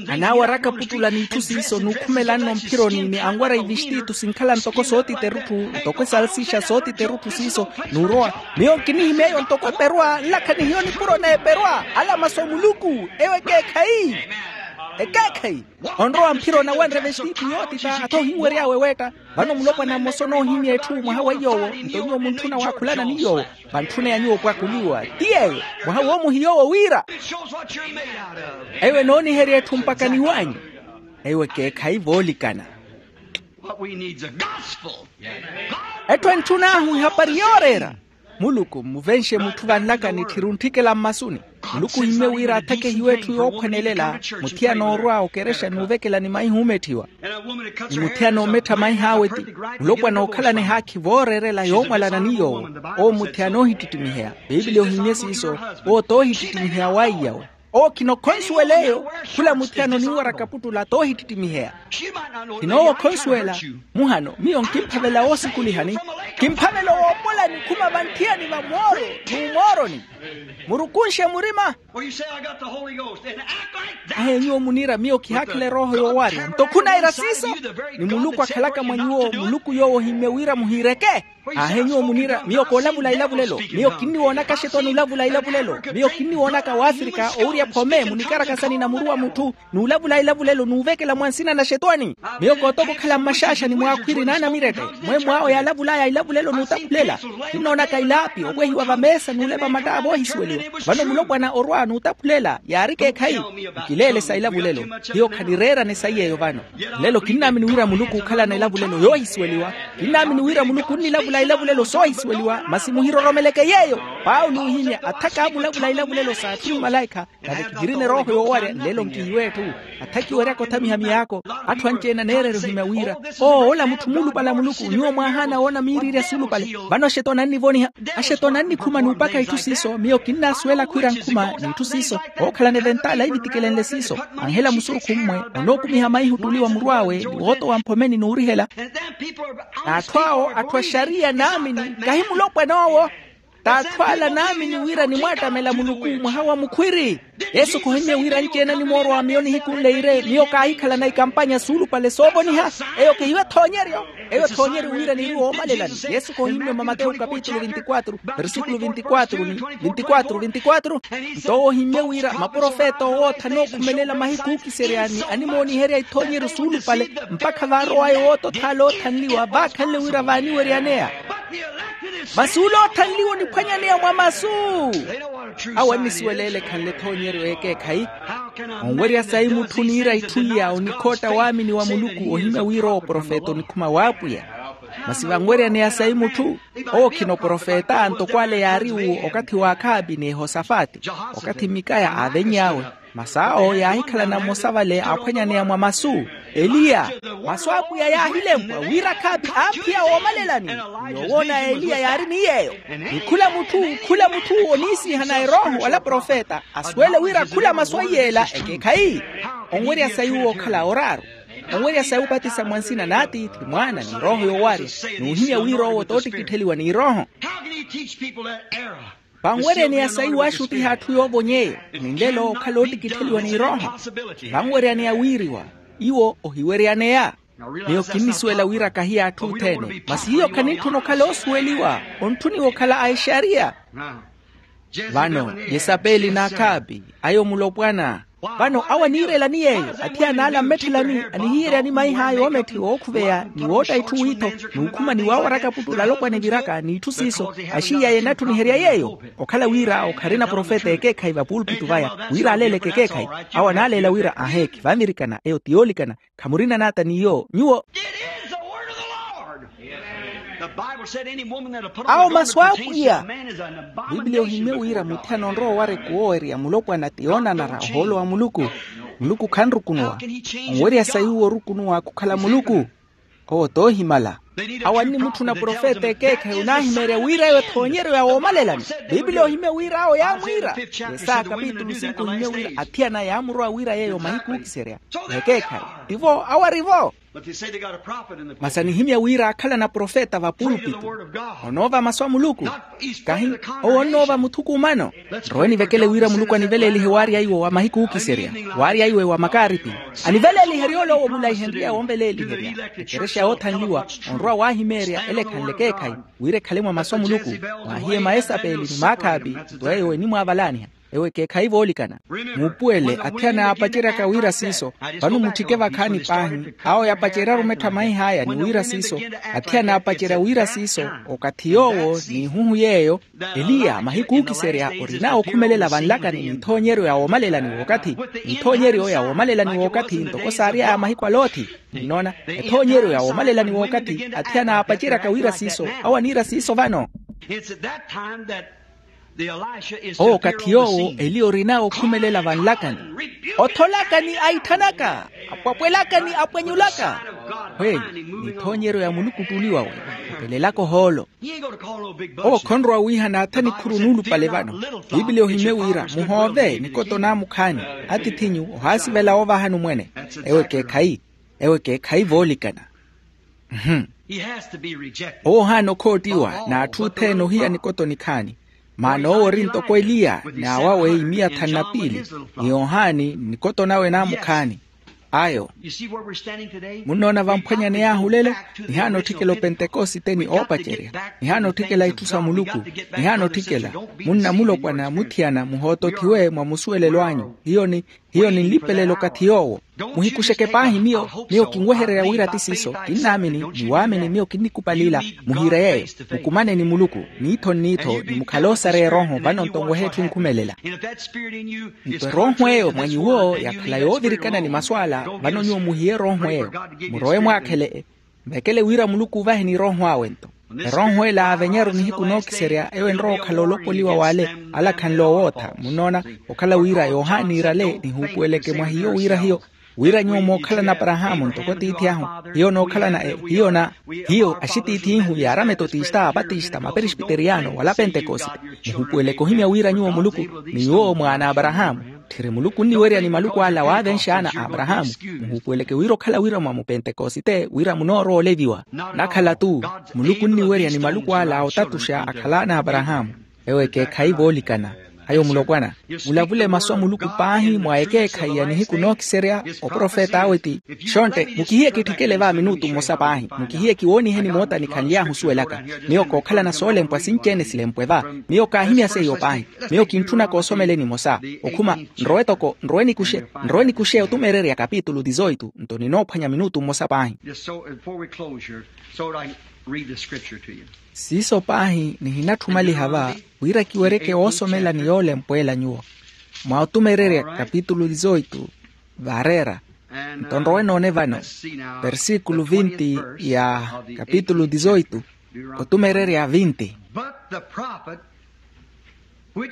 Anaawaraka puttula n'itthu siiso n'ukhumelanno mphironi ni anwara ivistitu sinkhala ntoko sootita erutthu ntoko esalsixa sootita erutthu siiso. N'urowa miyo nkinihimya eyo ntoko eperwa nlakha ni hiyo nipuro n'eperwa ala masu a muluku. Eyo ekeekhayi. Ekeekhayi. Onrowa mphironi awanre vestitu yootita atha ohinwery'awe weetta. Vano mulopwana mmosa onoohimya etthu mwaha wa iy'owo nto nyuwo muntthuna waakhulana ni yoowo. Vantthuna ya nyuwo opwakuliwa ti yeeyo. Mwaha woomuhi yoowo wira eyo enooniherya etthu mpakha ni wanyu. Eyo ekeekhayi voolikana. Etthu entthun'ahu ehapari yooreera. Muluku mmuvenxe mutthu vanlaka nitthiri ontthikela mmasuni. Muluku ohimmye wira athakehiwe etthu yookhwenelela muthiyana orwa okerexa n'uvekelani maihi oometthiwa. Ni muthiyana oomettha maih'awe ti mulopwana ookhalana ehaakhi vooreerela yoomwalana ni yoowo. Owo muthiyana oohittittimiheya. Piipiliya ohimmye siiso. Owo t'oohittittimiheya waiyawe. Owo khinokhonsuwela eyo. Khula muthiyana oniiwaraka puttula t'ohittittimiheya. Kinoowa okhonsuwela. Muhano miyo nkimphavela woosukulihani. Kimphavela owoopola nikhuma vanthiyani va mooro n'umooroni. Murukunxe murima. Ahe nyuwo muniira miyo kihaakhela erooho yoowarya nto khunaira siiso. Ni muluku akhalaka mwa nyuwo muluku yoowo ohimmye wira muhiireke. Aahe nyuwo muniira miyo koolavula ilavulelo. Miyo kinniwoonaka axetwani olavula ilavulelo. Miyo kinniwoonaka waafrika owirya phome munikaraka sa nina muru wa mutthu n'ulavula ilavulelo n'uvekela mwa nsina na axetwani. Miyo kootoka okhala mmaxaaxani mwaakhwiri n'anamirette. Mwemmo awo yaalavulaya ilavulelo n'utaphulela. Kinnoonaka ilaapi opwehiwa vameesa n'ulepa mattaavo ohisuweliwa. Vano mulopwana orwa n'utaphulela yaari keekhayi. Nkileele sa ilavulelo. Hiyo khanireerane saiy'eyo vano. Lelo kinnaamini wira muluku ookhalana ilavulelo yoohisuweliwa. Kinnaamini wira muluku onnilavula ilavulelo soohisuweliwa masi muhiroromeleke yeeyo. Paulo oohimya athaka aamulavula ilavulelo saatthu ni malaikha. Nave kihirina erooho yoowarya nlelo nkihiwe etthu. Athaki weryaka othamiha miyaako. Atthu anci-ene aneererya ohimya wira oo ola mutthu muulupale a muluku nyuwo mwaahaana woona miiriirya suulupale. Vano axetwani annivoniha. Axetwani annikhuma n'upakha itthu siiso miyo kinnaasuwela khwiira nkhuma n'itthu siiso. Ookhalana eventala ivitikelenle siiso anhela musurukhu mmwe. Onookumiha maihi ottuli wa muru awe ni wootowa mphomeni n'urihela. N'atthu awo atthu a xariya naamini kahi mulopwan'owo. T'atthu ala naamini wira nimwaattamela muluku mwaha wa mukhwiri. Yesu khohimmye wira anci-ene animoorwa miyo nihiku nleire miyo kaahikhalana ikampanya suulupale soovoniha. Eyo kehiwe ethoonyeryo. Eyo ethoonyeryo wira niiri woomalelani. Yesu khohimmye mwa mathewu kapitulu vinti-kwatru versíkulu vinti-kwatru ni vinti-kwatru vinti-kwatru. Nto owo ohimmye wira maprofeta owootha anookhumelela mahiku ookiseryani animooniherya ithoonyeryo suulupale mpakha vaarow'aya owoota othaala oothanliwa vaakhanle wira vaaniweryaneya. Masi ole oothanliwa oniphwanyaneya mwa masu. Awo annisuweleele ekhanle ethoonyeryo y'ekeekhayi. Onwerya sayi mutthu oniira itthu iya onikhootta waamini wa muluku ohimya wira owo profeta onikhuma w'apwiya. Masi vanweryaneya sayi mutthu, owo khina oprofeta ntoko ale yaari wu okathi w'akhaabi n'ehosafati, okathi mikaya aavenny'awe. Masi awo yaahikhalana mmosa vale aaphwanyaneya mwa masu. Eliya. Masu a apwiya yaahilempwa wira akhaabi aamphiya woomalelani. Yoowoona eliya yaari ni yeeyo. Ni khula mutthu khula mutthu oniisihana erooho wala profeta asuwele wira khula masu a iy'ela ekeekhayi. Onwerya sayi uwo okhala oraaru. Onwerya sayi opatisa mwa nsina n'atiithi mwaana ni rooho yoowarya. N'uhimya wira owo t'ottikittheliwa ni rooho. Panweryaneya sayi waaxutiha atthu yoovony'eyo. Ni nlelo okhala ottikittheliwa ni rooho. Vanweryaneya wiiriwa. Iwo ohiweryaneya. Miyo kinnisuwela wira kahiya atthu othene masi hiyo khanitthuna okhala oosuweliwa. Ontthuniwa okhala a exariya. Vano yesapeli n'akhaabi ayo mulopwana. Vano awo aniirelani yeeyo. Athiyana ala mmetthelani anihiyeryani maih'aya oometthiwa ookhuveya ni wootta itthu wiitho. N'ukhuma ni waawaraka puttu olalopwana eviraka n'itthu siiso. Axiy'aya enatthuniherya yeeyo. Okhala wira okharina profeta ekeekhayi vapulpitu vaya wira aleeleke ekeekhayi. Awo anaaleela wira aheekhi vanvirikana eyo ti yoolikana. Khamurina naata n'iyo nyuwo. Awo masu a apwiya. Pipiliya ohimye wira muthiyana onrowa owara ekuwowerya mulopwana ti yoonanara ohoolo wa muluku. Muluku khanrukunuwa. Onwerya sayi uwo orukunuwa khukhala muluku. Owo t'ohimala. Awo annimutthuna profeta ekeekhayi onaahimeerya wira eyo ethoonyeryo ya woomalelani. Pipiliya ohimye wira awo yaamwiira. Yesaya kapitulu sinku ohimye wira athiyana yaamurowa wira yeeyo mahiku ookiserya. N'ekeekhayi tivo awo ari-vo. Masi anihimya wira aakhalana profeta vapulpitu. Onoova masu a muluku. Kahi owo onoova muthukumano. Nrowe nivekele wira muluku aniveleelihe waarya iwo wa mahiku ookiserya. Waarya iwo wa makaaripi. Aniveleeliherya ole owo mulaihenrye wonveleeliherya. Ekerexa yoothanliwa. Onrowa waahimeerya ele ekhanle ekeekhayi wira ekhale mwa masu a muluku. Mwahiye maesapeli ni maakhaapi. Nto eyo enimwaavalaaniha. Ewo ekeekhayi voolikana. Muupuwele athiyana yaapaceryaka wira siiso. Vano mutthike vakhaani paahi. Awo yapacerya arumettho a maih'aya ni wira siiso. Athiyana yaapacerya wira siiso. Okathi yoowo n'ihuhu yeeyo. Eliya mahiku ookiserya orina okhumelela vanlakani n'ithoonyeryo ya woomalelani w'okathi. N'ithoonyeryo ya woomalelani w'okathi ntoko saary'aya mahiku a loothi. Nnoona ethoonyeryo ya woomalelani w'okathi athiyana yaapaceryaka wira siiso. Awo aniira siiso vano. Owo okathi yoowo eliya orina okhumelela vanlakani. Otholakani aitthanaka. Apwapwelakani apwenyulaka. Khweli n'ithoonyeryo ya muluku ottuli wawe. Opelelaka ohoolo. Owo khonrowa wiihana atha nikhuru nuulupale vano. Piipiliya ohimye wira muhoove nikoto naamukhaani. Atiith'inyu ohaasivela woovahani omwene. Ewo ekeekhayi. Ewo ekeekhayi voolikana. Owo ohaana okhoottiwa n'atthu othene ohiya nikoto nikhaani. Maana owo ori ntoko eliya n'awawe imiya thanu na piili. Ni yohani nikoto nawe naamukhaani. Ayo. Munnoona vamphwanyaney'ahu lelo. Nihaana otthikela opentekosite ni oopacerya. Nihaana otthikela itthu sa muluku. Nihaana otthikela. Munna mulopwana muthiyana muhootothiwe mwa musuwelelo anyu hiyo ni hiyo ninlipelele okathi yoowo. Muhikuxeke paahi miyo. Miyo kinwehererya wira ti siiso kinnaamini. Ni waamini miyo kinnikupalila. Muhiire yeeyo. Mukumane ni muluku. N'iitho n'iitho ni mukhale oosareya erooho vano nto nwehe etthu enkhumelela. Nto erooho eyo mwa nyuwo yakhala yoovirikana ni masu ala. Vano nyuwo muhiye erooho eyo. Murowe mwaakhele. Mvekele wira muluku oovaheni erooho awe nto. Erooho ela aavenyaru nihiku nookiserya ewo enrowa okhala olopoliwa w'ale. Ala khanle owootha munnoona. Okhala wira yohani iirale nihuupuweleke mwa hiyo wira hiyo wira nyuwo mookhalana aparahaamu ntoko tiithi ahu. Hiyo nookhalana hiyo na hiyo axitiith'ihu yaarametotista apatista maperespiteriyano wala pentekosite. Nihuupuweleke ohimya wira nyuwo muluku ni nyuwo mwaana a aparahaamu. Tthiri muluku onniwerya ni maluku ala waavenx'ana a aparahaamu. Muhuupuweleke wira okhala wira mwa mupentekosite wira munoorowa oleviwa. Nakhala-tu. Muluku onniwerya ni maluku ala a otatuxa akhal'ana a aparahaamu. Ewo ekeekhayi voolikana. Ayo mulopwana. Mulavule masu a muluku paahi mwa ekeekhayi ya nihiku nookiserya. Oprofeta awe ti xontte mukihiye kitthikele va minutu mmosa paahi mukihiye kiwooniheni moota nikhanly'ahu osuwelaka. Miyo kookhalana soolempwa sinci-ene silempwe va. Miyo kaahimya seiyo paahi. Miyo kintthuna koosomeleni emosa. Okhuma nrowe toko nrowe nikuxe nrowe nikuxe otumeererya kapitulu dizoitu nto ninoophwanya minutu mmosa paahi. Siiso paahi nihinatthumaliha va wira kiwereke woosomela ni yoolempweela nyuwo. Mwa otumeererya kapitulu dizoitu vaareera. Nto nrowe noone vano, versikulu vinti ya kapitulu dizoitu, otumererya vinti.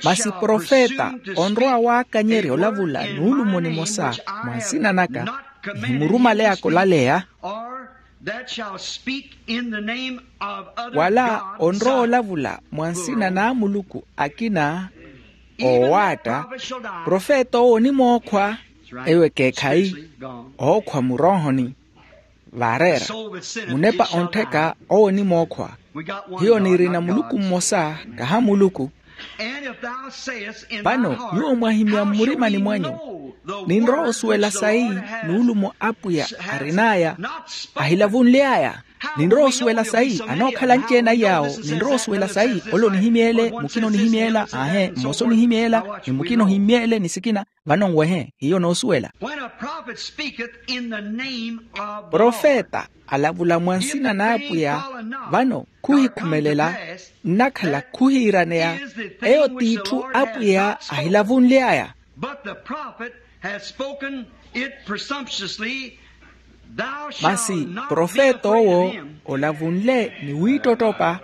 Masi profeta onrowa waakanyerya olavula nuulumo nimosa mwa nsina naka, nihimurumaleya kolaleya. Wala onrowa olavula mwa nsina n'amuluku akina oowaatta, profeta owo onimookhwa. Eyo ekeekhayi, ookhwa muroohoni. Vaareera munepa onttheka owo onimookhwa. Hiyo nirina muluku mmosa, kaha muluku. Vano nyuwo mwahimya mmurimani mwanyu, ninrowa osuwela sayi nuulumo apwiya arin'aya ahilavunly'aya. Ninrowa osuwela sayi anookhala anci-ene aiy'awo. Ninrowa osuwela sayi ole onihimy'ele, mukina onihimy'ela, aahe mmosa onihimy'ela, ni mukina ohimy'ele ni sikina. Vano nwehe hiyo noosuwela. Profeta alavula mwa nsina n'apwiya, vano khuhikhumelela, nnakhala khuhiiraneya. Eyo t'itthu apwiya ahilavunly'aya. Masi profeta owo olavunle ni wiittottopa.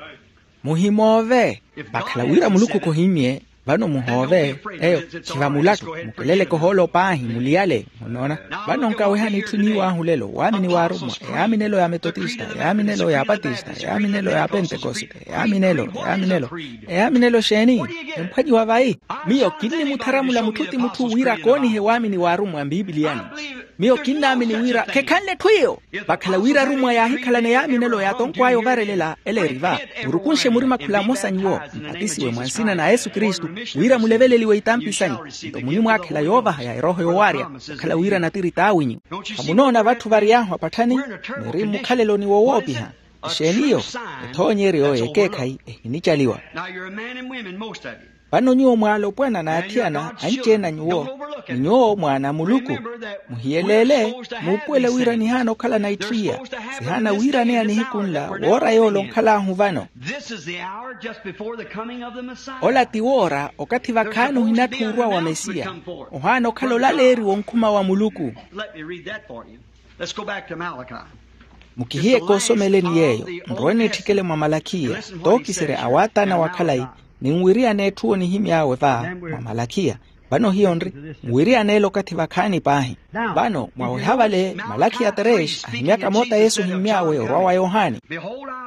Muhimoove. Vakhala wira muluku khuhimmye, vano muhoove. Eyo khiva mulattu, mukeleleke ohoolo paahi muliyale. Munoona? Vano nkawehani itthu iniiw'ahu lelo waamini w'arummwa, eyaaminelo ya metotista, eyaaminelo ya apatista, eyaaminelo ya apentekoste, eyaaminelo eyaaminelo. Eyaaminelo xeeni? Emphwanyiwa vayi. Miyo kinnimutharamula mutthu ti mutthu wira koonihe waamini w'arummwa mpipiliyani. Miyo kinnaamini wira khekhanle etthu iyo. Vakhala wira arummwa yaahikhalana eyaaminelo yaatonkw'aya ovarelela ela eri va, murukunxe murima khula mmosa nyuwo, mupatisiwe mwa nsina na yesu kristu, wira muleveleliwe itampi sanyu. Nto munimwaakhela yoovaha ya erooho yoowaarya, okhala wira natiri t'awinyu. Khamunoona vatthu variy'ahu apatthani? Niri mmukhaleloni wowoopiha. Exeeni iyo? Ethoonyeryo y'ekeekhayi ehinicaliwa. Vano nyuwo mwaalopwana n'athiyana anci-ene a nyuwo, ni nyuwo mwaana a muluku, muhiyeleele, muupuwele wira nihaana okhalana itthu iya. Sihaana wiiraneya nihiku nla woora yoole onkhal'ahu vano. Ola ti woora okathi vakhaani ohinatthi orwa wa mesiya. Ohaana okhala olaleeriwa onkhuma wa muluku. Mukihiye koosomeleni yeeyo. Nrowe niitthikele mwa malakhiya, tookiserya awaataana wa khalayi, ninwiriyana etthu onihimy'awe va mwa malakhiya. Vano hiyo nri, nwiriyana ele okathi vakhaani paahi. Vano mwaweha vale malakhiya tres ahimyaka moota yesu ohimmy'awe orwa wa yohani.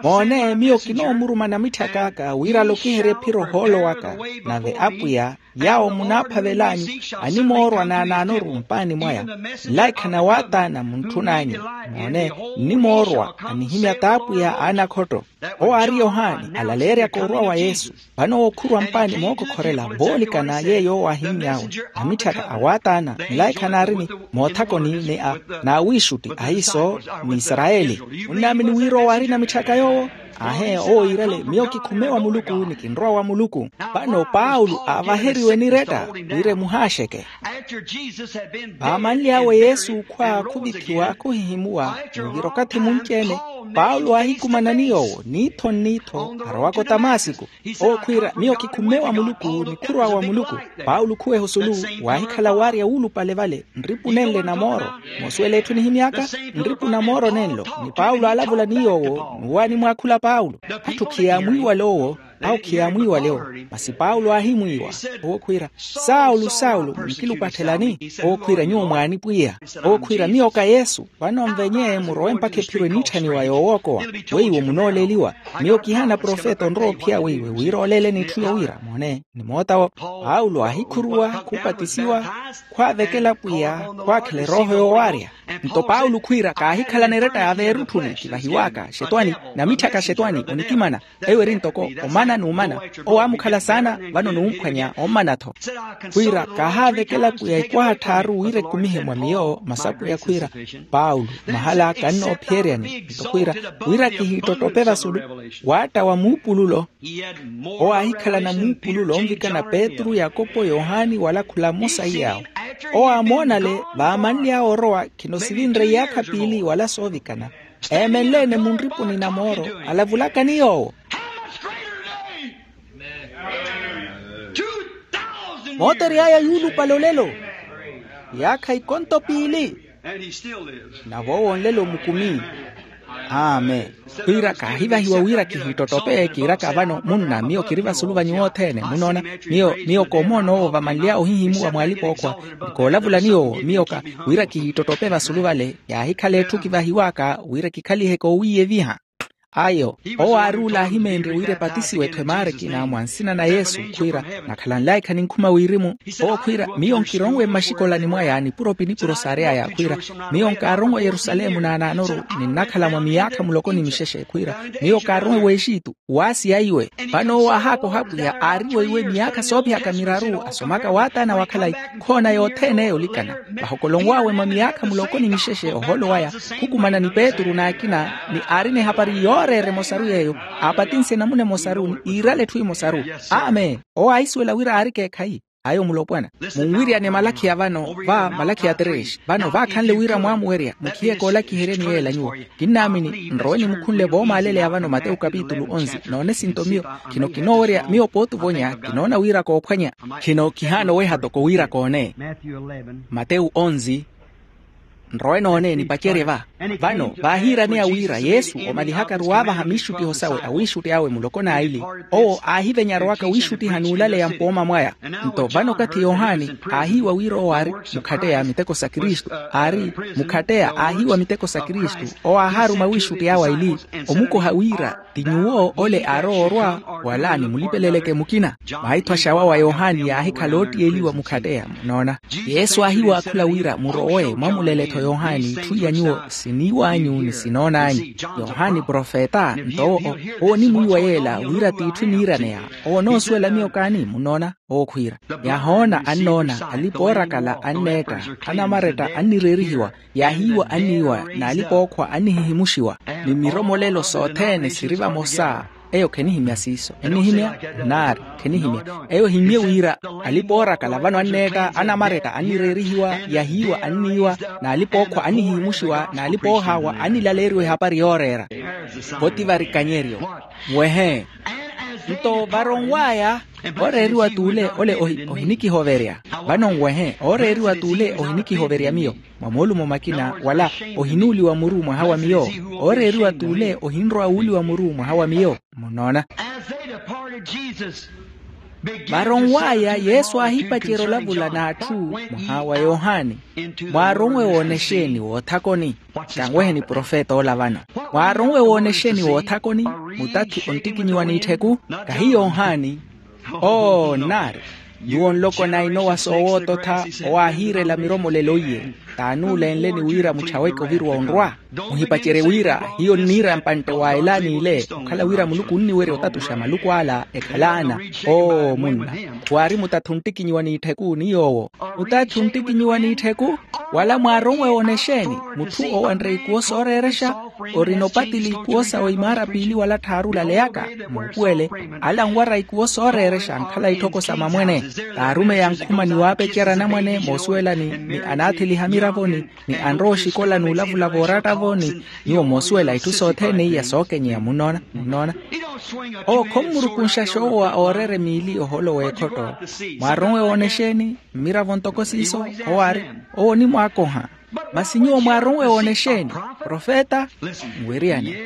Moone miyo kinoomuruma namitthaka aka wira alokiherye ephiro ohoolo waka. Nave apwiya, yaawo munaaphavel'anyu, animoorwa naanaanoru mpaani mwaya. Nlaikha nawaataana muntthun'anyu. Moone, nnimoorwa anihimya t'apwiya a anakhotto. Owo aari yohani alaleeryaka orwa wa yesu. Vano owo khurwa mpaani mookokhorela voolikana yeeyo owo ahimmy'awe. Namitthaka awaataana nlaikha naarini moothakoni ni a n'awiixutti ahiiso, n'isarayeli. Munnaamini wira owo aari namitthaka yoowo? Aahe owo iirale miyo kikhume wa muluku ni kinrowa wa muluku. Vano paulo aavaheriwe niretta wira emuhaaxeke. Vaamanly'awe yesu khwa khuvithiwa khuhihimuwa. Ni vira okathi munci-ene, paulo aahikumana ni yoowo niitho nniitho arowaka otamasiku. Owo khwiira miyo kikhume wa muluku ni khurwa wa muluku. Paulo khuweha osulu, waahikhala waarya wuulupale vale nripu nenle na mooro. Moosuwela etthu nihimy'aka? Nripu na mooro nenlo. Ni paulo aalavula ni yoowo n'uwo animwaakhula paulo. Atthu khiyaamwiiwale owo, awo khiyaamwiiwale owo. Masi paulo aahimwiiwa, owo khwiira, saulo saulo munkilupattelani? Owo khwiira nyuwo mwaani pwiya. Owo khwiira miyo ka yesu. Vano nvenye murowe mpakha ephiro eniitthaniwa yoowookowa. Weiwo munooleliwa. Miyo kihaana profeta onrowa ophiya weiwe wira oleleni etthu yowiira moone. Ni mootawo paulo aahikhuruwa khupatisiwa, khwaavekela pwiya, khwaakhela erooho yoowaarya. Nto paulo khwiira kaahikhalana eretta ya veerutthuni kivahiwaka xetwani, namitthaka xetwani onikimana. Eyo eri ntoko omana n'umana. Owo aamukhala saana, vano n'umphwanya ommana-tho. Khwiira kaahaavekela pwiya ikwaha tthaaru wira ekumihe mwa miyo masapwiya khwiira, paulo mahala kannoophiyeryaani nto khwiira, wira kihiittotope vasulu. Waatta wa muupululo. Owo aahikhalana muupululo onvikana petru yakopo yohani wala khula mmosa iy'awo. Owo aamoonale vaamanly'awe orowa khino sivinre iyaakha piili wala soovikana. Eemenle-ene munripuni na mooro alavulaka ni yoowo. Mootery'aya yuulupale olelo iyaakha ikonto piili. Nave owo nlelo mukumi. Amen. Khwiira kaahivahiwa wira kihiittotope kiiraka vano munna miyo kiri vasulu va nyuwo othene munoona. Miyo miyo koomoona owo vamanly'awe ohihimuwa mw'alipa-ookhwa. Ni koolavula ni owo miyo ka wira kihiittotope vasulu vale yaahikhala etthu kivahiw'aka wira kikhalihe koowiiyeviha. Ayo owo aari ula aahimeenrye wira epatisiwe-tho emaara ekina mwa nsina na yesu khwiira nakhala nlaikha ninkhuma wirimu. Owo khwiira miyo nkironwe mmaxikolani mwaya nipuro pinipuro saary'aya khwiira miyo nkaaronwe yerusalemu naanaanoru ninnakhala mwa miyaakha muloko ni mixexe khwiira miyo kaaronwe w'exitu waasiya iwe. Vano owo aahaakoha apwiya aariwe iwe miyaakha soophihaka miraru asomaka waataana wa khalayi khoona yothene eyo olikana vahokolonw'awe mwa miyaakha muloko ni mixexe ohoolo waya khukumana ni petru n'akina ni aarina ehapari yooreera emosaru yeeyo aapatinse enamuna emosaru ni iirala etthu emosaru. Amen. Owo aahisuwela wira aari ekeekhayi. Ayo mulopwana munwiryane malakhiya vano va malakhiya tres vano vaakhanle wira mwaamuwerya mukhiye koolakiheryani yeela nyuwo. Kinnaamini nrowe nimukhunle voomaaleleya vano matewu kapitulu onzi noone sinto miyo khino kinoowerya miyo pooti ovonya kinoona wira koophwanya khino khihaana oweha toko wira koone. Matewu onzi nrowe noone nipacerye va vano vaahiiraneya wira yesu omalihakaru waavaha miixuttiho sawe awiixutti awe muloko n'aili owo aahivenyarowaka wiixuttiha n'ulaleya mpooma mwaya. Nto vano okathi yohani aahiiwa wira owo aari mukhatteya miteko sa kristu aari mukhatteya aahiiwa miteko sa kristu owo aahaaruma wiixutti awe aili omukoha wira ti nyuwo ole aarowa orwa wala nimulipeleleke mukina. Maitho axawa wa yohani yaahikhala oottiyeliwa mukhatteya munoona. Yesu aahiwa akhula wira murowe mwamulele-tho yohani itthu iya nyuwo siniiw'anyu ni sinoon'anyu. Yohani profeta nto owo onimwiiwa yeela wira t'itthu eniiraneya. Owo onoosuwela miyo kaani munoona owo khwiira yaahoona annoona alipa oorakala anneetta anamaretta annireerihiwa yaahiiwa anniiwa n'alipa-ookhwa annihihimuxiwa ni miromolelo sothene siri vamosa. Eyo khenihimya siiso ennihimya nnaari khenihimya eyo ehimye wira alipa oorakala vano anneetta anamaretta annireerihiwa yahiiwa anniiwa n'alipa-ookhwa annihihimuxiwa n'alipa-oohaawa annilaleeriwa ehapari yooreera. Voti varikanyeryo nwehe nto varonw'aya ooreeriwa t'ule ole ohinikihoverya vano nwehe ooreeriwa t'ule ohinikihoverya miyo mwa moolumo makina wala ohinuuliwa muru mwaha wa miyo ooreeriwa t'ule ohinrowa wuuliwa muru mwaha wa miyo. Munoona varonw'aya yesu aahipacerya olavula n'atthu mwaha wa yohani. Mwaaronwe woona exeeni woothakoni kanweheni profeta ola vano mwaaronwe woona exeeni woothakoni mutathi onttikinyiwa n'itthiku kahi yohani. Oo nnaari nyuwo nloko na inowa soowoototha owaahiirela miromolelo iye t'anuulenleni wira muchaweke oviruwa onrwa. Muhipacerye wira hiyo nniira mpantte wa elaani ile okhala wira muluku onniwerya otatuxa maluku ala ekhalaana. Oo munna waari mutathi onttikinyiwa n'itthiku ni yoowo mutathi onttikinyiwa n'itthiku. Wala mwaaronwe woona exeeni mutthu owanre ikuwo sooreerexa orina opatili ikuwo sawe imaara piili wala tthaaru olaleyaka muupuwele ala anwara ikuwo sooreerexa ankhala itthoko sa mamwene. Taarumeya ankhuma ni waapecerya anamwane moosuwelani ni anaatheliha miravoni ni anrowa oxikola n'ulavula vooratta-vo ni nyuwo moosuwela itthu sothene iya sookenyeya munnoona munnoona. Owo khommurukunxa xoowa ooreera emiili ohoolo w'ekhotto. Mwaaronwe woona exeeni mmiravo ntoko siiso owo aari owo onimwaakoha. Masi nyuwo mwaaronwe woona exeeni profeta? Nweriyani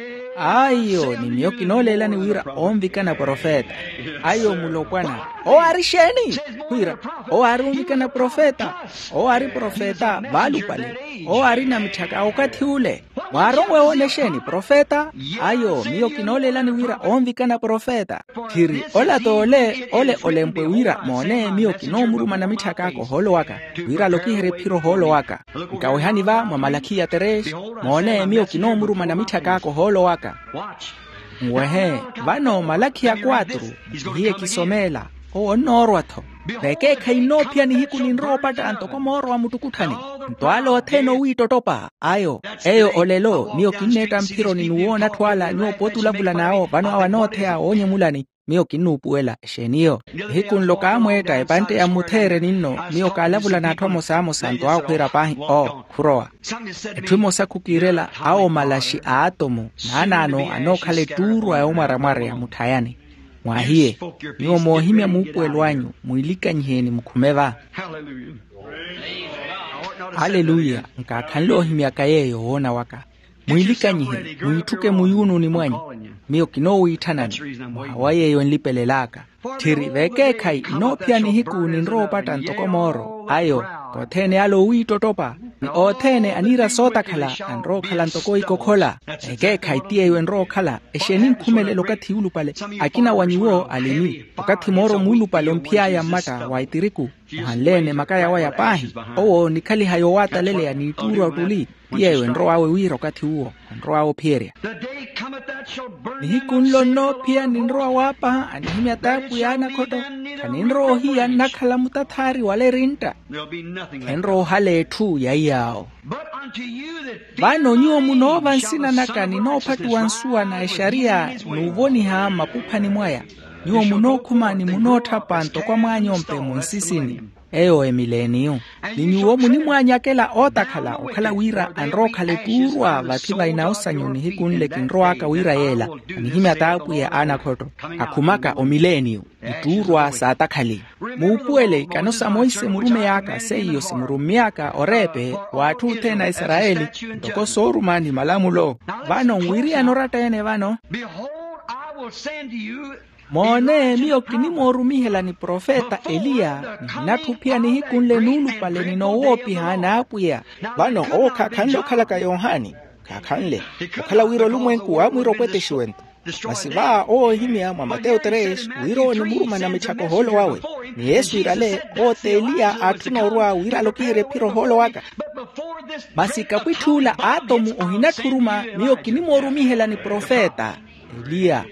ayo ni miyo kinooleelani wira onvikana profeta. Ayo mulopwana owo aari exeeni khwiira owo aari onvikana profeta. Owo aari profeta vaalupale owo aari namitthaka a okathi ule. Mwaaronwe woona exeeni profeta? Ayo miyo kinooleelani wira onvikana profeta. Tthiri ola t'ole ole olempwe wira moone miyo kinoomuruma namitthaka aka ohoolo waka wira alokiherye ephiro ohoolo waka. Nkawehani va mwa malakhiya tres moone miyo kinoomuruma namitthaka aka ohoolo waka. Nwehe vano malakhiya kwatru nkihiye kisomeela owo onnoorwa-tho. Vekeekhayi nnoophiyana ihiku ninrowa opatta ntoko mooro wa muttukutthani nto ala othene owiittottopa ayo. Eyo olelo miyo kinneetta mphironi ni woona atthu ala nyuwo pooti olavulan'awo vano awo anootheya woonyemulani. Miyo kinnuupuwela exeeniyo ihiku nlo kaamweetta epantte ya mmutheereni nno miyo kaalavula n'atthu amosa amosa nto awo khwiira paahi oo khurowa. Etthu emosa khukiirela awo malaxi a atomu naanaano anookhala ettuurwa yoomwaramwareya mutthayani. Mwahiye nyuwo moohimya muupuwelo anyu mwiilikanyiheni mukhume va. Aleluya. Nkaakhanle ohimyaka yeeyo woona waka. Mwiilikanyihe, mwiitthuke muyuununi mwanyu. Miyo kinoowiitthanani. Mwaha wa yeeyo enlipelel'aka. Tthiri veekeekhayi nnoophiyana nihiku ninrowa opatta ntoko mooro ayo. Othene ale owiittottopa ni othene aniira sootakhala anrowa okhala ntoko ikokhola. Veekeekhayi ti yeeyo enrowa okhala. Exeeni nkhumelela okathi yuulupale? Akina wa nyuwo alini okathi mooro muulupale omphiy'aya mmatta wa etiriku. Ohanle-ene makaya waya paahi. Owo onikhaliha yoowataleleya n'ittuurwa ottuli. Ti yeeyo enrow'awe wira okathi uwo anrow'awe ophiyerya. Nihiku nlo nnoophiya ninrowa waapaha anihimya t'apwiya anakhotto. Khaninrowa ohiya nnakhala mutathaari wala erintta. Khenrowa ohala etthu ya iyaawo. Vano nyuwo munoova nsina naka ninoophattuwa nsuwa na exariya n'uvoniha mmakuphani mwaya. Nyuwo munookhuma ni munootthapa ntoko amwaany'ompe munsisini. Eyo emileeniyu. Ni nyuwo munimwaanyakela ootakhala okhala wira anrowa okhala ettuurwa vathi va inawosanyu nihiku nle kinrow'aka wira yeela. Anihimya t'apwiya a anakhotto akhumaka omileeniyu. Ittuurwa saatakhali. Muupuwele ikano sa monse murumey'aka seiyo simurummy'aka oreepe w'atthu othene a isarayeli ntoko sooruma ni malamulo. Vano nwiriyana oratta-ene vano. Moone miyo kinimoorumihelani profeta eliya. Nihinatthu ophiya nihiku nle nuulupale ninoowoopiha n'apwiya. Vano owo khaakhanle okhalaka yohani. Khaakhanle okhala wira olumwenku waamwiira opwetexiwento. Masi va owo ohimya mwa mateyo tres wira owo onimuruma na mitthaka ohoolo wawe. Ni yesu iirale owo t'eliya aatthuna orwa wira alokiherye ephiro ohoolo waka. Masi kapwitthi ula aatomu ohinatthuruma miyo kinimoorumihelani profeta eliya.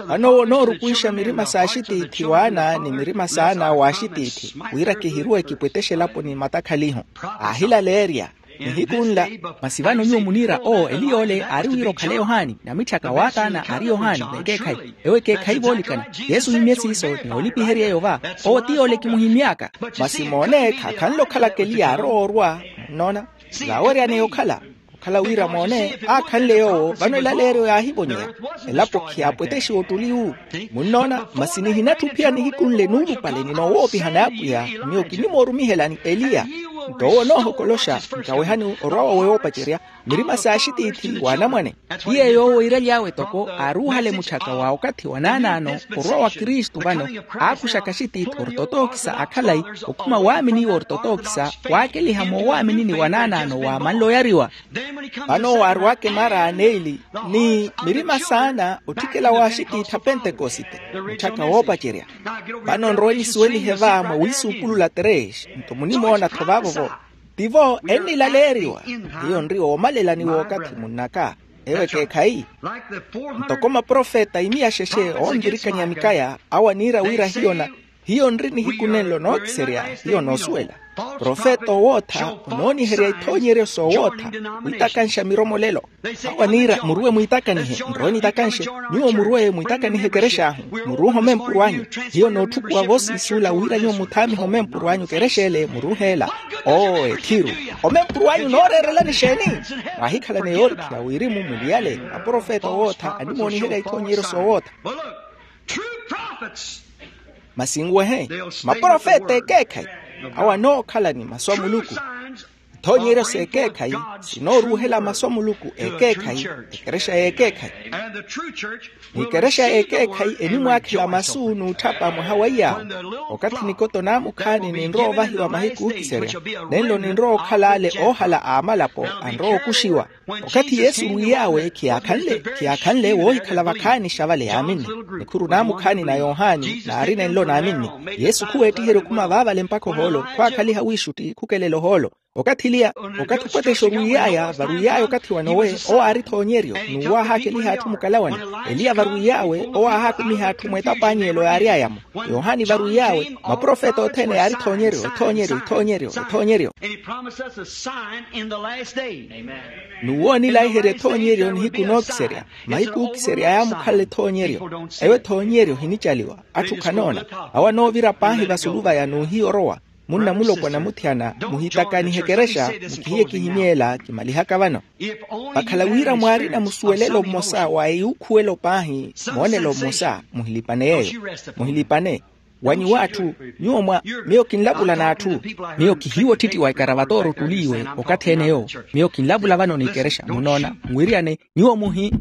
Vano owo onoorukwixa mirima s'axitiithi w'ana ni mirima s'ana w'axitiithi wira kihiruwe kipwettexe elapo ni matakhaliho. Aahilaleerya nihiku nla. Masi vano nyuwo muniira owo eliy'ole aari wira okhale yohani na mitthaka waataana aari yohani vekeekhayi. Ewo ekeekhayi voolikana. Yesu ohimye siiso ni olipiherya eyo va. Owo ti yoole kimuhimy'aka. Masi moone khaakhanle okhalaka eliya arowa orwa. Nnoona vaaweryaneya okhala okhala wira moone aakhanle yoowo vano elaleeryo yaahivonyeya. Elapo khiyaapwetexiwa ottuli wu. Munnoona masi nihinatthu ophiya nihiku nle nuulupale ninoowoopiha n'apwiya. Miyo kinimoorumihelani eliya. Nto owo onoohokoloxa nkawehani orwa wawe woopacerya mirima s'axitiithi w'anamwane. Ti yeeyo owo iiraly'awe toko aaruuhale mutthaka wa okathi wa naanaano orwa wa kristu vano. Aakuxaka axitiithi ortotookisa akhalayi okhuma waaminiwa ortotookisa waakeliha moowaaminini wa naanaano waamanle oyariwa. Vano owo aarwaka emara a neeli ni mirima saana otthikela w'axitiithi a pentekosite mutthaka woopacerya. Vano nrowe nisuwelihe va mwa wiisuupulula tres nto munimoona-tho vaavo-vo. Tivo ennilaleeriwa hiyo nri oomalelani w'okathi munnaka. Ewo ekeekhayi ntoko maprofeta imiya xexe oonvirikanya mikaya awo aniira wira hiyo na hiyo nri nihiku nenlo nookiserya. Hiyo noosuwela profeta owootha onooniherya ithoonyeryo soowootha witakanxa miromolelo. Awo aniira muruwe mwiitakanihe nrowe nitakanxe. Nyuwo muruwe mwiitakanihe ekerex'ahu muruuhe omempuru anyu. Hiyo nootthukuwa voosiisuula wira nyuwo muthaamihe omempuru anyu kerex'ele muruuhe ela. Oo ethiru omempuru anyu nooreerelani exeeni? Mwaahikhalana yoorikhela wirimu muliyale maprofeta owootha animooniherya ithoonyeryo soowootha. Masi nwehe maprofeta ekeekhayi awo anookhala ni masu a muluku. Ithoonyeryo s'ekeekhayi sinooruuhela masu a muluku ekeekhayi. Ekerexa y'ekeekhayi n'ikerexa y'ekeekhayi enimwaakhela masu n'utthapa mwaha wa iyaawo. Okathi nikoto naamukhaani ninrowa ovahiwa mahiku ookiserya nenlo ninrowa okhala ale oohala a amalapo anrowa okuxiwa. Okathi yesu orwiiy'awe khiyaakhanle khiyaakhanle woohikhala vakhaani xa vale yaaminni. Nikhuru naamukhaani na yohani naari nenlo naaminni. Yesu khuweettiherya okhuma vaavale mpakha ohoolo khwaakhaliha wiixutti khukelela ohoolo. Okathi eliya okathi opwetexa orwiiy'aya varwiiy'aya okathi wa nowe owo aari ethoonyeryo n'uwo aahaakeliha atthu mukalawane. Eliya varwiiy'awe owo aahaakumiha atthu mw'etapanyeelo yaary'aya-mo. Yohani varwiiy'awe maprofeta othene yaari ethoonyeryo ethoonyeryo ethoonyeryo ethoonyeryo. N'uwo onilaiherya ethoonyeryo nihiku nookiserya mahiku ookiserya yaamukhalela ethoonyeryo. Eyo ethoonyeryo hinicaliwa atthu khanoona. Awo anoovira paahi vasulu vaya n'uhiya orowa munna mulopwana muthyana muhitakanihe ekerexa mukihiye kihimyeela kimalihaka vano. Vakhala wira mwaarina musuwelelo mmosa wa eyuukhuwelo paahi moonelo mmosa muhilipane yeeyo muhilipane. Wa nyuwo atthu, nyuwo mwa, miyo kinlavula n'atthu. Miyo kihiiwa ottitti wa ikaravatooro ottuliiwe okathi ene yoowo. Miyo kinlavula vano n'ikerexa munoona, nwiriyane. Nyuwo muhi.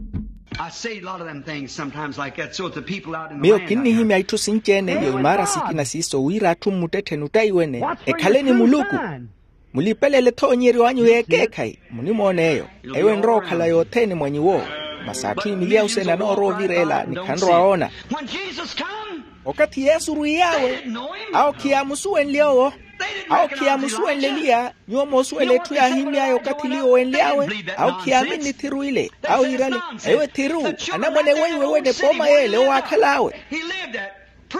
Miyo kinnihimya itthu sinci-ene iyo imaara sikina siiso wira atthu mmuttettheni ottaiwene ekhale ni muluku. Mulipelele ethoonyeryo anyu y'ekeekhayi munimoona eyo. Eyo enrowa okhala yothene mwa nyuwo. Masi atthu imiliya osena anoorowa ovireela ni khanrowa oona. Okathi yesu orwiy'awe, awo khiyaamusuwenlye owo. Awo khiyaamusuwenle eliya. Nyuwo moosuwela etthu yaahimy'aya okathi eliya owenly'awe. Awo khiyaaminni thiru ile. Awo yiirale, eyo ethiru. Anamwane weiwe wene pooma y'ele owaakhal'awe.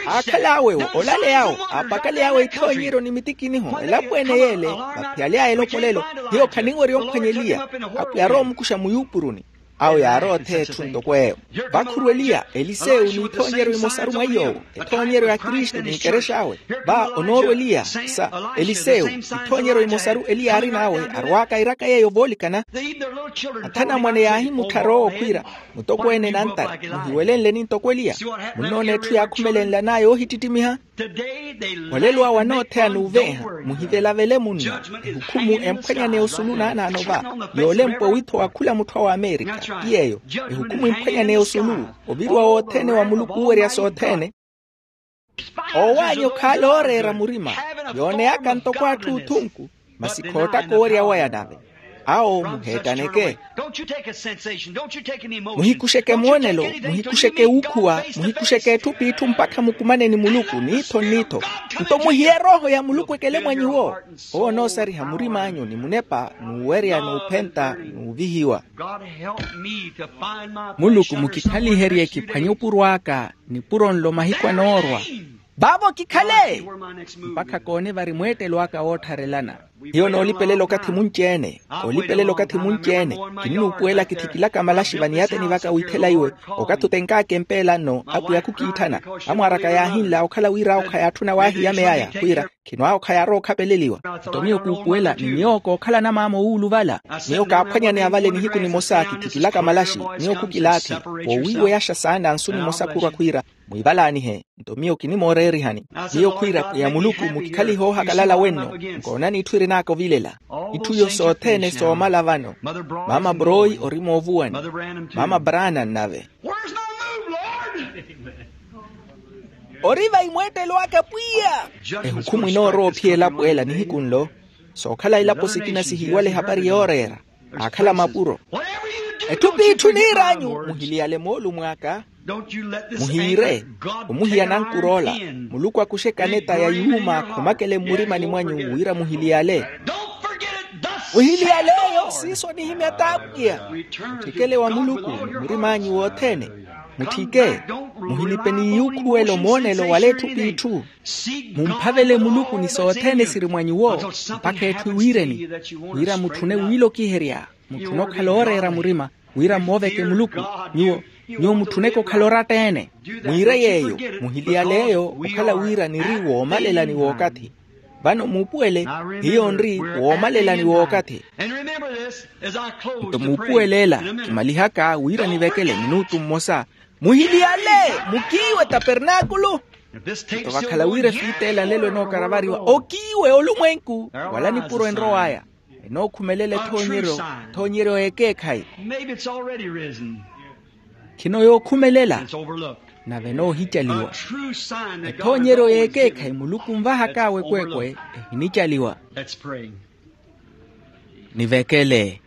Aakhal'awe olaley'awe, aapakaley'awe ithoonyeryo ni mitikiniho elapweene y'ele. Vaphiyaly'aya elopolelo, hiyo khaninwerya omphwanya eliya. Apwiya arowa omukuxa muyuupuruni. Awo yaarowa otheya etthu ntoko eyo. Vakhuru eliya elisewu n'ithoonyeryo imosaru mwa iy'owo. Ethoonyeryo ya kristu n'ikerexa awe. Va onoorwa eliya sa elisewu. Ithoonyeryo imosaru eliya aarin'awe arwaaka airaka yeeyo voolikana. Athanamwane yaahimutthar'owo okhwiira, mutokweene nantari muhiwelenleni ntoko eliya. Munnoona etthu yaakhumelenlan'aya oohittittimiha. Olelo awo anootheya n'uvenha. Muhivelavele munno. Ehukhumu emphwanyaneya osulu naanaano va. Yoolempwa witho wa khula mutthu awo amerika. Ti yeeyo. Ehukhumu emphwanyaneya osulu. Oviriwa wothene wa muluku owerya sothene. Owaanyu khaala ooreera murima. Yooneyaka ntoko atthu othunku. Masi khoottaka owerya waya nave. Awo muheettaneke. Muhikuxeke moonelo. Muhikuxeke wuukhuwa. Muhikuxeke etthu p'itthu mpakha mukumane ni muluku n'iitho n'iitho. Nto muhiye erooho ya muluku ekele mwa nyuwo. Owo onoosariha murim'anyu ni munepa n'uwerya n'uphenta n'uvihiwa. Muluku mukikhaliherye kiphwanye opuro aka. Nipuro nlo mahiku anoorwa. Vaavo kikhale. Mpakha koone vari mweettelo aka woottharelana. Hiyo noolipelela okathi munci-ene. Koolipelela okathi munci-ene. Kinnuupuwela kithikilaka malaxi vaniyateni vaka wiithela iwe. Okathi otenk'aka empeela nno apwiya khukiitthana. Amwaar'aka yaahinla okhala wira awo khayaatthu nawaahiya meyaya khwiira. Khino awo khayaarowa okhapeleliwa. Nto miyo kuupuwela ni miyo kookhala anamaama owuuluvala. Miyo kaaphwanyaneya vale nihiku nimosa kithikilaka malaxi. Miyo khukilaathi. Koowiiweyaxa saana nsu nimosa khurwa khwiira. Mwiivalaanihe. Nto miyo kinimooreerihani. Miyo khwiira pwiya muluku mukikhalihe oohakalala wenno. Nkoonani itthu irin'aka ovilela. Itthu iyo sothene soomala vano. Maama broi ori moovuwani. Maama brana nnave. Ori vayi mweettelo aka pwiya. Ehukhumu inoorowa ophiya elapo ela nihiku nlo. Sookhala ilapo sikina sihiiwale ehapari yooreera. Aakhala mapuro. Etthu p'itthu niir'anyu muhiliyale moolumo aka. Muhiire. Omuhiya nankur'ola. Muluku akuxe kaneta ya yuuma akhumakele mmurimani mwanyu wira muhiliyale. Muhiliyaleyo siiso onihimya t'apwiya. Mutthikele wa muluku ni murim'anyu wothene. Mutthike. Muhilipe ni yuukhuwela omoonelo wala etthu p'itthu. Mumphavele muluku ni sothene siri mwa nyuwo. Mpakha etthu ewiireni. Wira mutthune wiilokiherya. Mutthune okhala ooreera murima. Wira mmooveke muluku. Nyuwo nyuwo mutthuneke okhala oratta-ene. Mwiire yeeyo. Muhiliyale eyo okhala wira niri woomalelani w'okathi. Vano muupuwele. Hiyo nri woomalelani w'okathi. Nto muupuwele ela. Kimalihaka wira nivekele minutu mmosa. Muhiliyale. Mukiiwe tapernaakulu. Nto vakhala wira efiita ela nlelo enookaravariwa okiiwe olumwenku wala nipuro enrow'aya. Enookhumelela ethoonyeryo. Ethoonyeryo y'ekeekhayi. Khino yookhumelela. Nave enoohicaliwa. Ethoonyeryo y'ekeekhayi muluku onvahak'awe ekweekwe. Ehinicaliwa. Nivekele.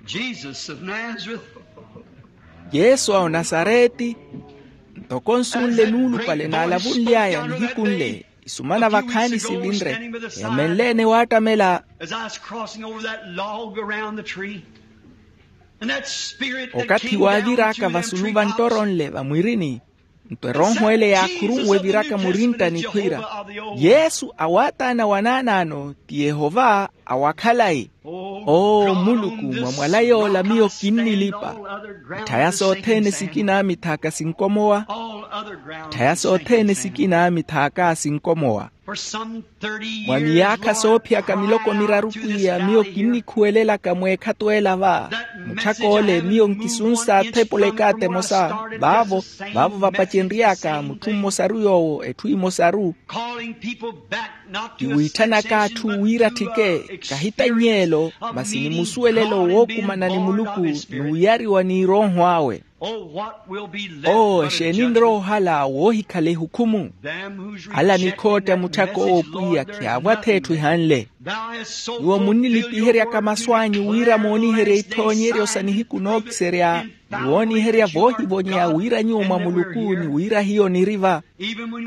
Yesu a onasareti. Ntoko nsu nle nuulupale naalavunly'aya nihiku nle. Isumana vakhaani sivinre. Eemenle-ene waattamela. Okathi waavir'aka vasulu va nttoro nle vamwirini. Nto erooho ele yaakhurunwe eviraka murintta nikhwiira. Yesu a waataana wanaanaano ti yehova a wakhalayi. Oo muluku mwa mwala yoola miyo kinnilipa. Tthaya sothene sikina mithaaka sinkomowa. Tthaya sothene sikina mithaaka sinkomowa. Mwa miyaakha soophiyaka miloko miraru pwiya miyo kinnikhuwelelaka mweekhato ela va, mutthak'ole miyo nkisunsa athepula ekaati emosa. Vaavo vaavo vapacenry'aka mutthu mmosaru yoowo etthu emosaru. Kiwiithanaka atthu wira atthike, kahitanny'elo masi ni musuwelelo wookumana ni muluku, n'uyariwa n'irooho awe. Oo exeeni nrowa ohala woohikhala ehukhumu? Ala nikhootta mutthak'owo pwiya khiyaavwatha etthu ehanle. Nyuwo munnilipiheryaka masu anyu wira mooniherya ithoonyeryo sa nihiku nookiserya, ni wooniherya voohivonyeya wira nyuwo mwa muluku ni wira hiyo niri va.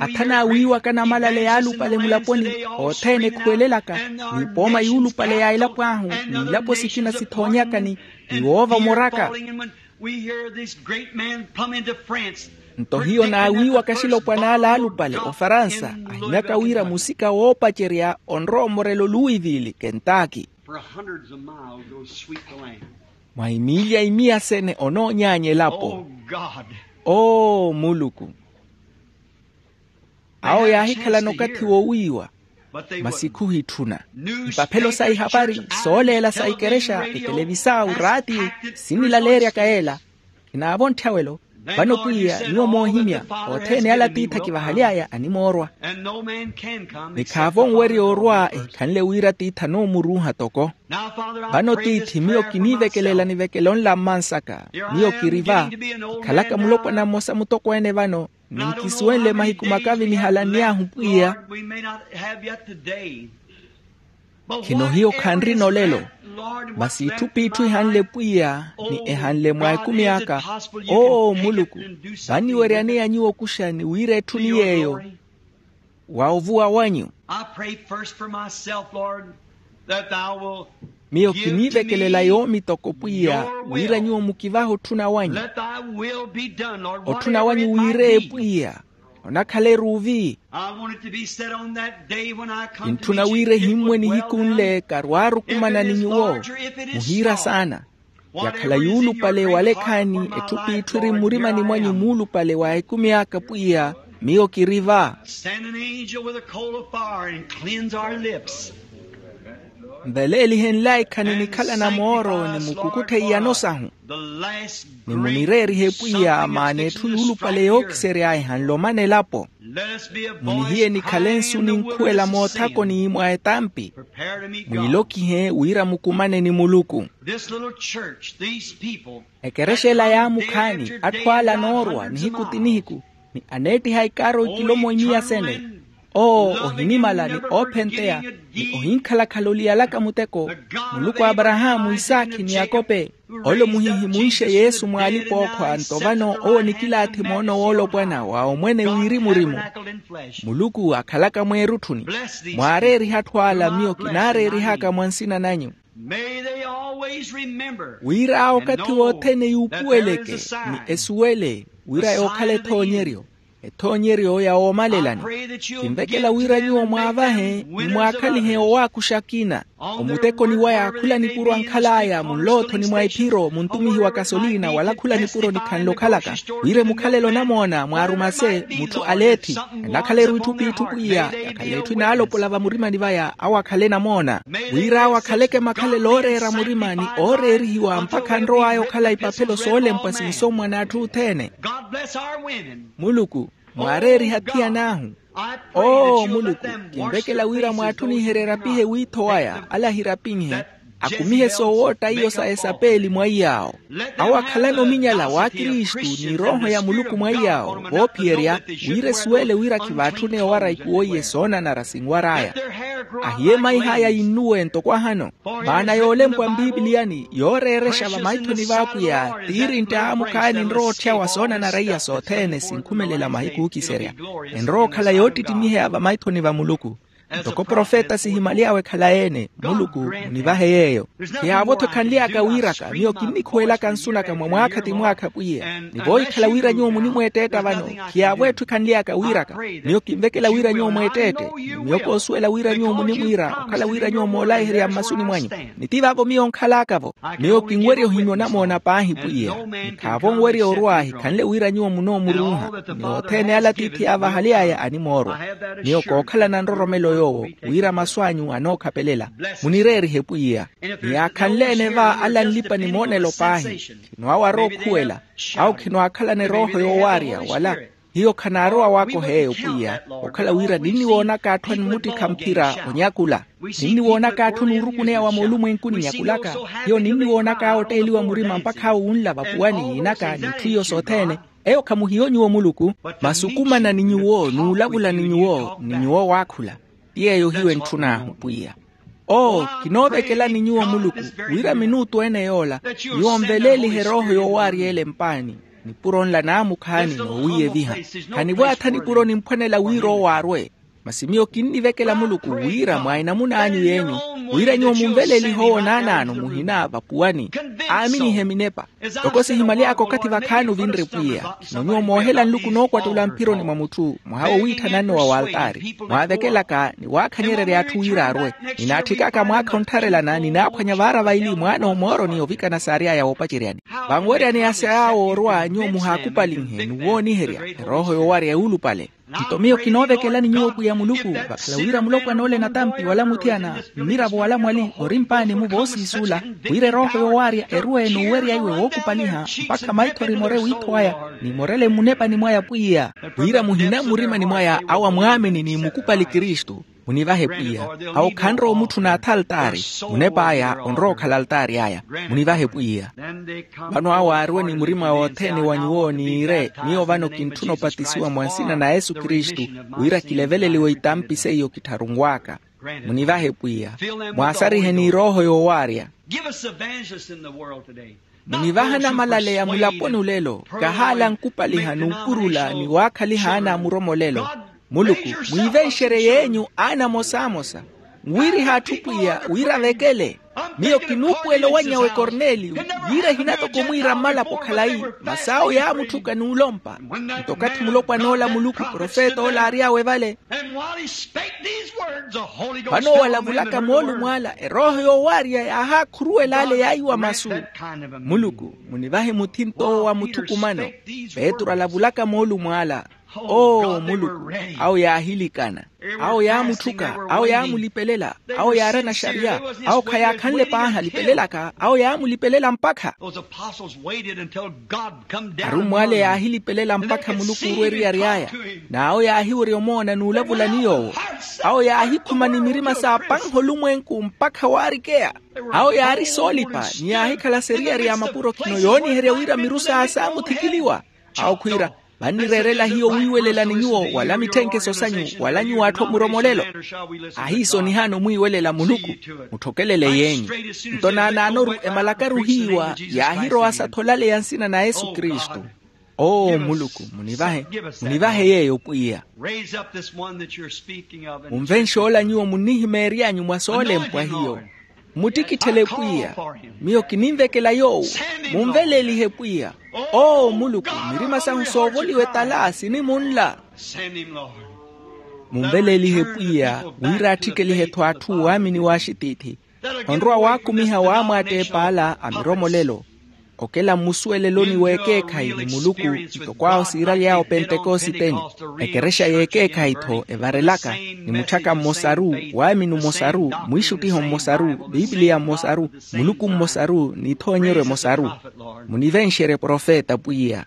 Athan'awe wiiwaka namalale yaalupale mulaponi, othene ekhuwelelaka, ni ipooma yuulupale ya elapo ahu, ni ilapo sikina sithoonyaka ni, ni woova omoraka. Nto hiyo naawiiwaka axilopwan'ala aalupale ofaransa ahimyaka wira musika woopacerya onrowa omorelo louisville kentaki. Mwa imiilya imiya sene onoonyaanya elapo. Oo muluku. Awo yaahikhalana okathi woowiiwa, masi khuhitthuna. Ipaphelo sa ihapari, sooleela sa ikerexa, etelevisau, raati, sinilaleeryaka yeela. Kinaavontthyawelo. Vano pwiya nyuwo moohimya, othene ala tiithi akivahaly'aya animoorwa. Ni khaavo onwerya orwa ehikhanle wira tiithi anoomuruuha toko. Vano tiithi miyo kiniivekelela nivekelo nla mmansaka. Miyo kiri va, kikhalaka mulopwana mmosa mutokweene vano, ni nkisuwenle mahiku makavinihala nniy'ahu pwiya. Khino hiyo khanrina olelo, masi itthu p'itthu ihanle pwiya, ni ehanle mwa ekumi aka. Oo muluku, vaniweryaneya nyuwo okuxa ni wira etthuni yeeyo wa ovuwa wanyu. Miyo kiniivekelela yoomi toko pwiya, wira nyuwo mukivahe otthuna wanyu. Otthuna wanyu wiireye pwiya, onakhala eruuvi. Kintthuna wira ehimmwe nihiku nle karwaarukumana ni nyuwo, muhiira saana. Yakhala yuulupale wala ekhaani, etthu p'itthu eri mmurimani mwanyu muulupale wa ekumi aka pwiya, miyo kiri va. Nveleelihenlaya ekhani nikhalana mooro ni mukukutthe iyano sahu. Ni munireerihe pwiya maana etthu yuulupale yookisery'aya ehanle omana elapo. Munihiye nikhale nsu ninkhuwela moothakoni mwa etampi. Mwiilokihe wira mukumane ni muluku. Ekerexa ela yaamukhaani atthu ala anoorwa nihiku ti nihiku, ni aneettiha ikaaro ikilomwe imiya sene. Oo ohinimala ni oophenteya, ni ohinkhalakhala oliyalaka muteko. Muluku a aparahaamu isaakhi ni yakope, ole omuhihi munxe yesu mwa alipa-ookhwa nto vano owo nikilaathi moono woolopwana wa omwene wirimu-rimu. Muluku akhalaka mweerutthuni. Mwaareerihe atthu ala miyo kinaareerihaka mwa nsina nanyu. Wira okathi wothene yuupuweleke, ni esuwele wira yookhala ethoonyeryo, ethoonyeryo ya woomalelani. Kinvekela wira nyuwo mwaavahe ni mwaakhalihe owaakuxa akina. Omutekoni waya khula nipuro ankhal'aya munloothoni mwa ephiro muntumihi wa kasolina wala khula nipuro nikhanle okhalaka, wira emukhalelo onamoona mwaarumase mutthu aleethi. Enakhala eruitthu p'itthu pwiya, yakhala etthu inaalopola vamurimani vaya awo akhale enamoona. Wira awo akhaleke makhalelo ooreera murimani ooreerihiwa mpakha anrow'aya okhala ipaphelo soolempwa sinsommwa n'atthu othene. Muluku, mwaareeriha athiyan'ahu. Oo muluku, kinvekela wira mwaatthuniherye erapihe wiitho waya ala ahirapinhe, akumihe soowootta iyo sa esapeeli mwa iy'awo. Awo akhalane ominyala w'akristu ni erooho ya muluku mwa iy'awo voophiyerya, wira esuwele wira khivaatthuneya owara ikuwo iye soonanara sinwar'aya. Ahiye emaih'aya yinnuwe ntoko ahano. Maana yoolempwa mpipiliyani yooreerexa vamaithoni v'apwiya, tiirintte aamukhaani enrowa otthyawa soonanara iya sothene sinkhumelela mahiku ookiserya. Enrowa okhala yoottittimiheya vamaithoni va muluku. Ntoko profeta sihimaly'awe khalayi-ene. Muluku, munivahe yeeyo. Khiyaavo-tho ekhanly'aka wiiraka miyo kinnikhuwelaka nsu naka mwa mwaakha ti mwaakha pwiya ni voohikhala wira nyuwo munimweettetta vano. Khiyaavo etthu ekhanly'aka wiiraka miyo kinvekela wira nyuwo mweettette. Miyo koosuwela wira nyuwo munimwiira okhala wira nyuwo moolayiherya mmasuni mwanyu. Ni ti vaavo miyo nkhal'aka-vo. Miyo kinwerya ohimmya onamoona paahi pwiya. Ni khaavo onwerya orwa hikhanle wira nyuwo munoomuruuha. Ni othene ala tiithi yaavahaly'aya animoorwa. Miyo kookhalana nroromelo yoowo wira masu anyu anookhapelela. Munireerihe pwiya. Ni yaakhanle-ene va ala anlipa ni moonelo paahi. Khino awo arookhuwela. Awo khino aakhalana erooho yoowaarya wala. Hiyo khanaarowa waakoha eyo pwiya. Okhala wira ninniwoonaka atthu animuttikha mphira onyakula. Ninniwoonaka atthu nuurukuneya wa moolumwenkuni nyakulaka. Hiyo ninniwoonaka awo otteeliwa murima mpakha awo wunla vapuwani yiinaka n'itthu iyo sothene. Eyo khamuhiyo nyuwo muluku. Masukumana ni nyuwo n'ulavula ni nyuwo ni nyuwo waakhula. Ti yeeyo hiyo entthun'ahu pwiya. Oo, kinoovekelani nyuwo muluku wira minuutu ene yoola nyuwo nveleelihe erooho yoowaarya ele mpaani. Nipuro nla naamukhaani noowiiyeviha. Khanivwaatha nipuro nimphwanela wira owo arwe. Masi miyo kinnivekela muluku wira mwa enamun'anyu y'enyu wira nyuwo munveleelihe owo naanaano muhina vapuwani. Aaminihe minepa. Ntoko sihimaly'aka okathi vakhaani ovinre pwiya. Nno nyuwo moohela nluku nookwattula mphironi mwa mutthu mwaha wo wiitthananne wa waltaari mwaavekelaka ni waakhanyererya atthu wira arwe. Ninaatthikaka mwaakha onttharelana ninaaphwanya vaara vaili mwaana omooroni ovikana saary'aya woopaceryani. Vanweryaneya sa yaawo orwa nyuwo muhaakupalinhe nuwooniherya erooho yoowarya yuulupale. Nto miyo kinoovekelani nyuwo pwiya muluku vakhala wira mulopwan'ole natampi wala muthiyana mmiravo wala mwali ori mpaani-mu voosiisuula wira erooho yoowaarya erwe n'uwerya iwe wookupaliha mpakha maitho rimore wiitho waya. Nimorele mmunepani mwaya pwiya wira muhina mmurimani mwaya awo amwaamini ni mukupali kristu. Munivahe pwiya. Awo khanrowa omutthuna atha altaari. Munep'aya onrowa okhala altaari aya. Munivahe pwiya. Vano awo aarwe ni murima wothene wa nyuwo niire miyo vano kintthuna opatisiwa mwa nsina na yesu kristu wira kileveleliwe itampi seiyo kittharunw'aka. Munivahe pwiya. Mwaasarihe n'irooho yoowaarya. Munivaha namalaleya mulaponi olelo. Kahaala nkupaliha n'upurula ni waakhaliha aana a muromo olelo. Muluku mwiivenxerye yeenyu aana amosamosa nwiriha atthu pwiya wira avekele. Miyo kinuupuwela owanny'awe korneliyo yira ehina toko omwiira mmalapo khalayi. Masi awo yaamutthuka n'ulompa. Nto okathi mulopwan'ola muluku profet'ola aary'awe vale. Vano walavulaka moolumo ala erooho yoowaarya yaahakhuruwela ale yaiwa masu. Muluku munivahe muthinto wa muthukumano. Petru alavulaka moolumo ala. Oo muluku. Awo yaahilikana. Awo yaamutthuka. Awo yaamulipelela. Awo yaarana xariya. Awo khayaakhanle paahi alipelelaka awo yaamulipelela mpakha. Arummwa ale yaahilipelela mpakha muluku orwa eriyari aya. N'awo yaahiwerya omoona n'ulavula ni yoowo. Awo yaahikhuma ni mirima saapanha olumwenku mpakha waarikeya. Awo yaari soolipa ni yaahikhala seriyari ya mapuro khino yooniherya wira miru saawe saamuthikiliwa. Awo khwiira vannireerela hiyo wiiwelela ni nyuwo wala mitthenkeso sanyu wala nyuwo atthu a muromo olelo. Ahiiso nihaana omwiiwelela muluku. Mutthokelele yeenyu. Nto naanaanoru emalakaru hiiwa yaahirowa satholaleya nsina na yesu kristu. Oo muluku munivahe. Munivahe yeeyo pwiya. Munvenxe ola nyuwo munnihimeery'anyu mwa soolempwa hiyo. Mmuttikitthele pwiya. Miyo kininvekela yoowo. Munveleelihe pwiya. Oo muluku mirima sahu soovoliwa etala sinimunla. Munveleelihe pwiya wira attthikelihe-tho atthu waamini w'axitiithi. Onrowa waakumiha waamwaatteepa ala a miromolelo. Okela mmusuweleloni w'ekeekhayi ni muluku ntoko awo siiraly'awe opentekositeni. Ekerexa y'ekeekhayi-tho evarelaka ni mutthyaka mmosaru, waamini mmosaru, mwiixuttiho mmosaru, piipiliya mmosaru, muluku mmosaru n'ithoonyeryo emosaru. Munivenxerye profeta pwiya.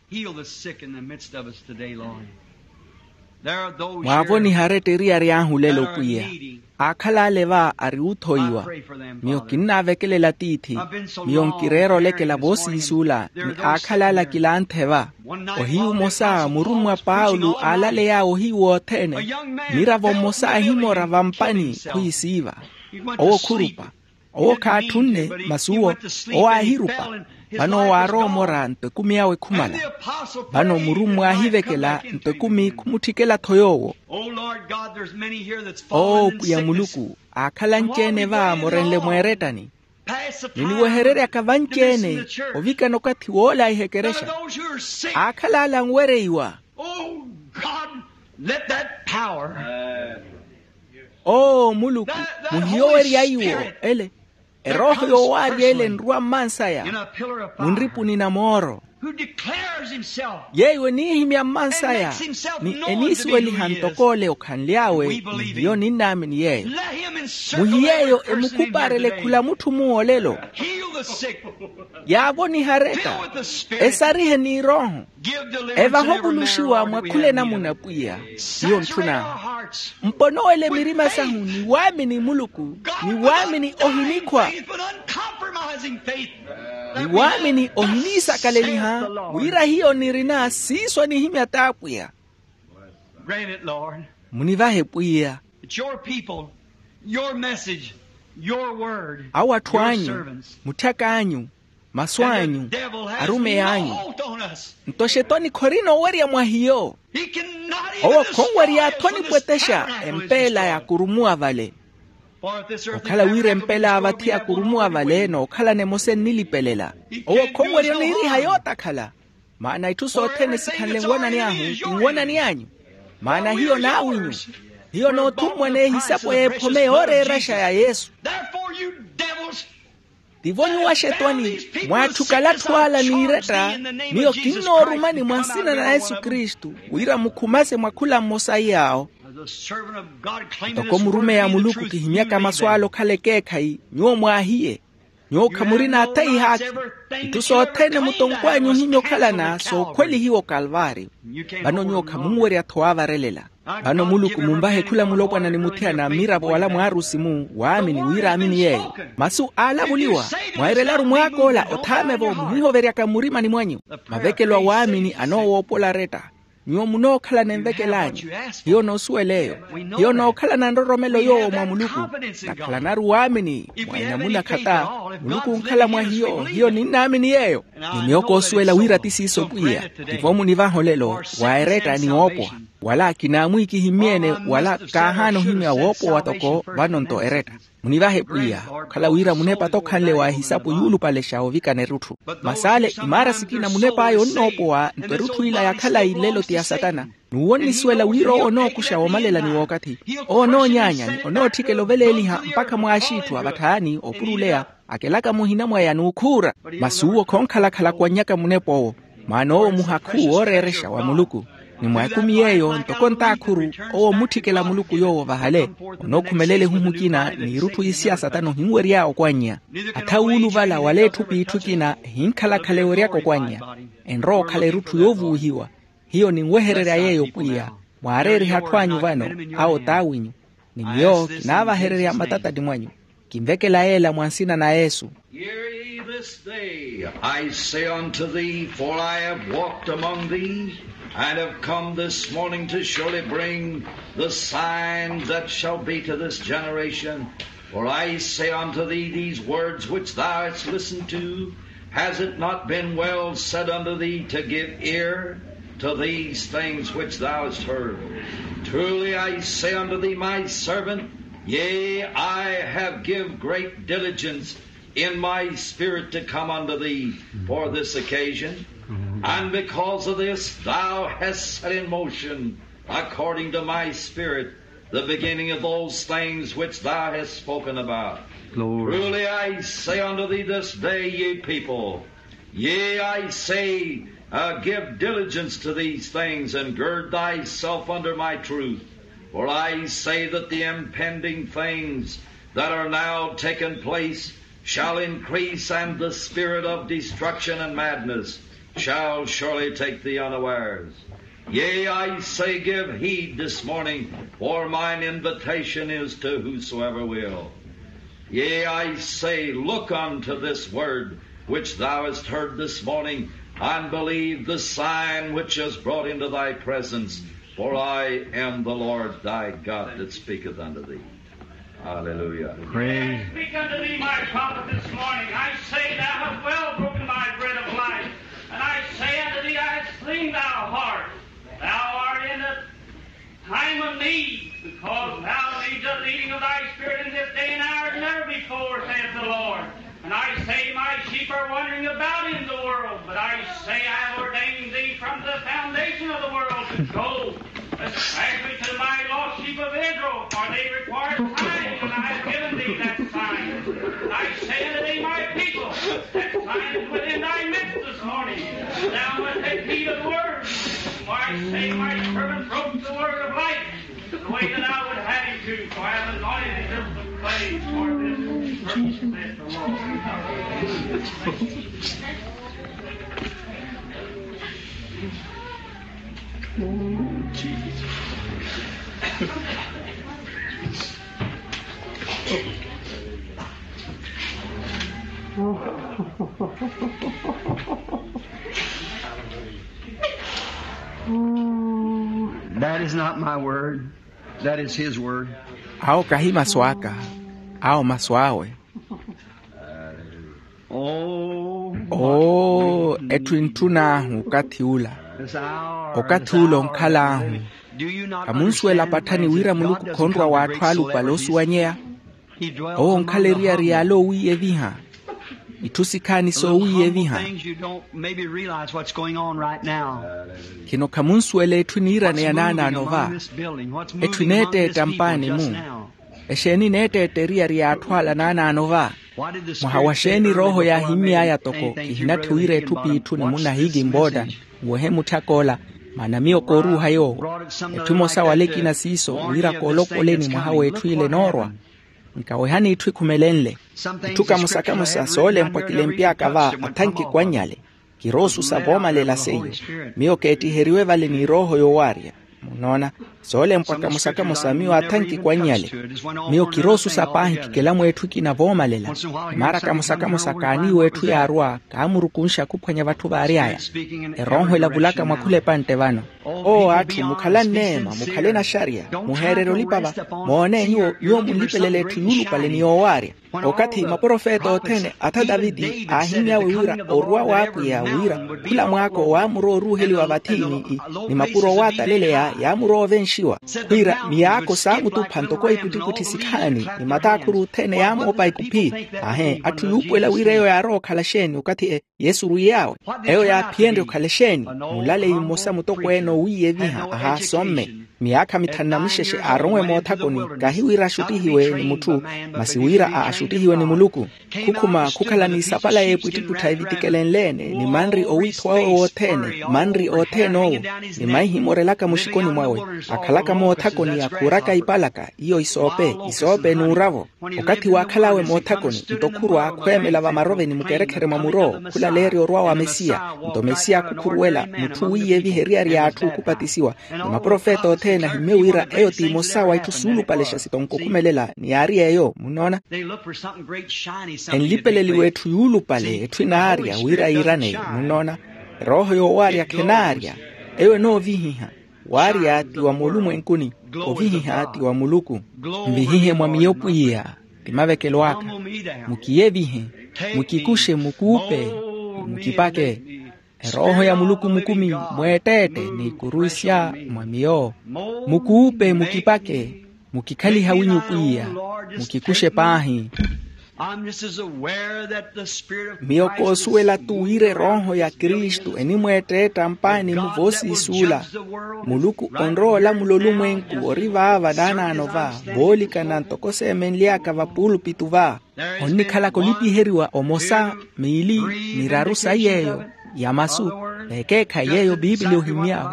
Mwaavonihe aretta eriyari ahu lelo pwiya. Aakhala ale va ari oothoiwa. Miyo kinnaavekelela tiithi. Miyo nkireera olekela voosiisuula ni aakhala ala kilaanthe va. Ohiyu omosa murummwa paulo aalaley'awe ohiyu wothene. Miravo mmosa ahimora vampani khwiisiiva. Owo khurupa. Owo khaatthunne, masi uwo owo aahirupa. Vano owo aarowa omora nto ekumi awe khumala. Vano murummwa aahivekela nto ekumi khumutthikela-tho yoowo. Oo pwiya muluku, aakhala anci-ene va moorenle mweerettani. Niniwehereryaka vanci-ene ovikana okathi woolaiha ekerexa. Aakhala ala anwereiwa. Oo muluku, muhiyowerya iwo ele. Erooho yoowaarya ele enrwa mmansaya munripuni na mooro. Yeeyo eniihimya mmansaya ni eniisuweliha ntoko ole okhanly'awe. Ni hiyo ninnaamini yeeyo. Muhiyeeyo emukhupaarele khula mutthu muwo olelo. Yaavoniha aretta. Esarihe n'irooho. Evahe ovuluxiwa mwa khula enamuna pwiya. Hiyo ntthuna. Mponowele mirima sahu ni waamini muluku, ni waamini ohinikhwa, ni waamini ohiniisakaleliha. Wira hiyo nirina siiso anihimya t'apwiya. Munivahe pwiya. Awo atthu anyu, mutthaka anyu, masu anyu, arumeyi anyu. Nto xetwani khorina owerya mwa hiyo. Owo khonwerya-tho onipwetexa empeela yaakurumuwa vale. Okhala wira empeela ya vathi yaakurumuwa vale n'okhalana emosa ennilipelela. Owo khonwerya oniiriha yootakhala. Maana itthu sothene sikhanle nwanani ahu, ti nwanani anyu. Maana hiyo n'awinyu. Hiyo n'othummwa n'ehisapo y'ephome yooreeraxa ya yesu. Tivo nyuwo axetwani, mwaatthuka alatthu ala n'iretta. Miyo kinnoorumani mwa nsina na yesu kristu, wira mukhumase mwa khula mmosa iy'awo. Ntoko murumeyi a muluku kihimyaka masu ala okhala ekeekhayi, nyuwo mwaahiye. Nyuwo khamurina atha ihaakhi. Itthu sothene mutonkw'anyu ohimya okhalana sookhwelihiwa okalvaariyo. Vano nyuwo khamunwerya-tho waavarelela. Vano muluku munvahe khula mulopwana ni muthiyana mmiravo wala mwaarusi-mu waamini wira aamini yeeyo. Masu aalavuliwa, mwairelaru mwaak'ola othaame-vo muhihoveryaka mmurimani mwanyu. Mavekelo a waamini anoowoopola aretta. Nyuwo munookhalana envekel'anyu. Hiyo noosuwel'eyo. Hiyo nookhalana nroromelo yoowo mwa muluku. Nakhalanaru waamini mwa enamuna khata. Muluku onkhala mwa hiyo hiyo ninnaamini yeeyo. Ni miyo koosuwela wira ti siiso pwiya. Tivo munivaha olelo, wa eretta ni woopowa. Wala kinaamwiikihimmyene wala kaahaana ohimya woopowa toko vano nto eretta. Munivahe pwiya okhala wira munepa tokhanle wa ehisapo yuulupalexa ovikana erutthu. Masaale imaara sikina munep'aya onnoopowa nto erutthu ila ya khalayi nlelo ti ya satana. N'uwo onnisuwela wira owo onookuxa woomalela ni wookathi. Owo onoonyaanya ni onootthikela oveleeliha mpakha mwaaxiitthu a vatthaani oopuruleya, akelaka muhina mwaya n'ukhuura. Masi uwo khonkhalakhala kwannyaka munep'owo. Mwaan'owo muhakhu wooreerexa wa muluku. Ni mwa ekumi yeeyo ntoko ntaakhuru, owo ommutthikela muluku yoowo vahale. Onookhumelela ehuhu ekina n'irutthu isi a satana ohinwery'aya okwannya. Atha wuuluvala wala etthu p'itthu ekina ehinkhalakhala eweryaka okwannya. Enrowa okhala erutthu yoovuwihiwa. Hiyo ninwehererya yeeyo pwiya. Mwaareeriha atthu anyu vano, awo t'awinyu. Ni miyo kinaavahererya mmatatani mwanyu. Kinvekela yeela mwa nsina na yesu. Hear ye this day, I say unto thee, for I have walked among thee, and have come this morning to surely bring the signs that shall be to this generation. For I say unto thee, these words which thou hast listened to, has it not been well said unto thee to give ear to these things which thou hast heard? Truly I say unto thee, my servant, yea, I have give great diligence in my spirit to come unto thee for this occasion. And because of this thou hast set in motion according to my spirit, the beginning of those things which thou hast spoken about. Truly I say unto thee this day, ye people, yea, I say, uh, give diligence to these things, and gird thyself under my truth. For I say that the impending things that are now taking place shall increase, and the spirit of destruction and madness shall surely take thee unawares. Yea, I say, give heed this morning, for mine invitation is to whosoever will. Yea, I say, look unto this word which thou hast heard this morning, and believe the sign which is brought into thy presence, for I am the Lord thy God that speaketh unto thee. Hallelujah. Praise. I speak unto thee, my prophet, this morning. I say, thou hast well broken my bread of life. And I say unto thee, I have seen thy heart. Thou art in the time of need, because thou needs the leading of thy Spirit in this day and hour as never before, saith the Lord. And I say, my sheep are wandering about in the world, but I say, I have ordained thee from the foundation of the world to go, especially to my lost sheep of Israel, for they require signs, and I have given thee that sign. And I say unto thee, my people, that sign is within thy midst this morning. Thou must take heed of the word. For I say, my servant broke the word of life, the way that I would have him to, for I have anointed him to claim for this purpose, saith the Lord. That is not my word. That is his word. Awo kahi masu aka, awo masu awe. Oh, oo, etthu entthun'ahu okathi ula. Okathi ula onkhal'ahu. Khamunsuwela patthani wira muluku khonrwa w'atthu alupale osuwanyeya? Owo onkhala eriyari y'ale owiiyeviha. Itthu sikhaani soowiiyeviha. Khino khamunsuwela etthu eniiraneya naanaano va? Etthu eneetteetta mpaani-mu? Exeeni eneetteetta eriyari y'atthu ala naanaano va? Mwaha wa xeeni rooho yaahimmy'aya toko kihinatthi wira etthu p'itthu ni munna hiiki mbotta nwehe mutthak'ola? Maana miyo kooruuha yoowo. Etthu emosa wala ekina siiso wira koolokoleni mwaha w'etthu ile enoorwa. Nkawehani itthu ekhumelenle. Itthu kamosa kamosa soolempwa kilempy'aka va athanki kwannyale. Kiroosusa voomalela seiyo. Miyo keettiheriwe vale ni rooho yowaarya. Munnoona, soolempwa kamosa kamosa miyo athanki kwannyale. Miyo kiroosusa paahi kikela mweetthu ekina voomalela. Maara kamosa kamosa kaaniiwa etthu yaarwa kaamurukunxa khuphwanya vatthu vaary'aya. Erooho elavulaka mwa khula epantte vano. Oo atthu, mukhale anneema, mukhale naxariya, muheererye olipa va. Moone nyuwo, nyuwo munlipelele etthu yuulupale ni yoowaarya. Okathi maprofeta othene atha taviti aahimmyawe wira orwa w'apwiya wira khula mwaako waamurowa oruuheliwa vathi ni, ni mapuro owaataleleya yaamurowa ovenxiwa. Wira miyaako saamutupha ntoko ipwittipwitthi sikhaani ni mataakhuru othene yaamoopa ikuphi. Ahe atthu yuupuwela wira eyo yaarowa okhala xeeni okathi e yesu orwiy'awe. Eyo yaaphiyenrye okhala exeeni? Mulaleyi mmosa mutokweene owiiyeviha ahaasomme miyaakha mithanu na mixexe aaronwe moothakoni, kahi wira axuttihiwe ni mutthu masi wira axuttihiwe ni muluku. Khukhuma khukhala n'isapala y'epwittipwittha evitikelenle-ene ni manri owiitho wawe wothene, manri othene owo, ni maihi moorelaka muxikoni mwawe, akhalaka moothakoni akhuuraka ipalaka iyo isoope isoope n'uravo. Okathi waakhal'awe moothakoni nto khurwa khweemela vamaroveni mukerekhere mwa muro khulaleerya orwa wa mesiya. Nto mesiya khukhuruwela mutthu wiiyeviha eriyari y'atthu okhupatisiwa ni maprofeta othene ahimmye wira eyo t'imosa wa itthu suulupalexa sitonko okhumelela ni yaari eyo munnoona. Enlipeleliwa etthu yuulupale etthu enaarya wira yiiraneyo munnoona. Erooho yoowaarya khenaarya. Eyo enoovihiha. Waarya ti wa moolumwenkuni, ovihiha ti wa muluku. Nvihihe mwa miyo pwiya, ti mavekelo aka. Mukiyevihe, mukikuxe mukuupe, mukipake. Erooho ya muluku mukumi mweetteette n'ikuruwisya mwa miyo. Mukuupe mukipake, mukikhaliha winyu pwiya, mukikuxe paahi. Miyo koosuwela-tu wira erooho ya kristu enimweetteetta mpaani-mu voosiisuula. Muluku onrowa olamula olumwenku ori vaava naanaano va, voolikana ntoko seemenly'aka vapuulupitu va. Onnikhalaka olipiheriwa omosa, miili, miraru sayi yeeyo ya masu. Vekeekhayi yeeyo piipili ohimmy'awe.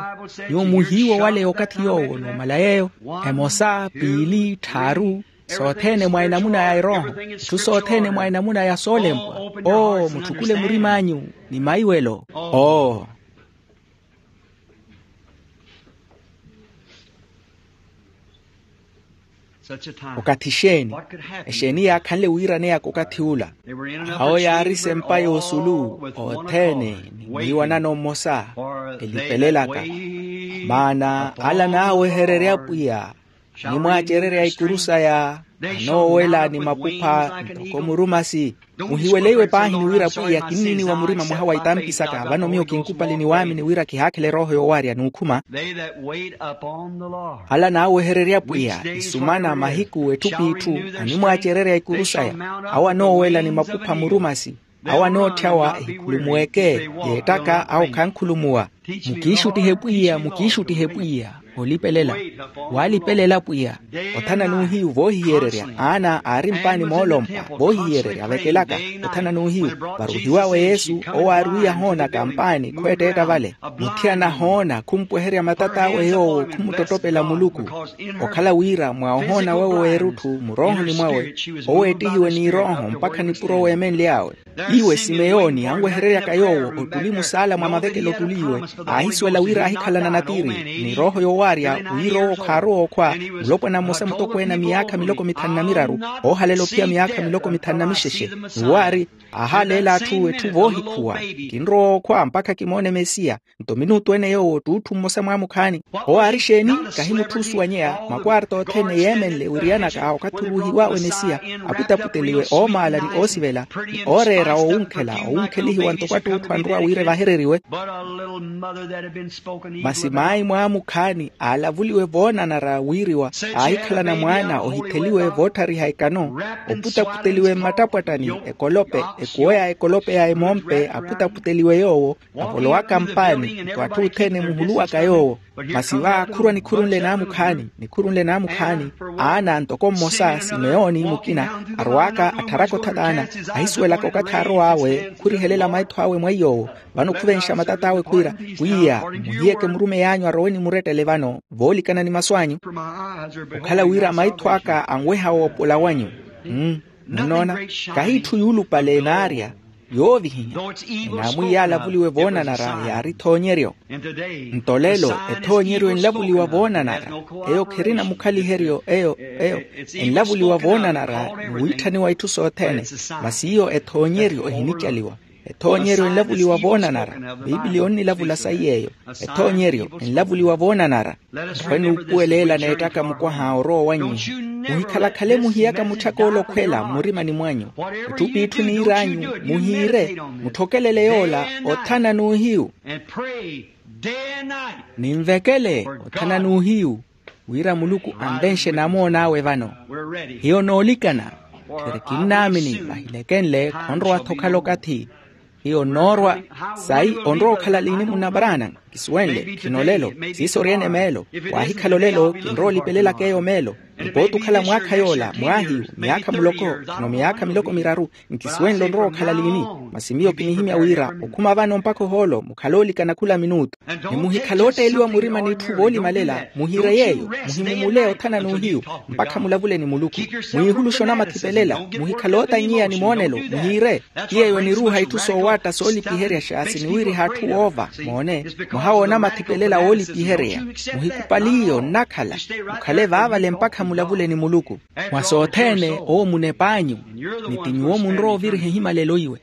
Nyuwo muhiiwa owaleya okathi yoowo n'omala yeeyo. Emosa, piili, tthaaru, sothene mwa enamuna ya erooho. Itthu sothene mwa enamuna ya soolempwa. Oo mutthukule murim'anyu ni maiwelo. Oo. Okathi exeeni? Exeeni yaakhanle wiiraneyaka okathi ula? Awo yaari sempa y'osulu othene ni mwiiwanano mmosa, elipelelaka. Maana ala naawehererye apwiya. Nimwaacererya ikuru saya anoowela ni mapupha ntoko murumasi. Muhiweleiwe paahi ni wira pwiya kinniniwa murima mwaha wa itampi saka vano miyo kinkupali ni waamini wira kihaakhela erooho yoowarya n'ukhuma. Ala naawehererya pwiya isumana mahiku etthu p'itthu animwaacererya ikuru saya awo anoowela ni mapupha murumasi. Awo anootthyawa ehikhulumuweke yeettaka awo khankhulumuwa. Mukiixuttihe pwiya mukiixuttihe pwiya olipelela. Waalipelela pwiya. Othana n'uhiyu voohiyererya aana aari mpaani moolompa voohiyererya avekelaka. Othana n'uhiyu varuhiwawe yesu owo aari wiiya hoona kampaani khweetteetta vale. Muthiyana hoona khumpweherya matat'awe yoowo khumuttottopela muluku. Okhala wira mwa ohoona wawe w'erutthu muroohoni mwawe oweettihiwe n'irooho mpakha nipuro weemenly'awe. Iwe simeyoni anwehereryaka yoowo ottuli musaala mwa mavekelo ottuli iwe aahisuwela wira aahikhalana natiri ni rooho yoowaarya wira owo khaarowa okhwa. Mulopwana mmosa mutokweene a miyaakha miloko mithanu na miraru oohalela ophiya miyaakha miloko mithanu na mixexe ni waari aahaaleela atthu etthu voohikhuwa. Kinrowa okhwa mpakha kimoone mesiya. Nto minutu ene yoowo t'utthu mmosa mwaamukhaani. Owo aari exeeni? Kahi mutthu osuwanyeya makwarta othene yeemenle wiriyanaka okathi oruuhiwawe mesiya aputaputeliwe oomaala ni oosivela ni ooreera oowunkhela owunkhelihiwa ntoko att'utthu anrowa wira evahereriwe. Masi maayi mwaamukhaani aalavuliwe voonanara wiiriwa aahikhalana mwaana ohitheliwe voottariha ekano. Oputaputeliwe mmattapwattani ekolope ekuwo ya ekolope ya emompe aputaputeliwe yoowo avolowaka mpaani nto atthu othene muhuluwaka yoowo. Masi va khurwa nikhuru nle naamukhaani nikhuru nle naamukhaani aana ntoko mmosa simeyoni mukina arowaka attharaka othataana ahisuwelaka okathi aarow'awe khurihelela maitho awe mwa iy'owo. Vano khuvenxa matat'awe khwiira pwiya muhiyeke murumeyi anyu arowe ni murettele vano voolikana ni masu anyu. Okhala wira maitho aka anweha woopola wanyu. Munnoona kahi itthu yuulupale enaarya yoovihinya. Enaamwiiya alavuliwe voonanara yaari ethoonyeryo. Nto lelo ethoonyeryo enlavuliwa voonanara eyo kherina mukhaliheryo eyo eyo enlavuliwa voonanara ni wiitthaniwa itthu sothene. Masi iyo ethoonyeryo ehinicaliwa. Ethoonyeryo enlavuliwa voonanara. Piipiliya onnilavula sayi eyo. Ethoonyeryo enlavuliwa voonanara. Nrowe nuupuweleela neettaka mukwaha orowa owanyiha. Muhikhalakhale muhiyaka mutthaka ola okhwela mmurimani mwanyu. Itthu p'itthu niir'anyu muhiire mutthokelele yoola othana n'uhiyu. Ninvekele othana n'uhiyu wira muluku anvenxe namoon'awe vano. Hiyo noolikana. Khiri kinnaamini vahilekenle khonrowa-tho okhala okathi. Hiyo nnoorwa. Sayi onrowa okhala liini munna branham? Kisuwenle khino olelo siiso ori-ene meelo. Waahikhala olelo kinrowa olipelelaka eyo meelo. Nipooti okhala mwaakha yoola mwaahiyu miyaakha muloko khino miyaakha miloko miraru. Nkisuwenle onrowa okhala liini? Masi miyo kinihimya wira okhuma vano mpakha ohoolo mukhale oolikana khula minuutu. Ni muhikhale ootteeliwa murima n'itthu voolimalela muhiire yeeyo. Muhimumule othana n'uhiyu mpakha mulavule ni muluku. Mwiihuluxe onamathi pelela. Muhikhale ootannyiya ni moonelo muhiire. Ti yeeyo oniruuha itthu soowaatta soolipiherya xaasi niwiiriha atthu woova moone. Mwaha w'onamathi pelela woolipihereya. Muhikupaliye onnakhala mukhale vaavale mpakha mulavule ni muluku. Mwa sothene owo munep'anyu. Ni ti nyuwo munrowa oviriha ehimalelo iwe.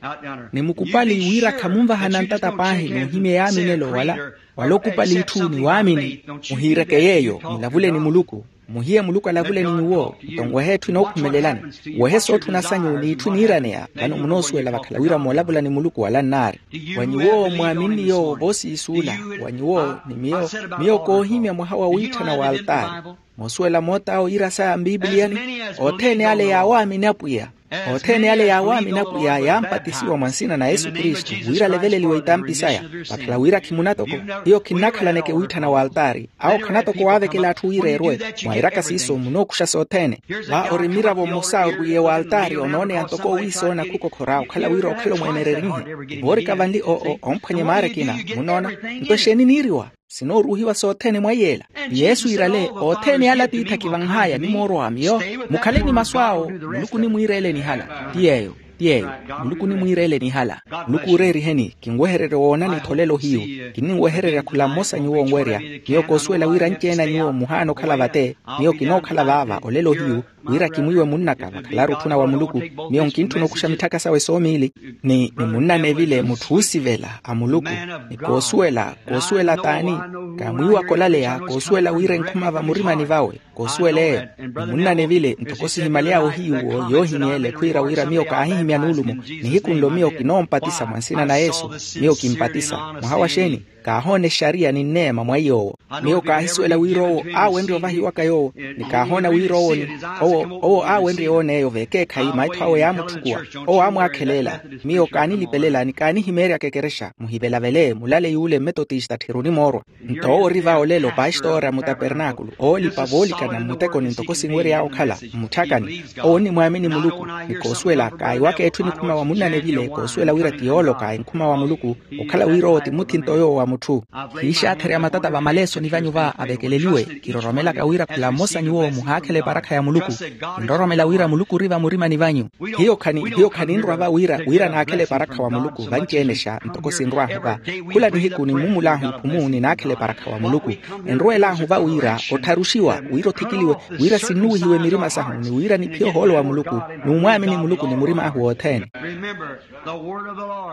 Ni mukupali wira khamunvahana ntata paahi n'uhimya eyaaminelo wala. Wala okupali itthu ni waamini. Muhiireke yeeyo mulavule ni muluku. Muhiye muluku alavule ni nyuwo. Nto nwehe etthu inookhumelelani. Wehe sootthuna sanyu n'itthu iniiraneya vano munoosuwela vakhala wira moolavula ni muluku wala nnaari. Wa nyuwo mwaaminni yoowo voosiisuula? Wa nyuwo ni miyo miyo koohimya mwaha wa wiitthana wa altaari. Moosuwela moot'awo iira saya mpipiliyani. Othene ale yaawaamini apwiya othene ale yaawaamini apwiya yaampatisiwa mwa nsina na yesu kristu wira aleveleliwe itampi saya. Vakhala wira khimunatoko hiyo khinnakhalaneke wiitthana wa altaari. Awo khanatoko waavekela atthu wira erwe. Mwairaka siiso munookuxa sothene. Va ori mmiravo mmosa orwiiye wa altaari onooneya ntoko owiisoona khukokhora okhala wira okhala omweenererihe. Voorika vanli oo omphwanye maara ekina. Munoona? Nto exeeni niiriwa? Sinooruuhiwa sothene mwa iyeela. Ni yesu iirale othene ale atiithi akivanh'aya nimoorwa wa miyo. Mukhale ni masu awo muluku onimwiireeleni hala. Ti yeeyo. Ti yeeyo, muluku onimwiireleni hala. Muluku ooreeriheni. Kinwehererya woonani-tho olelo hiyu. Kinninwehererya khula mmosa nyuwo onwerya. Miyo koosuwela wira anci-ene a nyuwo muhaana okhala vate. Miyo kinookhala vaava olelo hiyu, wira kimwiiwe munn'aka vakhalaari otthuna wa muluku. Miyo nkintthuna okuxa mitthaka sawe soomiili. Ni munnanevile mutthu oosivela a muluku. Ni koosuwela koosuwela t'ani? Kaamwiiwaka olaleya koosuwela wira enkhuma vamurimani vawe. Koosuwela eyo. Ni munnanevile ntoko sihimyaly'awe ohiyuwo yoohimyeele khwiira wira miyo kaahihimya nuulumo. Nihiku nlo miyo kinoompatisa mwa nsina na yesu. Miyo kimpatisa. Mwaha wa xeeni? Kaahoona exariya ni nneema mwa iy'owo. Miyo kaahisuwela wira owo aawenrye ovahiwaka yoowo. Ni kaahoona wira owo ni owo owo aawenrye yoona eyo veekeekhayi maitho awe yaamutthukuwa. Owo aamwaakheleela. Miyo kaanilipelela ni kaanihimeeryaka ekerexa muhivelavele mulale yuule mmetotista tthiruni moorwa. Nto owo ori va olelo paxitoora mutapernaakulu oolipa voolikana mmutekoni ntoko sinwery'awe okhala mmutthakani. Owo onnimwaamini muluku. Ni koosuwela kaahiwaka etthu enikhuma wa munnanevile koosuwela wira ti yooloka enkhuma wa muluku. Okhala wira owo ti muthinto yoowo wa mutthu. Khiixaatherya matata vamaleesoni vanyu va avekeleliwe. Kiroromelaka wira khula mmosa nyuwo muhaakhela eparakha ya muluku. Kinroromela wira muluku ori vamurimani vanyu. Hiyo khani hiyo khaninrwa va wira wira naakhela eparakha wa muluku vanci-enexa ntoko sinrw'ahu va. Khula nihiku nimmumul'ahu iphumu ninaakhela eparakha wa muluku. Enrweel'ahu va wira ottharuxiwa wira othikiliwe wira sinnuwihiwe mirima sahu ni wira niphiye ohoolo wa muluku. Numwaamini muluku ni murim'ahu wothene.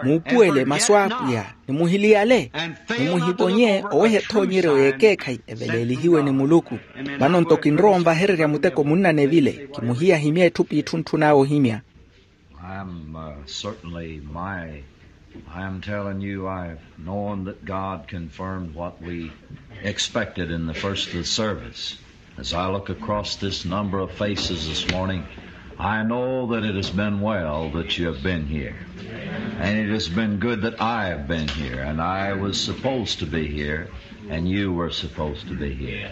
Muupuwele masu a apwiya. Nimuhiliyale. Nimuhiponye oweha ethoonyeryo y'ekeekhayi eveleelihiwe ni muluku. Vano nto kinrowa onvahererya muteko munnanevile. Kimuhiya ahimye etthu p'itthu ntthun'awe ohimya. I'm uh, certainly my I'm telling you, I've known that God confirmed what we expected in the first of the service. As I look across this number of faces this morning, I know that it has been well that you have been here. And it has been good that I have been here. And I was supposed to be here. And you were supposed to be here.